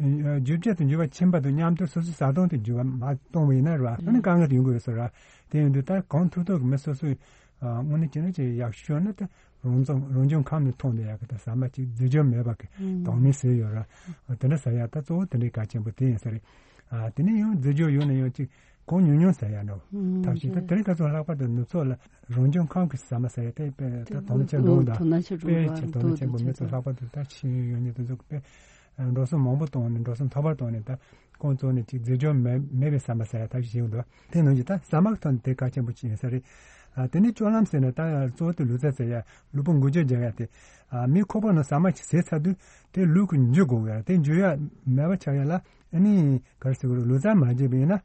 རྒྱུ་རྐྱེན་དེ་འགྱུར་བ་ཕྱིན་པ་དང་མཉམ་དུ་སོ་སོའི་བཟའ་བཏུང་དེ་འགྱུར་བ་མ་གཏོང་བ་ཡིན་ན་རེད་བ། ཨ་ནི་དཀའ་ངལ་དེ་ཡོང་གི་ཡོད་ས་རེད་བ། དེ་ཡིན་དུས་ད་གང་ཐུབ་ཐུབ་ཀྱི་མི་སོ་སོའི་ཨ་དངོས་གནས་བྱས་ན་ཅིག་ཡག་ཤོས་ན་ད་རང་ཚོ་རང་བྱུང་ཁམས་ནས་ཐོན་བསྡད་ཡག་གི་ད་ཟ་མ་ཅིག་རྫས་སྦྱོར་མེད་པ་གི་དོག་མི་ཟེར་ཡོད་ར། ཨ་དེ་འདྲ་ཟ་ཡག་ད་གཙོ་བོ་དེ་འདྲའི་གལ་ཆེན་པོ་དེ་ཡིན་ས་རེད། ཨ་དེ་ནས་ཡང་རྫས་སྦྱོར་ཡོད་ན་ཡང་ཅིག་གང་ཉུང་ཉུང་ཟ་ཡག་འདྲ་བོ། ཐབས་ཤེས་ད་དེ་རིང་ཁ་སང་ལྷག་པར་དུ་ནུབ་ཕྱོགས་ལ་རང་བྱུང་ཁམས་ཀྱི་ཟ་མ་ཟ་ཡག་དེ་དཔེ་ད་དོ་སྣང་ཆེན་འདུག་ད་དཔེ་ཆེ་དོ་སྣང་ཆེན་པོ་མི་ཚོ་ལྷག་པར་དུ་ད་ཤེས་ཡོན་ཡོད་མཁན་དེ་ཚོ་དཔེ་འགྲོ་སོང་མང་པོ་བཏང་ནས་འགྲོ་སོང་མཐོ་བར་བཏང་ནས་ད། ཁོང་ཚོ་ནི་ཅིག་རྫས་སྦྱོར་མེད་མེད་པའི་ཟ་མ་ཟ་ཡ་ཐབས་ཤེས་བྱེད་ཀྱི་འདུག་དེ་ནང་བཞིན་ད་ཟ་མ་གི་ཐོག་ནས་དེ་གལ་ཆེན་པོ་ཅིག་ཡིན་ས་རེད། ཨ་དེ་ནས་སྤྱོད་ལམ་ཟེར་ན་ད་གཙོ་བོ་དེ་ལུས་རྩལ་རྩེ་ཡ་ལུས་པོ་འགུལ་སྐྱོད་རྒྱག་ཡ་དེ། ཨ་མིའི་ཁོག་པ་ནང་ཟ་མ་ཅིག་ཟས་ཚར་དུས་དེ་ལུས་ཀྱི་འཇུ་དགོས་ཡ་དེ་འཇུ་ཡ་མེད་པ་ཆགས་ཡ་ལ་ཨ་ནི་ག་རེ་ཟེར་དགོས་རེད། ལུས་རྩལ་མ་བྱས་པ་ཡིན་ན་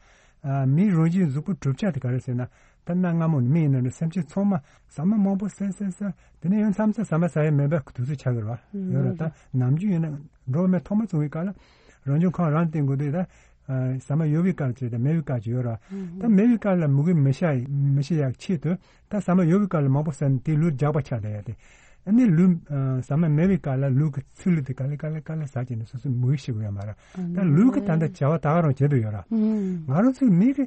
ཨ་མིའི་རང་བཞིན་གཟུགས་པོ་གྲུབ་ཆ་དེ་ག་རེ་ཟེར་ན། ད་གནའ་སྔ་མོ་ནས་མི་ཡིན་ན་འདྲ་སེམས་ཅན་ཚང་མ་ཟ་མ་མང་པོ་ཟས་ཟས་ཟས་དེ་ནས་ཡང་མཚམས་མཚམས་ཟ་མ་ཟ་ཡ་མེད་པའི་དུས་ཚོད་ཆགས་ཀྱི་རེད་བ། ཡོད་རེད། ད་ནམ་རྒྱུན་ཡིན་ན་འགྲོ་བ་མི་ཐོག་མ་བྱུང་བའི་སྐབས་ལ་རང་བྱུང་ཁམས་རང་བསྟེན་དགོས་དུས་ད་ཟ་མ་ཡོད་པའི་སྐབས་ཅིག་དང་མེད་པའི་སྐབས་ཅིག་ཡོད་རེད་བ། ད་མེད་པའི་སྐབས་ལ་མུ་གེ་མི་ཤ་མི་ཤི་ཡག་ཆེད་དུ་ད་ཟ་མ་ཡོད་པའི་སྐབས་ལ་མང་པོ་ཟ་ནས་དེ་ལུས་རྒྱགས་པ་ཆགས་བསྡད་ཡ་དེ། ཨ་ནི་ལུས་ཟ་མ་མེད་པའི་སྐབས་ལ་ལུས་ཀྱི་ཚིལ་ལུས་དེ་ག་ལེ་ག་ལེ་ག་ལེ་ཟ་བྱས་ནས་སོ་སོ་མུ་གེ་ཤི་དགོས་ཡ་མ་རེད། ད་ལུས་ཀྱི་ད་ལྟ་བྱ་བ་ད་ག་རང་བྱེད་དུ་ཡོད་རེད། ང་རང་ཚོའི་མི་གི་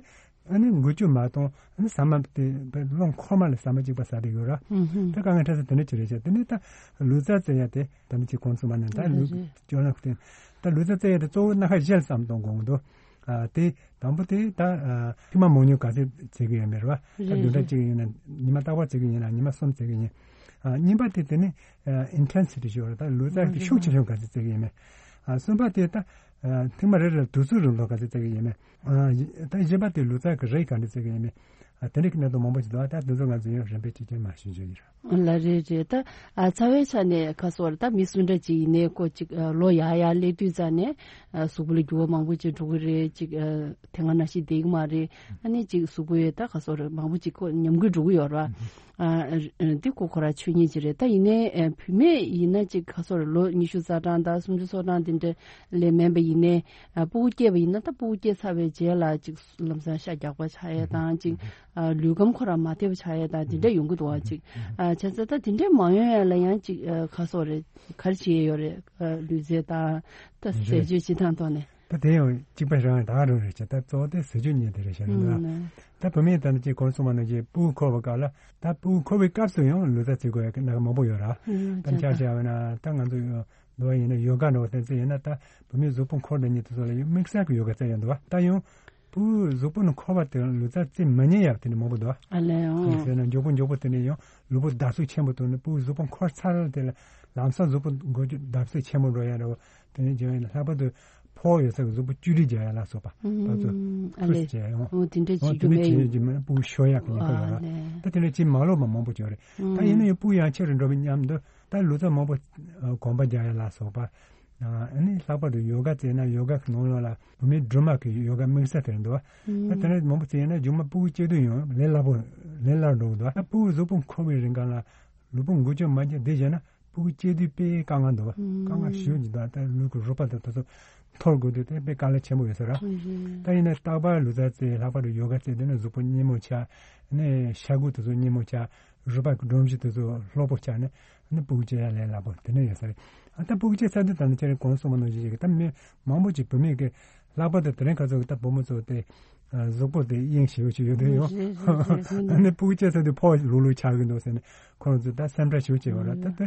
ཨ་ནི་འགུལ་སྐྱོད་མ་གཏོང་། ཨ་ནི་ཟ་མ་དེ་བློ་འཁོར་མ་ལ་ཟ་མ་གཅིག་པ་ཟ་བསྡད་ཡོད་ར། ད་དཀའ་ངལ་འཕྲད་ས་དེ་འདྲ་ཅིག་རེད་ཤག་དེ་ནས་ད་ལུས་རྩལ་རྩེ་ཡ་དེ་ད་ནི་ཅིག་གོང་གསུངས་པ་ནང་ད་ལུས་སྐྱོན་ལ་བརྟེན་ད་ལུས་རྩལ་རྩེ་ཡ་དེ་གཙོ་བོ་སྣ་ཁ་བཞི་ལ་བསམ་གཏོང་དགོས་འདུག་ཨ་དེ་དང་པོ་དེ་ད་ཨ་ཐུན་མོང་མང་ཉུང་ག་ཚད་རྩེ་གི་ཡོད་མེད་ར། ད་བདུན་ཕྲག་གཅིག་ཡིན་ན་ཉི་མ་རྟག་པར་རྩེ་གི་ཡིན་ན་ཉི་མ་གསུམ་རྩེ་གི་ཡིན། ཨ་གཉིས་པ་དེ་དེ་ནི་ཨ་intensity་ཞེས་པ་རེད། ད་ལུས་རྩལ་གྱི་ཤུགས་ཆེ་ཆུང་ག་ཚད་རྩེ་གི་ཡོད་མེད། ཨ་གསུམ་པ་དེ་ད་ཨ་ཐེངས་མ་རེ་རེར་དུས་ཚོད་རིང་ཐུང་ག་ཚད་རྩེ་གི་ཡོད་མེད། ཨ་ད་བཞི་པ་དེ་ལུས་རྩལ་གྱི་རིགས་ག་འདྲ་རྩེ་གི་ཡོད་མེད། ཨ་དེ་འདྲ་གི་གནད་དོན་མང་པོ་ཞིག་འདུག་ཨ་ད་དེ་ཚོ་ང་ཚོ་ཡང་རིམ་པས་གཅིག་ཀྱང་མ་ཞུ་རྒྱུ་ཡིན། ལ་རེད་རེད། ད་ཨ་རྩ་བའི་ཆ་ནས་ཁ་སོར་ད་མི་སུ་འདྲ་ཅིག་ཡིན་ནའི་ཁོ་ཅིག་ཨ་ལོ་ཡག་ཡག་སླེབས་དུས་ཙ་ནས་ཨ་གཟུགས་པོ་ལ་འགྱུར་བ་མང་པོ་ཅིག་འགྲོ་གི་རེད། ཅིག་ཨ་དེ་སྔ་ནང་བཞིན་བསྡད་ཀྱི་མ་རེད། ཨ་ནི་ཅིག་གཟུགས་པོའི་ད་ཁ་སོར་མང་པོ་ཅིག་ཁོ་ཉམས་རྒུད་འགྲོ་གི་ཡོད་རེད། ཨ་འདི་ཁོ་ཁོ་རང་ཆོས་ཉིད་ཅིག་རེད། ད་ཡིན་ནའི་ཨ་བུད་མེད་ཡིན་ན་ཅིག་ཁ་སོར་ལོ་ཉི་ཤུ་རྩ་གྲངས་དང་སུམ་ཅུ་སོ་གྲངས་དེ་འདྲ་ལས་མིན་པ་ཡིན་ནའི་ཨ་སྤུ་གུ་སྐྱེས་པ་ཡིན་ན་ད་སྤུ་གུ་སྐྱེས་ཚར་བའི་རྗེས་ལ་ཅིག་ལམ་སང་ཤ་རྒྱགས་པ་ཆགས་ཡས་དང་ཅིག་ཨ་ལུས་ཁམས་ཁོ་རང་མ་བདེ་བ་ཆགས་ཡས་དང་དེ་འདྲ་ཡོང་གི་འདུག་བ། ཅིག་ཨ་བྱས་ཙང་ད་དེ་འདྲ་མ་ཡོང་ཡས་ལ་ཡང་ཅིག་ཨ་ཁ་སོ་རེ་ག་རེ་བྱེད་ཡས་ཡོད་རེད། ཨ་ལུས་རྩལ་དང་ད་ཟས་སྤྱོད་སྤྱི་བཏང་ཐོག་ནས། ད་དེ་ཡང་གཅིག་པ་རང་ད་ག་རང་རེད་ཅེ་ད་གཙོ་བོ་དེ་ཟས་སྤྱོད་གཉིས་དེ་རེད་ཤག་རེད་ད། ད་བུད་མེད་ད་ནི་ཅིག་གོང་གསུངས་པ་ནང་བཞིན་སྤུ་གུ་འཁོར་བའི་སྐབས་ལ་ད་སྤུ་གུ་འཁོར་བའི་སྐབས་སུ་ཡང་ལུས་རྩལ་རྩེ་དགོས་ཡག་གི་གནད་འགག་མང་པོ་ཡོད་ར། ད་ཆ་བཞག་པ་ན་ད་ང་ཚོ་འདུག་པ་ཡིན་ན་ཡོ་ག་འདྲ་བོ་དེ་ཚོ་ཡིན་ན་ད་བུད་མེད་གཟུགས་པོ་འཁོར་དང་གཉིས་དེ་ཚོ་ལ་ཡང་དམིགས་བསལ་གྱི་ཡོ་ག་རྩེ་ཡོང་འདུག་བ། ད་ཡང་སྤུ་གུ་གཟུགས་པོ་ནི་འཁོར་བ་དེ་ལུས་རྩལ་རྩེ་མ་ཉན་ཡག་དེ་ནི་མང་པོ་འདུག་བ། ཨ་ལས་ཨང་། ཟེར་ན་མགྱོགས་པོ་མགྱོགས་པོ་དེ་ནི་ཡང་ལུས་པོ་བརྡབ་གསིག་ཆེན་པོ་བཏང་ནས་སྤུ་གུ་གཟུགས་པོ་འཁོར་ཚར་དེ་ལ་ལམ་སང་གཟུགས་པོ་འགུལ་སྐྱོད་བརྡབ་གསིག་ཆེན་པོ་འགྲོ་ཡག་འདྲ་བོ་དེ་ནི་བྱུང་ཡིན་ན་ལྷག་པར་དུ་ ཕོག་ཡོད་ས་གི་གཟུགས་པོ་བཅོས་སྒྲིག་རྒྱག་ཡ་ལ་སོགས་པ་ཨ་ཕར་ཚུར་ལེ། ཁུར་བྱས་ཡོང་། འོ་དེ་འདྲ་འོ་བྱེད་དེ་རྒྱུ་འདྲ་མེད་བྱེད་ཡོད། ཀྱི་མ་སྤུ་གུ་ཤོར་ཡག་གི་ཉེན་ཁ་ཡོད་ར། ཨ་ལེ། ད་དེ་འདྲ་བྱེད་མ་ལོག་པ་མང་པོ་ཅིག་ཡོད་རེད། ད་ཡིན་ན་ཡང་སྤུ་གུ་ཡང་ཆེ་རུ་འགྲོ་བའི་མཉམ་དུ་ད་ལུས་རྩལ་མང་པོ་གོམ་པ་རྒྱག་ཡ་ལ་སོགས་པ། ཨ་ནི་ལྷག་པར་དུ་ཡོ་ག་རྩེ་ན་ཡོ་ག་གི་ནང་ལོགས་ལ་བུད་མེད་སྦྲུམ་མ་གི་ཡོ་ག་དམིགས་བསལ་དེ་རེད་འདུག་བ། ད་དེ་འདྲ་མང་པོ་རྩེ་ཡིན་ན་མཇུག་མ་སྤུ་གུ་སྐྱེ་དུས་ཡང་ལས་སླ་པོ་ལས་སླ་རུ་འགྲོ་གི་འདུག་བ། ད་སྤུ་གུ་གཟུགས་པོ་འཁོར་བའི་རིང་ག་ལ་ལུས་པོ་འགུལ་སྐྱོད་མ་བྱས་བསྡད་བྱས་ན་སྤུ་གུ་སྐྱེ་དུས་དཔེ་དཀའ་ངལ་འདུག་བ། དཀའ་ངལ་ཞེ་པོ་ཅིག་འདུག་ད་ལུས་ཀྱི་རུས་པ་དང་དེ་ཚོ་འཐོར་དགོས་དུས་དེ་དཔེ་དཀའ་ལས་ཆེན་པོ་ཡོད་ས་རེད། ད་ཡིན་ན་རྟག་པར་ལུས་རྩལ་རྩེ་ལྷག་པར་དུ་ཡོ་ག་རྩེ་དེ་ནི་གཟུགས་པོ་སྙི་མོ་ཆགས་ནས་ཤ་ཁུ་དེ་ཚོ་སྙི་མོ་ཆགས། རུས་པ་གི་སྒྲོམ་གཞི་དེ་ཚོ་ལྷོད་པོ་ཆགས་ནས་ནི་སྤུ་གུ་སྐྱེ་ཡ་ལས་སླ་པོ་དེ་འདྲ་ཡོད་ས་རེད། ཨ་ད་སྤུ་གུ་སྐྱེ་ཚར་དུས་ད་ནི་ཁྱེད་རང་གོང་གསུངས་པ་ནང་བཞིན་ཞིག་ད་མི་མང་པོ་ཅིག་བུད་མེད་ཀྱི་ལྷག་པར་དུ་དེ་རིང་ཁ་སང་གི་ད་བུ་མོ་ཚོ་དེ་གཟུགས་པོ་དེ་གཡེང་ཞེ་པོ་ཅིག་ཡོད་དུས་ཡོང་། ཨ་ནི་སྤུ་གུ་སྐྱེ་ཚར་དུས་ཕོག་ལུག་ལུག་ཆགས་ཀྱི་འདུག་ཟེར་ནས་ཁོང་ཚོ་ད་སེམས་ཁྲལ་ཞེ་པོ་ཅིག་ཡོད་རེད། ད་དེ་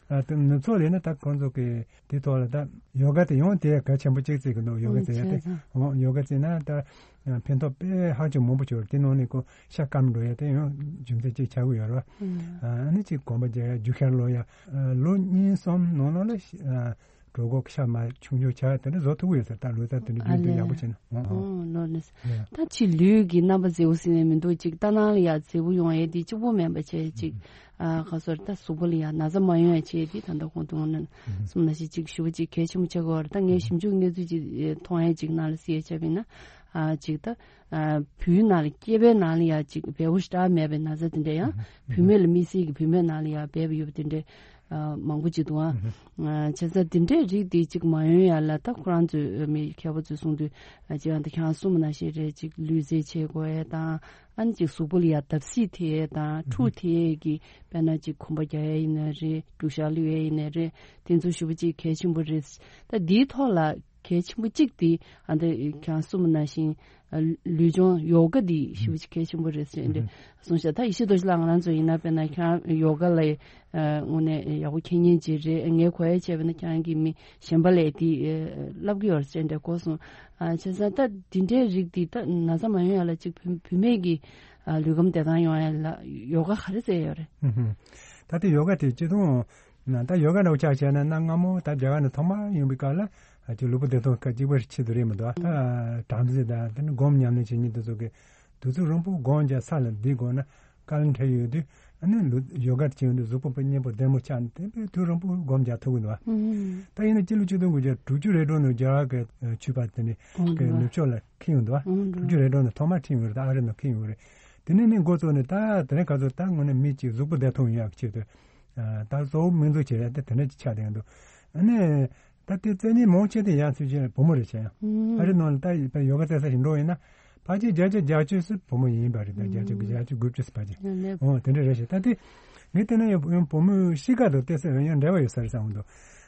ཨ་དེ་ནུབ་ཕྱོགས་ལ་ཡིན་ན་ད་ཁོང་ཚོ་གི་དེ་ཐོག་ལ་ད་ཡོ་ག་དེ་ཡང་དེ་གལ་ཆེན་པོ་གཅིག་བརྩི་གི་འདུག་ཡོ་ག་བྱེད་ཡ་དེ། ཨོ་ཡོ་ག་བྱེད་ན་ད་ཕན་ཐོགས་དཔེ་ཧ་ཅང་མང་པོ་ཡོད་རེད། དེ་ནང་ནས་ཁོ་ཤ་སྐམ་འགྲོ་ཡ་དེ་ཡང་རྒྱུ་མཚན་གཅིག་ཆགས་ཀྱི་ཡོད་རེད་བ། ཨ་ནི་གཅིག་གོམ་པ་རྒྱག་ཡ་རྒྱུ་ཤར་ལོག་ཡ། ལོ་གཉིས་གསུམ་ནང་ལོགས་ལ་གྲོད་ཁོག་ཤ་མ་ཆུང་ཆུང་ཆགས་ཡ་དེ་འདྲ་བཟོ་ཐུབ་ཀྱི་ཡོད་ས་རེད། ད་ལོ་ཙཱ་དེ་འདྲ་རྒྱུན་དུ་ཡག་པོ་བྱས་ན། ཨོ་ལོ་ནི་ད་ཕྱི་ལུས་ཀྱི་རྣམ་པ་མཛེས་པོ་ཟེར་ནས་མི་འདུག་ཅིག་ལྟ་སྣང་ལ་ཡ་མཛེས་པོ་ཡོང་ཡ་དེ་གཅིག་པོ་མིན་པ་བྱས་ཅིག་ཨ་ཁ་སོར་ད་གཟུགས་པོ་ལ་ཡང་ན་ཚ་མ་ཡོང་ཡ་བྱས་ཏེ་ད་ལྟ་གོང་དུ་ངོ་ནས་གསུངས་ནང་བཞིན་ཅིག་ཞུ་བ་ཅིག་གལ་ཆེན་པོ་ཆགས་ཀྱི་ཡོད་རེད། ད་ངས་ཞིབ་འཇུག་གནས་ཚུལ་ཅིག་མཐོང་ཡ་ཅིག་ནང་ལ་གཟིགས་ཡ་བྱས་པ་ཡིན་ན་ཨ་ཅིག་ད་ཨ་བུའི་ནང་ལ་སྐྱེས་པའི་ནང་ལ་ཡང་ཅིག་བལ་པོ་ཞེ་དྲག་མེད་པའི་ན་ཚ་དེ་འདྲ་ཡང་བུད་མེད་ལ་དམིགས་བསལ་གྱི་བུད་མེད་ནང་ལ་ཡང་སྦས་པ་ཡོད་པ་དེ་འདྲ་ཨ་མང་པོ་ཅིག་འདུག་ཨ། བྱས་ཙང་དེ་འདྲའི་རིགས་དེ་ཅིག་མ་ཡོང་ཡ་ལ་ད་ཁོ་རང་ཚོའི་མི་མཁས་པ་ཚོས་གསུངས་དུས་ཅིག་ཡང་ད་ཁྱེད་རང་གསུངས་པ་ནང་བཞིན་རེད། ཅིག་ལུས་རྩལ་བྱེད་དགོས་ཡ་དང་། ཨ་ནི་ཅིག་གཟུགས་པོ་ལ་ཡ་བརྡབ་གསིག་ཐེབས་ཡས་དང་འཁྲུག་ཐེབས་ཡས་ཀྱི་དཔེར་ན་ཅིག་གོམ་པ་རྒྱག་ཡས་ཡིན་ན་རེད། འཁྲུག་ཤ་བླུག་ཡས་ཡིན་ན་རེད། དེ་ཚོ་ཞེ་པོ་ཅིག་གལ་ཆེན་པོ་རེད། ད་འདིའི་ཐོག་ལ་གལ་ཆེན་པོ་གཅིག་དེ་ཨ་འདི་ཁྱེད་རང་གསུངས་པ་ནང་བཞིན་ལུས་སྦྱོང་ཡོ་ག་འདི་ཞེ་པོ་ཅིག་གལ་ཆེན་པོ་རེད་ཟེར་འདི་གསུངས་ཤག་ད་ཡེ་ཤེས་རྡོ་རྗེ་ལགས་ང་རང་ཚོ་ཡིན་ན་དཔེར་ན་ཁྱེད་རང་ཡོ་ག་ལ་དངོས་གནས་ཡག་པོ་མཁྱེན་མཁན་ཅིག་རེད། ངས་གོ་ཡ་བྱས་པ་ན་ཁྱེད་རང་གིས་མི་གཞན་པ་ལ་དེ་བསླབ་ཀྱི་ཡོད་རེད་ཟེར་འདྲ་གོ་སོང་། ཨ་བྱས་ཙང་ད་འདི་འདྲའི་རིགས་འདི་ད་ན་ཚ་མ་ཡོང་ཡ་ལ་ཅིག་བུད་བུད་མེད་ཀྱི་ཨ་ལུས་ཁམས་བདེ་ཐང་ཡོང་ཡ་ལ་ཡོ་ག་ག་རེ་རྩེ་ཡོད་རེད། ཨུ་ཧུམ། ད་ལྟ་ཡོ་ག་དེ་སྤྱི་དོན་ན་ད་ཡོ་ག་འདྲ་བོ་ཆ་བཞག་ན་གནའ་སྔ་མོ་ད་རྒྱ་གར་ནས་ཐོག་མར་ཡོང་པའི་སྐབས་ལ་ཨ་ཅིག་ལུས་པོ་བདེ་ཐང་ག་གཅིག་པའི་ཆེད་དུ་རེད་མི་འདུག་ད་བྲམ་ཟེ་དང་དེ་ནི་སྒོམ་ཉམས་ལེན་བྱེད་མཁན་དེ་ཚོ་གི་དུས་ཚོད་རིང་པོ་སྒོམ་རྒྱག་ས་ལ་བསྡད་དགོས་ན། དཀའ་ལས་འཕྲད་ཡོད་དུས་ཨ་ནི་ལུས་ཡོ་ག་བྱེད་ཡོང་དུས་གཟུགས་པོ་དཔེ་སྙིང་པོ་བདེ་མོ་ཆགས་ནས་དེ་དཔེ་དུས་རིང་པོ་སྒོམ་རྒྱག་ཐུབ་ཀྱི་འདུག་ད་ཡིན་ན་སྤྱི་ལོ་ཆིག་སྟོང་དགུ་བརྒྱ་དྲུག་ཅུ་རེ་གྲངས་ནང་རྒྱ་གར་གྱི་ཆོས་པ་དེ་ནི་གི་ནུབ་ཕྱོགས་ལ་ཁྱེར་ཡོང་འདུག་དྲུག་ཅུ་རེ་གྲངས་ནང་ཐོག་མར་ཁྱེར་ཡོང་རེད། ད་ཨ་རི་ནང་ཁྱེར་ཡོང་རེད། དེ་ནས་ནི་འགོ་བཙུགས་ནས་ད་དེ་རིང་ཁ་སང་ད་དངོས་གནས་མི་གཅིག་གཟུགས་པོ་བདེ་ཐང་ཡོང་ཡག་ཆེད་དུ་ད་གཙོ་བོ་སྨན་བཅོས་བྱེད་ཡག་དེ་དེ་འདྲ་ཅིག་ཆགས་བསྡད་འདུག་ཨ་ནི། ད་ལྟའི་རྩེད་མཁན་མང་ཆེ་དེ་ཡང་སུས་བྱས་བུ་མོ་རེད་བྱས་ཡང་། ཨ་རི་ནང་ལ་ད་ཡོ་ག་རྩེ་ས་ཞིག་འགྲོ་ཡིན་ན་ཕལ་ཆེར་བརྒྱ་ཆ་བརྒྱད་ཅུ་ཙམ་བུ་མོ་ཡིན་པ་རེད། ད་བརྒྱད་ཅུ་བརྒྱད་ཅུ་དགུ་བཅུ་ཙམ་ཕལ་ཆེར། ཨོ་དེ་འདྲ་རེད་ཤག་ད་ལྟའི་ངས་བལྟས་ན་ཡང་བུ་མོའི་གཤིས་ཀ་དང་ཏོག་ཙམ་ཡང་འབྲེལ་བ་ཡོད་ས་རེད་བསམ་གྱི་འདུག་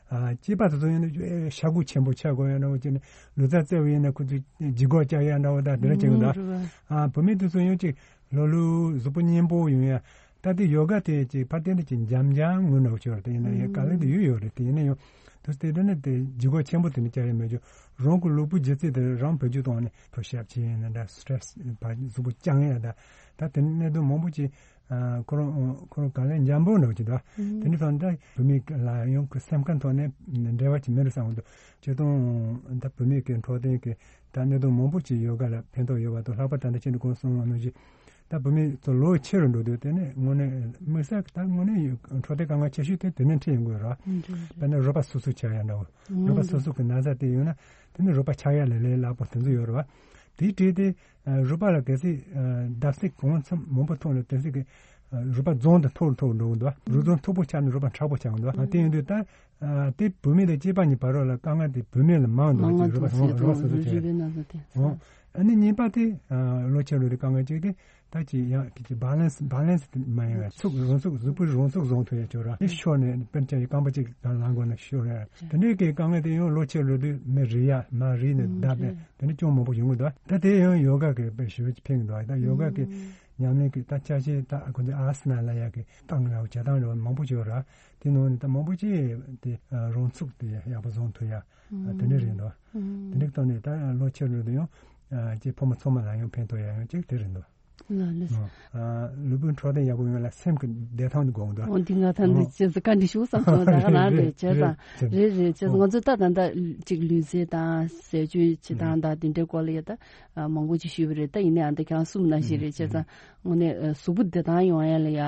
ཨ་སྐྱེས་པ་དེ་ཚོ་ཡིན་ན་ཤ་ཁུ་ཆེན་པོ་ཆགས་དགོས་ཡ་འདྲ་བོ་བྱས་ནས་ལུས་རྩལ་རྩེ་བ་ཡིན་ན་ཁོ་ཚོས་ལྗིད་ཁོག་བཅག་ཡ་འདྲ་བོ་ད་དེ་འདྲ་བྱེད་གི་འདུག་ཨ་བུད་མེད་དེ་ཚོ་ཡང་ཅིག་ལྷོད་ལྷོད་གཟུགས་པོ་སྙིང་པོ་ཡོང་ཡ། ད་ལྟའི་ཡོ་ག་དེ་ཅིག་ཕར་བལྟས་ན་ཅིག་འཇམ་འཇམ་ངུ་འདྲ་བོ་ཅིག་ཡོད་རེད། དེ་ཡིན་ན་ཡང་དཀའ་ལས་དེ་ཡོད་ཡོད་རེད། དེ་ཡིན་ན་ཡང་དུས་དེ་འདྲ་ནི་དེ་ལྗིད་ཁོག་ཆེན་པོ་དེ་ནི་བཅག་ཡ་མེད་ཅོ། རང་གི་ལུས་པོ་ལྗིད་ཚད་དེ་རང་བེད་སྤྱོད་གཏོང་ནས་ཕུ་ཤབ་བྱེད་ཡིན་ན་འདྲ་སི་ཊེ་རེ་སི་ཕར་གཟུགས་པོ་བཅང་ཡ་ད་ད་དེ་ནི་གནད་དོན་མང་པོ་ཅིག་ཁོ་རང་ཁོ་རང་དཀའ་ལས་འཇམ་པོ་འདྲ་བོ་ཅིག་འདུག་དེ་འདྲ་སོང་ད་བུད་མེད་ལ་ཡང་གི་སེམས་ཁམས་ཐོག་ནས་འབྲེལ་བ་ཅིག་མེད་རུ་བསམ་གི་འདུག་སྤྱིར་བཏང་ད་བུད་མེད་ཀྱི་འཕྲོད་བསྟེན་གྱི་ད་གནད་དོན་མང་པོ་ཅིག་ཡོ་ག་ལ་ཕན་ཐོགས་ཡོད་པ་དང་ལྷག་པར་ད་ལྟ་ཁྱེད་ནས་གོང་གསུངས་པ་ནང་བཞིན། ད་བུད་མེད་ཚོ་ལོ་ཆེ་རུ་འགྲོ་དུས་དེ་ནས་དངོས་གནས་དམིགས་བསལ་ད་དངོས་གནས་འཕྲོད་བསྟེན་དཀའ་ངལ་ཆེ་ཤོས་དེ་དེ་ནས་འཕྲད་ཡོང་གི་ཡོད་རེད། དཔེར་ན་རུས་པ་སོ་སོ་ཆགས་ཡ་འདྲ་བོ། རུས་པ་སོ་སོ་གི་ན་ཚ་དེ་ཡོད་ན་དེ་ནས་རུས་པ་ཆགས་ཡ་ལས་ལས་སླ་པོ་དེ་ཚོ་ཡོད་རེད་བ། དེའི་གྲས་དེ་རུས་པ་ལ་གལ་སྲིད་བརྡབ་གསིག་གང་འཚམ་མང་པོ་ཐོན་ན་དེ་ཚོ་གི་རུས་པ་རྫོང་དུ་མཐོ་རུ་མཐོ་རུ་འགྲོ་གི་འདུག་རུས་རྫོང་མཐོ་པོ་ཆགས་ན་རུས་པ་མཁྲེགས་པོ་ཆགས་གི་འདུག་དེ་ཡིན་དུས་ད། ཨ་དེ་བུད་མེད་དང་སྐྱེས་པ་གཉིས་བར་ལ་དཀའ་ངལ་དེ་བུད་མེད་ལ་མང་འདུག་ཅེས་རུས་པ་རུས་པ་སོ་སོ་བྱས། ཨོ། ཨ་ནི་གཉིས་པ་དེ་ཨ་ལོ་ཆེ་རུ་དེ་དཀའ་ངལ་གཅིག་དེ་ད་ཅི་ཡང་དེ་ཅི་བྷ་ལན་སི་བྷ་ལན་སི་དེ་མ་ཡིན་པ་ཚུགས་རང་ཚུགས་གཟུགས་པོའི་རང་ཚུགས་བཟུང་ཐུབ་ཡ་ཅོ་ར་དེ་ཤོར་ནས་དཔེར་ན་ཅི་རྐང་པ་གཅིག་དང་ལངས་དགོས་ན་ཤོར་ཡ་དེ་འདྲའི་གི་དཀའ་ངལ་དེ་ཡང་ལོ་ཆེ་རུ་དུས་མི་རེ་ཡ་མ་རེ་ནས་བསྡད་པས་དེ་འདྲ་ཅུང་མང་པོ་ཡོང་གི་འདུག་ད་དེ་ཡང་ཡོ་ག་གི་དཔེ་ཞེ་པོ་ཅིག་ཕན་གི་འདུག་ད་ཡོ་ག་གི་ཉམས་ལེན་གི་ད་ཆ་ཤས་ད་ཁོ་ཚོ་ཨ་སི་ན་ལ་ཡ་གི་སྟངས་ར་བྱ་སྟངས་ར་མང་པོ་ཅིག་ཡོད་ར། དེ་ནང་ནས་ད་མང་པོ་ཅིག་དེ་རང་ཚུགས་དེ་ཡག་པོ་བཟུང་ཐུབ་ཡ་དེ་འདྲ་རེད་འདུག་དེ་འདྲའི་ཐོག་ནས་ད་ལོ་ཆེ་རུ་དུ་ཡང་ཅིག་ཕོ་མོ་ཚང་མ་ལ་ཡང་ཕན་ཐོགས་ཡ་ཡང་ཅིག་དེ་རེད་འདུག་ལགས་ལགས། ཨ། ལུས་པོའི་འཕྲོད་བསྟེན་ཡག་པོ་ཡོང་ལ་སེམས་ཀྱི་བདེ་ཐང་དེ་དགོས་འདུག་འོ་འདི་ང་ད་འདི་ཨ། ཅེས་བཀའ་འདྲི་ཞུ་བསམ་སོང་། ད་ག་ལ་རེད་རེད་བྱས་ཙང་། རེད་རེད་བྱས་ཙང་། ཨ། ང་ཚོས་ད་ད་ད་ཅིག་ལུས་རྩལ་དང་ཟས་སྤྱོད་བྱེད་སྟངས་དང་དེ་འདྲའི་སྐོར་ལ་ཡ་ད་མང་པོ་ཅིག་ཞུས་པ་རེད། ད་ཡིན་ནའང་ད་ཁྱེད་རང་གསུམ་ནང་བཞིན་རེད་བྱས་ཙང་། དངོས་གནས་གཟུགས་པོ་བདེ་ཐང་ཡོང་ཡ་ལ་ཡ།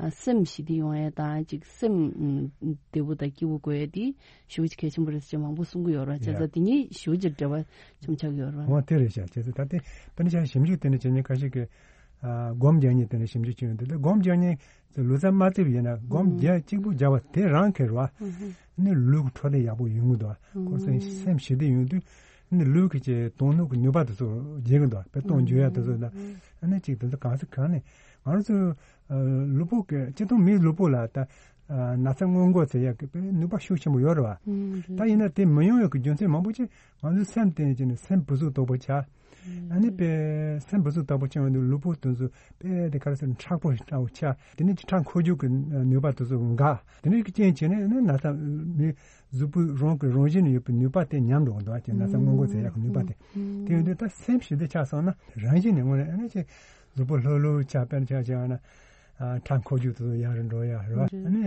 ཨ། སེམས་ཞི་བདེ་ཡོང་ཡ་དང་ཅིག་སེམས་བདེ་པོ་དང་སྐྱིད་པོ་དགོས་ཡ་དེ་ཞེ་པོ་ཅིག་གལ་ཆེན་པོ་རེད་ཟེར་མང་པོ་གསུང་གི་ཡོད་རེད་བྱས་ཙང་། དེ་གཉིས་ཞེ་པོ་ཅིག་འབྲེལ་བ་ཆེན་པོ་ཆགས་ཀྱི་ཡོད་རེད། འོ་དེ་རེད་ཤག་བྱས་ཙང་ད་དེ་དཔེར་ན་ཆ་ཞིབ་འཇུག་དེ་འདྲ་བྱེད་མཁན་ཁ་ཤས་ཀྱིས་ཨ། སྒོམ་རྒྱག་མཁན་དེ་འདྲ་ཞིབ་འཇུག་བྱེད་ཡོང་དུས། ད་སྒོམ་རྒྱག་མཁན་ལུས་རྩལ་མ་བརྩིས་པ་ཡིན་ན་སྒོམ་རྒྱག་གཅིག་པུ་རྒྱག་པ་དེ་རང་གི་རེད་བ། ཨ་ནི་ལུས་ཀྱི་འཕྲོད་བསྟེན་ཡག་པོ་ཡོང་གི་འདུག་ཁོ་ཚོ་སེམས་ཞི་བདེ་ཡོང་དུས་ཨ་ནི་ལུས་ཀྱི་ཅིག་གཏོང་ནུས་ཀྱི་ནུས་པ་དེ་ཚོ་རྒྱས་ཀྱི་འདུག་དཔེ་གཏོང་འཇུག་ཡ་དེ་ཚོ་ད་ཨ་ནི་ཅིག་དེ་ཚོ་གང་ས་གང་ནས་ང་རང་ཚོ་ལུས་པོ་གི་སྤྱིར་བཏང་མིའི་ལུས་པོ་ལ་ད་ན་ཚ་སྔོན་འགོག་བྱེད་ཡག་གི་དཔེ་ནུས་པ་ཤུགས་ཆེན་པོ་ཡོད་རེད་བ། ད་ཡིན་ན་དེ་མི་ཡོང་ཡག་གི་རྒྱུ་མཚན་མང་པོ་ཅིག་ང་ཚོའི་སེམས་བརྟེན་བྱས་ནས་སེམས་བུ་ཚུགས་དོག་པོ་ཆགས། ཨ་ནི་དཔེ་སེམས་བུ་ཚུགས་དོག་པོ་ཆགས་ཡོང་དུས་ལུས་པོ་དེ་ཚོ་དཔེ་དེ་ག་རེ་ཟེར་མཁྲེགས་པོ་འདྲ་བོ་ཆགས། དེ་ནས་ཁྲག་འཁོར་རྒྱུག་གི་ནུས་པ་དེ་ཚོ་འགག་དེ་འདྲའི་རྐྱེན་བྱས་ནས་ཨ་ནི་ན་ཚ་མི་གཟུགས་པོའི་རང་གི་རང་བཞིན་ཡོད་པའི་ནུས་པ་དེ་ཉམས་འགྲོ་གི་འདུག་ཅེས་ན་ཚ་སྔོན་འགོག་བྱེད་ཡག་གི་ནུས་པ་དེ། དེ་ཡོང་དུས་ད་སེམས་ཞི་བདེ་ཆགས་སོང་ན་རང་བཞིན་ནས་དངོས་གནས་ཨ་ནི་ཅིག་གཟུགས་པོ་ལྷོད་ལྷོད་ཆགས། དཔེར་ཆ་བཞག་ན་ཨ། ཁྲག་འཁོར་རྒྱུག་དེ་ཚོ་ཡག་རུ་འགྲོ་ཡ་རེད་བ། ཨ་ནི་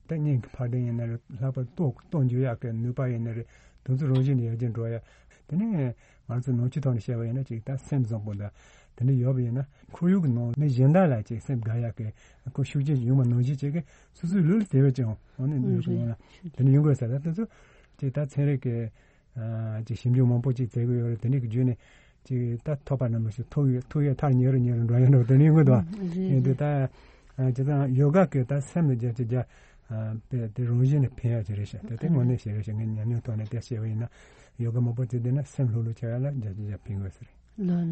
ད་སྙིང་གི་འཕར་ལྡིང་ཡིན་ན་རེད། ལྷག་པར་ལྟོ་ལྟོ་འཇུ་ཡག་གི་ནུས་པ་ཡིན་ན་རེད། དེ་ཚོ་རང་བཞིན་ནས་ཡར་རྒྱས་འགྲོ་ཡ། དེ་ནས་ང་ཚོ་ནང་ཆོས་ཐོག་ནས་བཤད་པ་ཡིན་ན་ཅིག་ད་སེམས་བཟང་པོ་དང་དེ་འདྲ་ཡོད་པ་ཡིན་ན་ཁོར་ཡུག་གི་ནང་མི་གཞན་དག་ལ་ཅིག་སེམས་དགའ་ཡག་གི་ཁོ་ཤུགས་རྐྱེན་ཡོང་བ་ནང་བཞིན་བྱེད་ཀྱི་སོ་སོའི་ལུས་ལ་དེ་བས་ཀྱང་འོ་ནི་ནུས་པ་ཡོང་ན་དེ་འདྲ་ཡོང་དགོས་ཟེར། ད་དེ་ཚོ་ཅིག་ད་ཚན་རིག་གི་ཨ། ཅིག་ཞིབ་འཇུག་མང་པོ་ཅིག་བྱེད་ཀྱི་ཡོད་རེད། དེ་འདྲ་གི་བརྒྱུད་ནས་ཅིག་ད་ཐོབ་པ་རྣམས་ལ་ཞིག་ཐུག་ཡོད་ཐུག་ཡོད་མཐར་ཉེ་རུ་ཉེ་རུ་འགྲོ་ཡོད་འགྲོ་དེ་འདྲ་ཡོང་གི་འདུག་ཨ། ཡིན་དུས་ད་ཨ། ཅི་ལྟར་ཡོ་ག་གི་ད་སེམས་ལ་བརྒྱ་ཆ་བརྒྱ་ཨ། དཔེ་དེ་རང་བཞིན་ནས་ཕན་ཡག་ཅིག་རེད་ཤག་དེ་དེ་དངོས་གནས་ཞིག་རེད་ཤག་ངས་ཉམས་མྱོང་ཐོག་ནས་དེ་བཤད་པ་ཡིན་ན་ཡོ་ག་མང་པོ་བྱེད་བསྡད་ན་སེམས་ལྷོད་ལྷོད་ཆགས་ཡག་ལ་བརྒྱ་ཆ་བརྒྱ་ཕན་གི་ཡོད་ས་རེད།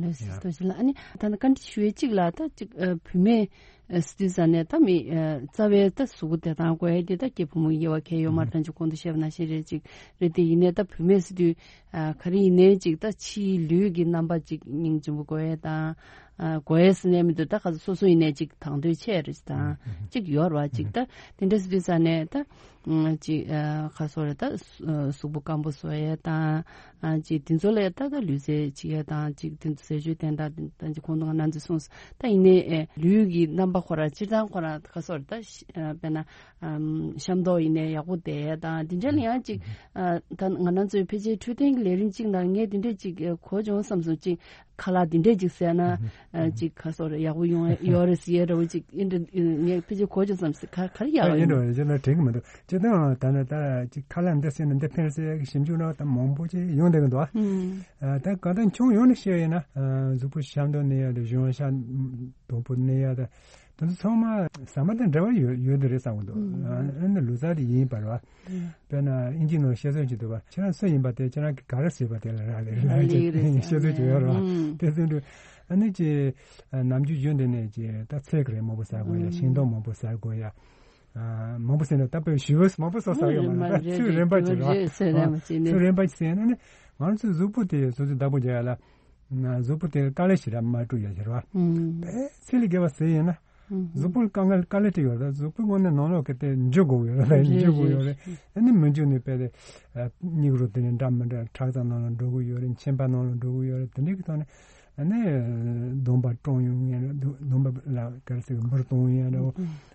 ལགས་ལགས་སོ། ལྟོས་ཤིག་ལ། ཨ་ནི་ད་ནི་བཀའ་འདྲི་ཞུ་ཡས་གཅིག་ལ་ད་གཅིག་ཨ། བུད་མེད་ཨ། ཟེར་དུས་ཙ་ནས་ད་མི་ཨ། རྩ་བའི་ད་གཟུགས་པོ་བདེ་ཐང་དགོས་ཡས་དེ་ད་སྐྱེས་ཕོ་མོ་དབྱེ་བ་གང་ཡང་ཡོད་མ་རེད། ད་ཅིག་གོང་དུ་བཤད་པ་ནང་བཞིན་རེད། ཅིག་རེད་དེ་ཡིན་ནའི་ད་བུད་མེད་ཟེར་དུས་ཨ། ག་རེ་ཡིན་ནའི་ཅིག་ད་ཕྱིའི་ལུས་ཀྱི་རྣམ་པ་ཅིག་སྙིང་རྗེ་པོ་དགོས་ཡས་དང་ཨ། དགོས་ཡས་ཟེར་ནས་མི་འདུག་ད་ག་ཚོད་སོ་སོ་ཡིན་ནའི་ཅིག་དང་དོད་ཆེ་རེད་དང་ཅིག་ཡོད་རེད་བ། ཅིག་ད་དེ་འདྲ་ཟེར་དུས་ཙ་ནས་ད། ཨ། ཅིག་ཨ། ག་རེ་ཟེར་དགོས་རེད། ད་གཟུགས་པོ་སྐམ་པོ་བཟོ་ཡས་དང་། ཨ། ཅིག་དེ་ཚོ་ལ་ད་ད་ལུས་རྩལ་བྱེད་ཡས་དང་། ཅིག་དེ་ཚོ་ཟས་སྤྱོད་བསྟེན་སྟངས་དེ་ད་ཅིག་གོང་དུ་ང་རང་ཚོས་གསུངས་སོང་། ད་ཡིན་ནའི་ཨེ། ལུས་ཀྱི་རྣམ་པ་ཁོ་རང་སྤྱིར་བཏང་ཁོ་རང་ག་རེ་ཟེར་དགོས་རེད། ད་ཤ- ཨ། དཔེར་ན་ཨམ། ཤ་མདོག་ཡིན་ནའི་ཡག་པོ་བསྡད་ཡས་དང་དེ་འདྲ་ལ་ཡང་ཅིག་ཨ། ད་ང་རང་ཚོའི་ཕལ་ཆེར་འཕྲོད་བསྟེན་གྱི་ལས་རིམ་གཅིག་ནང་ངས་དེ་འདྲ་ཅིག་གོ་བྱུང་བསམ་སོང་། ཅིག་ཁ་ལག་འདི་འདྲས་ཅིག་ཟས་ན་ཨ། ཅིག་ག་རེ་ཟེར་དགོས་རེད། ཡག་པོ་ཡོང་ཡོད་རེད་ཟེར་ཡས་འདྲ་བོ་ཅིག་ཨིན་འདྲ་ངས་ཕལ་ཆེར་གོ་བྱུང་བསམ་སོང་། ག- ག་རེ་ཡག་ཨ། ཡིན་འགྲོ་རེད། ཅི་ན་དྲན་གི་མི་འདུག་སྤྱིར་བཏང་ད་ནི་ད་ཅིག་ཁ་ལག་འདི་ཟས་ན་འདི་ཕན་ཟེར་ཡག་གི་ཞིབ་འཇུག་འདྲ་བོ་ད་མང་པོ་ཅིག་ཡོང་བསྡད་གི་འདུག་ཨ། ཨ། ད་གང་ལྟར་ཁྱོན་ཡོངས་ནས་བཤད་ཡིན་ན་ཨ། གཟུགས་པོ་ཤ་མདོག་གནས་ཡག་དང་གཞོན་ཤ་དོད་པོ་གནས་ཡག་དང་དེ་ཚོ་ཚང་མ་ཟ་མ་དང་འབྲེལ་བ་ཡོད་ཡོད་འདི་རེད་བསམ་གི་འདུག་ཨ། ཨ་ནི་ལུས་རྩལ་དེ་ཡིན་པ་རེད་བ། དཔེར་ན་ཨིན་ཇིའི་ནང་བཤད་སྲོལ་ཅིག་འདུག་པ། ཁྱེད་རང་སུ་ཡིན་པ་དེ་ཁྱེད་རང་གིས་ག་རེ་ཟོས་པ་དེ་ལ་རག་ལས་རེད་ལབ་ཀྱི་བཤད་སྲོལ་ཅིག་ཡོད་རེད་བ། དེ་ཚོ་འདྲ་ཨ་ནི་ཅིག་ནམ་རྒྱུན་རྒྱུན་དུ་ནས་ཅིག་ད་ཚལ་གྱི་རིགས་མང་པོ་ཟ་དགོས་ཡ། ཤིང་ཏོག་མང་པོ་ཟ་དགོས་ཡ། མང་པོ་ཟས་ན་ད་དཔེ་ཞི་བ་མང་པོ་ཟ་ཟ་ཡོད་མ་རེད། ད་ཚོད་རན་པ་ཅིག་རེད་བ། ཚོད་རན་པ་ཅིག་ཟས་ན་ནི་ང་ཚོའི་གཟུགས་པོ་དེ་སོ་སོའི་བདག་པོ་རྒྱག་ཡ་ལ། གཟུགས་པོ་དེར་དཀའ་ལས་ཞེ་དྲག་མ་སྤྲོད་ཡ་ཟེར་བ། དཔེ་ཚད་ལས་བརྒལ་བ་ཟས་ཡིན་ན། གཟུགས་པོར་དཀའ་ངལ་དཀའ་ལས་སྤྲད་ཡོད་རེད། གཟུགས་པོའི་ངོས་ནས་ནང་ལོགས་ཀྱི་དེ་འཇུ་དགོས་ཡོད་རེད། འཇུ་དགོས་ཡོད་རེད། ཨ་ནི་མི་འཇུ་ནས་དཔེ་དེ་སྙིགས་རོ་དེ་ནས་འདྲ་མི་འདྲ་ཁྲག་རྩ་ནང་ལ་འགྲོ་གི་ཡོད་རེད། མཆིན་པ་ནང་ལ་འགྲོ་གི་ཡོད་རེད། དེ་འདྲའི་གི་ཐོག་ནས་ཨ་ནི་གདོང་པ་བཀྲུས་ཡོང་ཡ་རེད། གདོང་པ་ལ་ག་རེ་ཟེར་གི་འབུར་གཏོང་ཡ་རེད།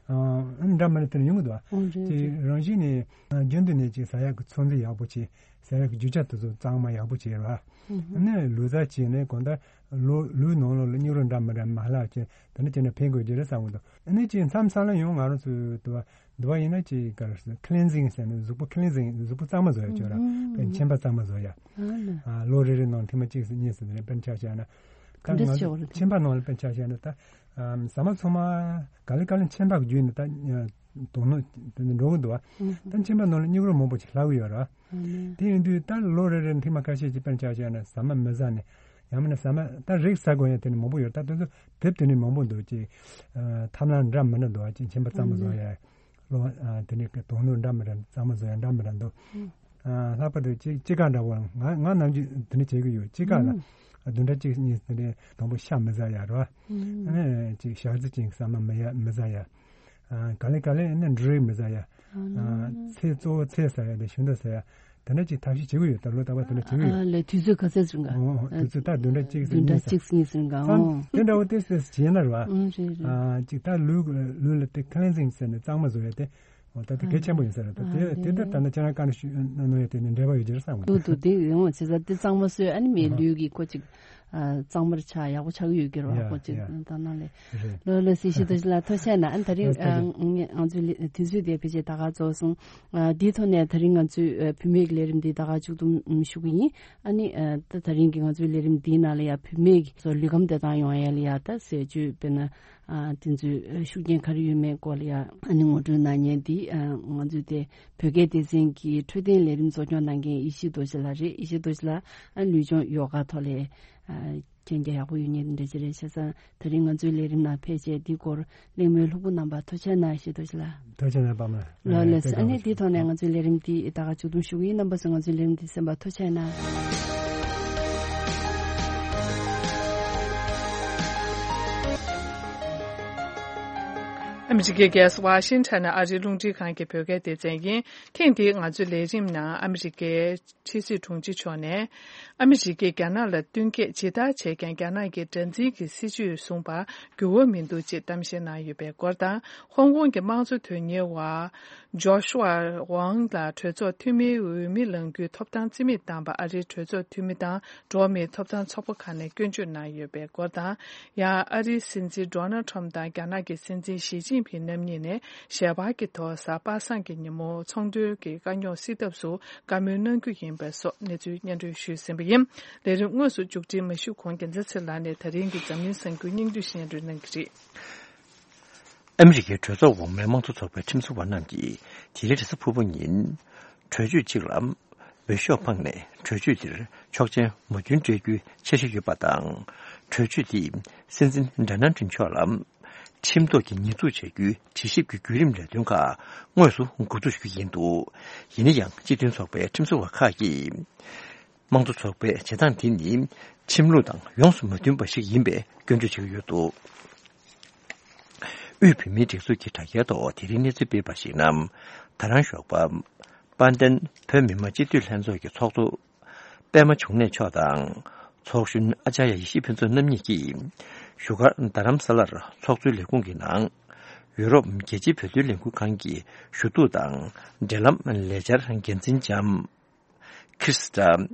ཨ་ནི་འདྲ་མི་འདྲ་དེ་འདྲ་ཡོང་གི་འདུག་ཨ། དེ་རང་བཞིན་ནས་རྒྱུན་དུ་ནས་ཅིག་ཟ་ཡག་གི་ཚོད་འཛིན་ཡག་པོ་བྱེད། ཟ་ཡག་གི་རྒྱུ་ཆ་དེ་ཚོ་གཙང་མ་ཡག་པོ་བྱེད་ར། ཨ་ནི་ལུས་རྩལ་བྱས་ནས་གང་ལྟར་ལུས་ལུས་ནང་ལོགས་ལ་སྙིགས་རོ་འདྲ་མི་འདྲ་མ་ལྷག་བྱས་དེ་འདྲ་བྱས་ན་ཕན་དགོས་ཀྱི་རེད་བསམ་གི་འདུག་ཨ་ནི་ཅིག་མཚམས་མཚམས་ལ་ཡང་ང་རང་ཚོའི་དུ་བ་དུ་བ་ཡིན་ན་ཅིག་ག་རེ་ཟེར་ཁི་ལིན་ཟིང་ཟེར་ནས་གཟུགས་པོ་ཁི་ལིན་ཟིང་གཟུགས་པོ་གཙང་མ་བཟོ་ཡ་ཅིག་ཡོད་ར། དཔེ་མཆིན་པ་གཙང་མ་བཟོ་ཡ། ཨ་ལོ་རེ་རེ་ནང་ཐེངས་མ་གཅིག་ཙམ་གཉིས་ཙམ་དེ་འདྲ་དཔེར་ན་ཆ་བཞག་ན་ད་ང་ཚོ་མཆིན་པ་ནང་ལ་དཔེར་ན་ཆ་བཞག་ན་ད་ཟ་མ་ཚང་མ་ག་ལེ་ག་ལེ་མཆིན་པ་གི་བརྒྱུད་ནས་ད། དོ་སྣང་དེ་ནི་འགྲོ་གི་འདུག་བ། ད་མཆིན་པ་ནང་ལ་སྙིགས་རོ་མང་པོ་ཞིག་ལྷག་གི་ཡོད་རེད་བ། དེ་ཡིན་དུས་ད་ལོ་རེ་རེ་ཐེངས་མ་ཁ་ཤས་ཀྱིས་དཔེར་ན་ཆ་བཞག་ན་ཟ་མ་མི་ཟ་ནས་ཡང་མིན་ན་ཟ་མ་ད་རིགས་ཟ་དགོས་ཡ་དེ་ནི་མང་པོ་ཡོད། ད་དེ་ཚོ་དེབ་དེ་ནི་མང་པོ་འདུག་ཅིག་ཐབས་ལམ་འདྲ་མི་འདྲ་འདུག་བ། ཅིག་མཆིན་པ་གཙང་མ་བཟོ་ཡ་ལོ་དེ་ནི་དོ་སྣང་འདྲ་མི་འདྲ་གཙང་མ་བཟོ་ཡ་འདྲ་མི་འདྲ་འདུག་ལྷག་པར་དུ་ཅིག་དཔྱིད་ཀ་འདྲ་བོ་ང་ང་ནམ་རྒྱུན་དེ་ནི་བྱེད་ཀྱི་ཡོད། དཔྱིད་ཀ་ལ་བདུན་ཕྲག་གཅིག་གཉིས་དེ་ནི་དང་པོ་ཤ་མི་ཟ་ཡ་རེད་བ། ཅིག་ཞག་རྩི་ཅན་ཟ་མ་མི་ཡ་མི་ཟ་ཡ། ག་ལེ་ག་ལེ་ནི་འབྲུ་རིགས་མི་ཟ་ཡ། ཚལ་གཙོ་བོ་ཚལ་ཟ་ཡ་དང་ཞིང་འབྲོག་ཟ་ཡ། དེ་འདྲ་ཅིག་ཐབས་ཤེས་བྱེད་ཀྱི་ཡོད། ད་ལོ་རྟག་པར་དེ་འདྲ་བྱེད་ཀྱི་ཡོད། ཨ་ལས་དུས་ཚོད་ག་ཚོད་ཙམ་ག་ཨོ་དུས་ཚོད་ད་བདུན་ཕྲག་གཅིག་ཙམ་བདུན་ཕྲག་གཉིས་ཙམ་གཅིག་གཉིས་ཙམ་ག་ཙམ་ཨོ་དེ་འདྲ་བོ་དེ་སེ་བྱས་ན་རེད་བ། ཨང་རེད་རེད། ཨ་ཅིག་ད་ལུས་ལུས་ལ་དེ་ཁི་ལེན་སིང་ཟེར་ནས་གཙང་མ་བཟོ་ཡ་དེ་ཨོ་ད་དེ་གལ་ཆེན་པོ་ཡིན་ས་རེད། ད་དེ་དེ་ལྟར་ད་ནི་ཁྱེད་རང་བཀའ་འདྲི་ཞུ་གནང་ཡ་དེ་ནི་འབྲེལ་བ་ཡོད་ཀྱི་རེད་བསམ་གི་འདུག་འདུག་དེ་ཡང་ཅི་ཟེར་དེ་གཙང་མ་བཟོས་ཨ་ནི་མི་ལུས་ཀྱི་ཁོ་ཅིག་གཙང་མར་ཆགས་ཡག་པོ་ཆགས་ཀྱི་ཡོད་ཀྱི་རེད་བ། ཡ་ཁོ་ཅིག་ཡ་ད་ནང་ལས། རེད། ལོ་ལོ་སི་ཤི་དོ་ཤི་ལ་ཐུགས་རྗེ་གནང་། ཨ་ད་རིང་ལགས་ཐུགས་རྗེ། ང་ཚོའི་དུས་ཚོད་དེ་ཕལ་ཆེར་ད་ག་རྫོགས་སོང་། འདིའི་ཐོག་ནས་ད་རིང་ང་ཚོའི་བུད་མེད་ཀྱི་ལས་རིམ་འདི་ད་ག་མཇུག་བསྡོམས་ཞུ་གི་ཡིན། ཨ་ནི་ད་ད་རིང་གི་ང་ཚོའི་ལས་རིམ་འདིའི་ནང་ལ་ཡ་བུད་མེད་ཀྱི་ཚོ་ལུས་ཁམས་བདེ་ཐང་ཡོང་ཡ་ལ་ཡ་ད་ཟས་བཅུད་དཔེར་ན་དེ་ཚོའི་ཤུགས་རྐྱེན་ག་རེ་ཡོད་མེད་སྐོར་ལ་ཡ་ཨ་ནི་ངོ་སྤྲོད་གནང་མཁན་འདི་ང་ཚོའི་དེ་བོད་སྐད་སྡེ་ཚན་གྱི་འཕྲོད་བསྟེན་ལས་རིམ་གཙོ་སྐྱོང་གནང་མཁན་ཡེ་ཤེས་རྡོ་རྗེ་ལགས་རེད། ཡེ་ཤེས་རྡོ་རྗེ་ལགས་ཨ་ལུས་སྦྱོང་ཡོ་ག་ཐོག་ལས། མཁྱེན་རྒྱ་ཡག་པོ་ཡོད་ངེས་འདྲ་ཅི་རེད་བྱས་ཙང་ད་རིང་ང་ཚོའི་ལས་རིམ་ནང་ཕལ་ཆེར་འདི་སྐོར་གླེང་མོལ་ལྷུག་པོ་གནང་པ་ཐུགས་རྗེ་གནང་ཞེས་ཐུགས་རྗེ་ལ། ཐུགས་རྗེ་གནང་པ་མ། ལགས་ལགས་སོ། ཨ་ནི་འདིའི་ཐོག་ནས་ང་ཚོའི་ལས་རིམ་འདི་ད་ག་མཇུག་བསྡོམས་ཞུ་གི་ཡིན། རྣམ་པ་ཚོ་ང་ཚོའི་ལས་རིམ་འདི་གསན་པ་ཐུགས་རྗེ་གནང་། ཨ་མི་རི་ཀའི་རྒྱལ་ས་ཝ་ཤིང་ཊོན་ནས་ཨ་རིའི་རླུང་འཕྲིན་ཁང་གི་བོད་སྐད་སྡེ་ཚན་ཡིན། ཐེངས་འདིའི་ང་ཚོའི་ལས་རིམ་ནང་ཨ་མི་རི་ཀའི་ཕྱི་སྲིད་དྲུང་ཆེ་མཆོག་ནས། ཨ་མི་རི་ཀས་རྒྱ་ནག་ལ་བསྟུན་མཁས་ཇི་ལྟར་བྱས་ཀྱང་རྒྱ་ནག་གི་དགྲར་འཛིན་གྱི་སྲིད་བྱུས་བཟུང་པར་འགྱུར་བ་མི་འདུག་ཅེས་གཏམ་བཤད་གནང་ཡོད་པའི་སྐོར་དང་། ཧོང་ཀོང་གི་དམངས་གཙོ་དོན་གཉེར་བ་ཇོ་ཤུ་ཝ་ཝང་ལ་གྲོས་ཚོགས་འཐུས་མིའི་འོས་མི་ལངས་རྒྱུའི་ཐོབ་ཐང་རྩིས་མེད་བཏང་པར་ཨ་རིའི་གྲོས་ཚོགས་འཐུས་མི་དང་འགྲོ་བ་མིའི་ཐོབ་ཐང་ཚོགས་པ་ཁག་ནས་སྐྱོན་བརྗོད་གནང་ཡོད་པའི་སྐོར་དང་། ཡང་ཨ་རིའི་སྲིད་འཛིན་ཌོ་ནལ་ཁྲམ་དང་རྒྱ་ནག་གི་སྲིད་འཛིན་ཞི་ཅིན་ཕིང་རྣམ་གཉིས་ནས་ཞལ་པར་གྱི་ཐོག་གཟའ་པ་སངས་ཀྱི་ཉིན་མོ་ཚོང་དོན་གྱི་དཀའ་རྙོག་སེལ་ཐབས་སུ་བཀའ་མོལ་གནང་རྒྱུ་ཡིན་པ་སོགས་གནས་ཚུལ་སྙན་སྒྲོན་ཞུས་ཟིན་པ་ཡིན། ལས་རིམ་དངོས་སུ་མཇུག་སྒྲིལ་མ་ཞུས་གོང་རྒྱལ་མཚན་ཚེ་ལགས་ནས་ད་རིང་གི་འཛམ་གླིང་གསར་འགྱུར་སྙིང་བསྡུས་སྙན་སྒྲོན་གནང་གི་རེད། ཨ་མི་རི་ཀའི་གྲོས་ཚོགས་འོག་མའི་དམངས་གཙོ་ཚོགས་པའི་ཁྲིམས་བཟོ་བ་རྣམས་ཀྱིས་དེ་རིང་རེས་གཟའ་ཕུར་བུ་ཉིན། གྲོས་ཆོད་ཅིག་ལ་འོས་ཤོག་འཕངས་ནས་གྲོས་ཆོད་དེར་ཆོག་མཆན་མོས་མཐུན་སྤྲད་རྒྱུའི་འཆར་གཞི་ཡོད་པ་དང་། གྲོས་ཆོད་དེས་སྲིད་འཛིན་ཌོ་ནལ་ཏྲམ་མཆོག་ལ་ཁྲིམས་ཐོག་གི་ཉེས་འཛུགས་བྱ་རྒྱུའི་དྲི་ཞིབ་ཀྱི་བརྒྱུད་རིམ་ལས་དོན་ཁག་དངོས་སུ་འགོ་འཛུགས་ཞུ་གི་ཡིན་འདུག་ཡིན་ན་ཡང་སྤྱི་མཐུན་ཚོགས་པའི་ཁྲིམས་བཟོ་བ་ཁག་གིས། དམངས་གཙོ་ཚོགས་པའི་བྱེད་སྟངས་དེ་ནི་ཁྲིམས་ལུགས་དང་ཡོངས་སུ་མ་མཐུན་པ་ཞིག་ཡིན་པའི་སྐྱོན་བརྗོད་བྱེད་ཀྱི་ཡོད་འདུག་དབུས་བོད་མིའི་སྒྲིག་འཛུགས་ཀྱི་དྲ་རྒྱའི་ཐོག་དེ་རིང་གནས་ཚུལ་སྤེལ་བར་གཞིགས་ན། ད་རང་ཞོགས་པ། དཔལ་ལྡན་བོད་མི་མང་སྤྱི་འཐུས་ལྷན་ཚོགས་ཀྱི་ཚོགས་གཙོ། པད་མ་འབྱུང་གནས་མཆོག་དང་། ཚོགས་གཞོན་ཨ་ཅར་ཡ་ཡེ་ཤེས་ཕུན་ཚོགས་རྣམ་གཉིས་ཀྱིས། བཞུགས་སྒར་རྡ་རམ་ས་ལར་ཚོགས་གཙོའི་ལས་ཁུངས་ཀྱི་ནང་། ཡུ་རོབ་རྒྱལ་སྤྱིའི་བོད་དོན་ལས་འགུལ་ཁང་གི་ཞུ་གཏུག་དང་འབྲེལ་ལམ་ལས་འཆར་འགན་འཛིན་ལྕམ། ཁྲི་སི་ཏྲ་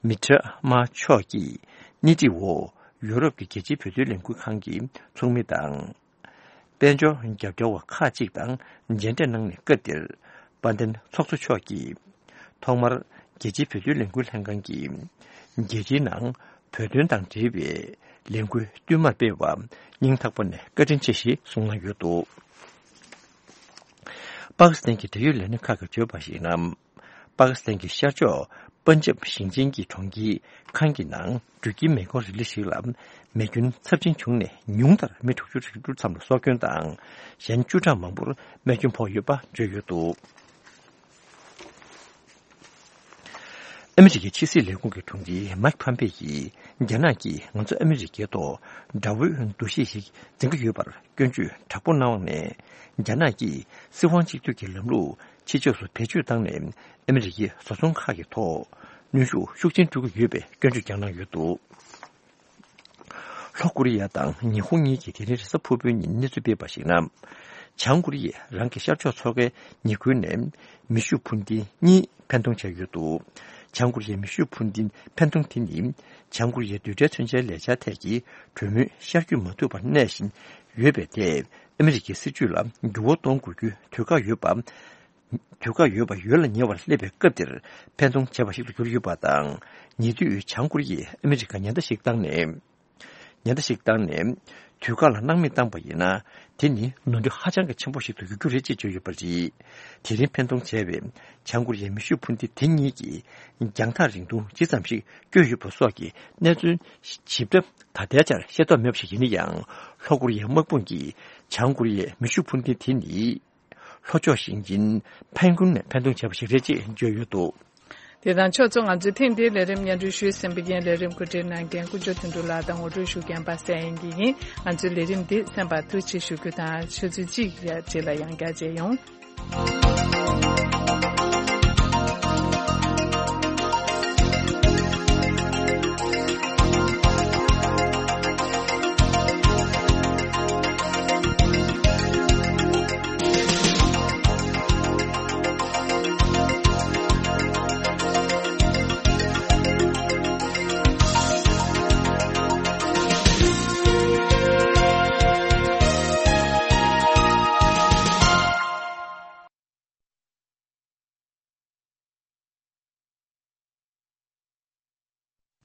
མི་ཏྲ་མ་མཆོག་གིས་སྣེ་ཁྲིད་འོག་ཡུ་རོབ་ཀྱི་རྒྱལ་སྤྱིའི་བོད་དོན་ལས་འགུལ་ཁང་གི་ཚོགས་མི་དང་། དཔལ་འབྱོར་རྒྱབ་སྐྱོར་བ་ཁག་ཅིག་དང་མཇལ་འཕྲད་གནང་ནས་སྐབས་དེར་དཔལ་ལྡན་ཚོགས་གཙོ་མཆོག་གིས་ཐོག་མར་རྒྱལ་སྤྱིའི་བོད་དོན་ལས་འགུལ་ལྷན་ཁང་གིས་རྒྱལ་སྤྱིའི་ནང་བོད་དོན་དང་འབྲེལ་བའི་ལས་འགུལ་བསྟུད་མར་སྤེལ་བ་སྙིང་ཐག་པ་ནས་བཀའ་དྲིན་ཆེ་ཞེས་གསུངས་གནང་ཡོད་འདུག་པ་ཀི་སི་ཐན་གྱི་འབྲེལ་ཡོད་ལས་སྣེ་ཁག་གིས་བརྗོད་པར་གཞིགས་ན། པ་ཀི་སི་ཐན་གྱི་ཤར་ཕྱོགས་པན་ཇབ་ཞིང་ཆེན་གྱི་གྲོང་ཁྱེར་ཁཱན་གྱི་ནང་འགྲུལ་སྐྱེལ་མེ་འཁོར་རི་ལི་ཞིག་ལ་མེ་སྐྱོན་ཚབས་ཆེན་བྱུང་ནས་ཉུང་མཐར་མི་དྲུག་ཅུ་རེ་དྲུག་ཙམ་ལ་སྲོག་སྐྱོན་དང་། གཞན་བཅུ་ཕྲག་མང་པོར་རྨས་སྐྱོན་ཕོག་ཡོད་པ་བརྗོད་ཡོད་འདུག་ཨ་མི་རི་ཀའི་ཕྱི་སྲིད་ལས་ཁུངས་ཀྱི་དྲུང་ཆེ་མཱིག་ཕམ་པེ་ཡིས་རྒྱ་ནག་གིས་ང་ཚོ་ཨ་མི་རི་ཀའི་ཐོག་དགྲ་བོའི་འདུ་ཤེས་ཤིག་འཛིན་གྱི་ཡོད་པར་སྐྱོན་བརྗོད་དྲག་པོ་གནང་བ་ནས། རྒྱ་ནག་གིས་སྲིད་དབང་གཅིག་སྡུད་ཀྱི་ལམ་ལུགས་ཕྱི་ཕྱོགས་སུ་བེད་སྤྱོད་བཏང་ནས་ཨ་མི་རི་ཀའི་བཟོ་ཚོང་ཁག་གི་ཐོག་གནོན་ཤུགས་ཤུགས་ཆེན་སྤྲོད་ཀྱི་ཡོད་པའི་སྐྱོན་བརྗོད་ཀྱང་གནང་ཡོད་འདུག་ལྷོ་ཀོ་རི་ཡ་དང་ཉི་ཧོང་གཉིས་ཀྱིས་དེ་རིང་རེས་གཟའ་ཕུར་བུའི་ཉིན་གནས་ཚུལ་སྤེལ་བར་གཞིགས་ན། བྱང་ཀོ་རི་ཡས་རང་གི་ཤར་ཕྱོགས་མཚོ་ཁའི་ཉེ་ཁུལ་ནས་མེ་ཤུགས་འཕུར་མདེལ་གཉིས་འཕེན་གཏོང་བྱས་ཡོད་འདུག་བྱང་ཀོ་རི་ཡའི་མེ་ཤུགས་འཕུར་མདེལ་འཕེན་གཏོང་དེ་ནི། བྱང་ཀོ་རི་ཡའི་རྡུལ་ཕྲན་མཚོན་ཆའི་ལས་འཆར་ཐད་ཀྱི་གྲོས་མོལ་ཤར་བསྐྱོད་མ་ཐུབ་པར་གནས་བཞིན་ཡོད་པའི་ཐད། ཨ་མི་རི་ཀའི་སྲིད་ཇུས་ལ་འགྱུར་བ་གཏོང་དགོས་རྒྱུའི་དུས་བཀག་ཡོད་པ། དུས་བཀག་ཡོད་པ་ཡོལ་ལ་ཉེ་བར་སླེབས་པའི་སྐབས་འདིར་འཕེན་གཏོང་བྱས་པ་ཞིག་ཏུ་གྱུར་ཡོད་པ་དང་། ཉེ་དུས་བྱང་ཀོ་རི་ཡས་ཨ་མི་རི་ཀར་ཉེན་བརྡ་ཞིག་བཏང་ནས། ཉེན་བརྡ་ཞིག་བཏང་ནས། དུས་བཀག་ལ་སྣང་མེད་བཏང་པ་ཡིན་ན། དེ་ནི་ནོར་འཁྲུལ་ཧ་ཅང་གི་ཆེན་པོ་ཞིག་ཏུ་འགྱུར་རྒྱུ་རེད་ཅེས་བརྗོད་ཡོད་པ་རེད། དེ་རིང་འཕེན་གཏོང་བྱས་པའི་བྱང་ཀོ་རི་ཡའི་མེ་ཤུགས་འཕུར་མདེལ་དེ་གཉིས་ཀྱིས་རྒྱང་ཐག་རིང་ཐུང་ཇི་ཙམ་ཞིག་བསྐྱོད་ཡོད་པ་སོགས་ཀྱི་གནས་ཚུལ་ཞིབ་ཕྲ་ད་ལྟའི་ཆར་ཤེས་རྟོགས་མེད་པ་ཞིག་ཡིན་ན་ཡང་། ལྷོ་ཀོ་རི་ཡའི་དམག་དཔུང་གིས་བྱང་ཀོ་རི་ཡའི་མེ་ཤུགས་འཕུར་མདེལ་དེ་ནི། ལྷོ་ཕྱོགས་ཞིང་ཆེན་ཕན་ཀུན་ནས་འཕེན་གཏོང་བྱས་པ་ཞིག་རེད་ཅེས་བརྗོད་ཡོད་འདུག་དེ་དང་ཕྱོགས་མཚུངས་ང་ཚོས་ཐེངས་འདིའི་ལས་རིམ་སྙན་སྒྲོན་ཞུས་ཟིན་པ་ཡིན། ལས་རིམ་གོ་སྒྲིག་གནང་མཁན་དཀོན་མཆོག་དོན་གྲུབ་ལགས་དང་ངོ་སྤྲོད་ཞུ་མཁན་པ་སངས་དབྱངས་སྐྱིད་ཡིན། ང་ཚོའི་ལས་རིམ་འདི་གསན་པར་ཐུགས་རྗེ་ཆེ་ཞུ་རྒྱུ་དང་ཆུ་ཚོད་གཅིག་རྗེས་ལ་ཡང་བསྐྱར་མཇལ་ཡོང་།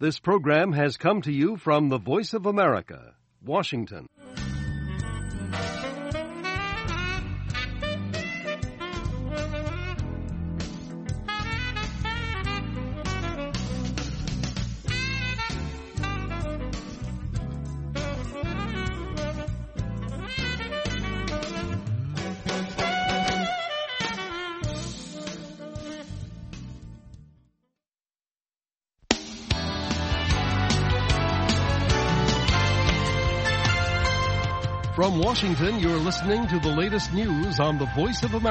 This program has come to you from the Voice of America, Washington. From Washington, you're listening to the latest news on the Voice of America.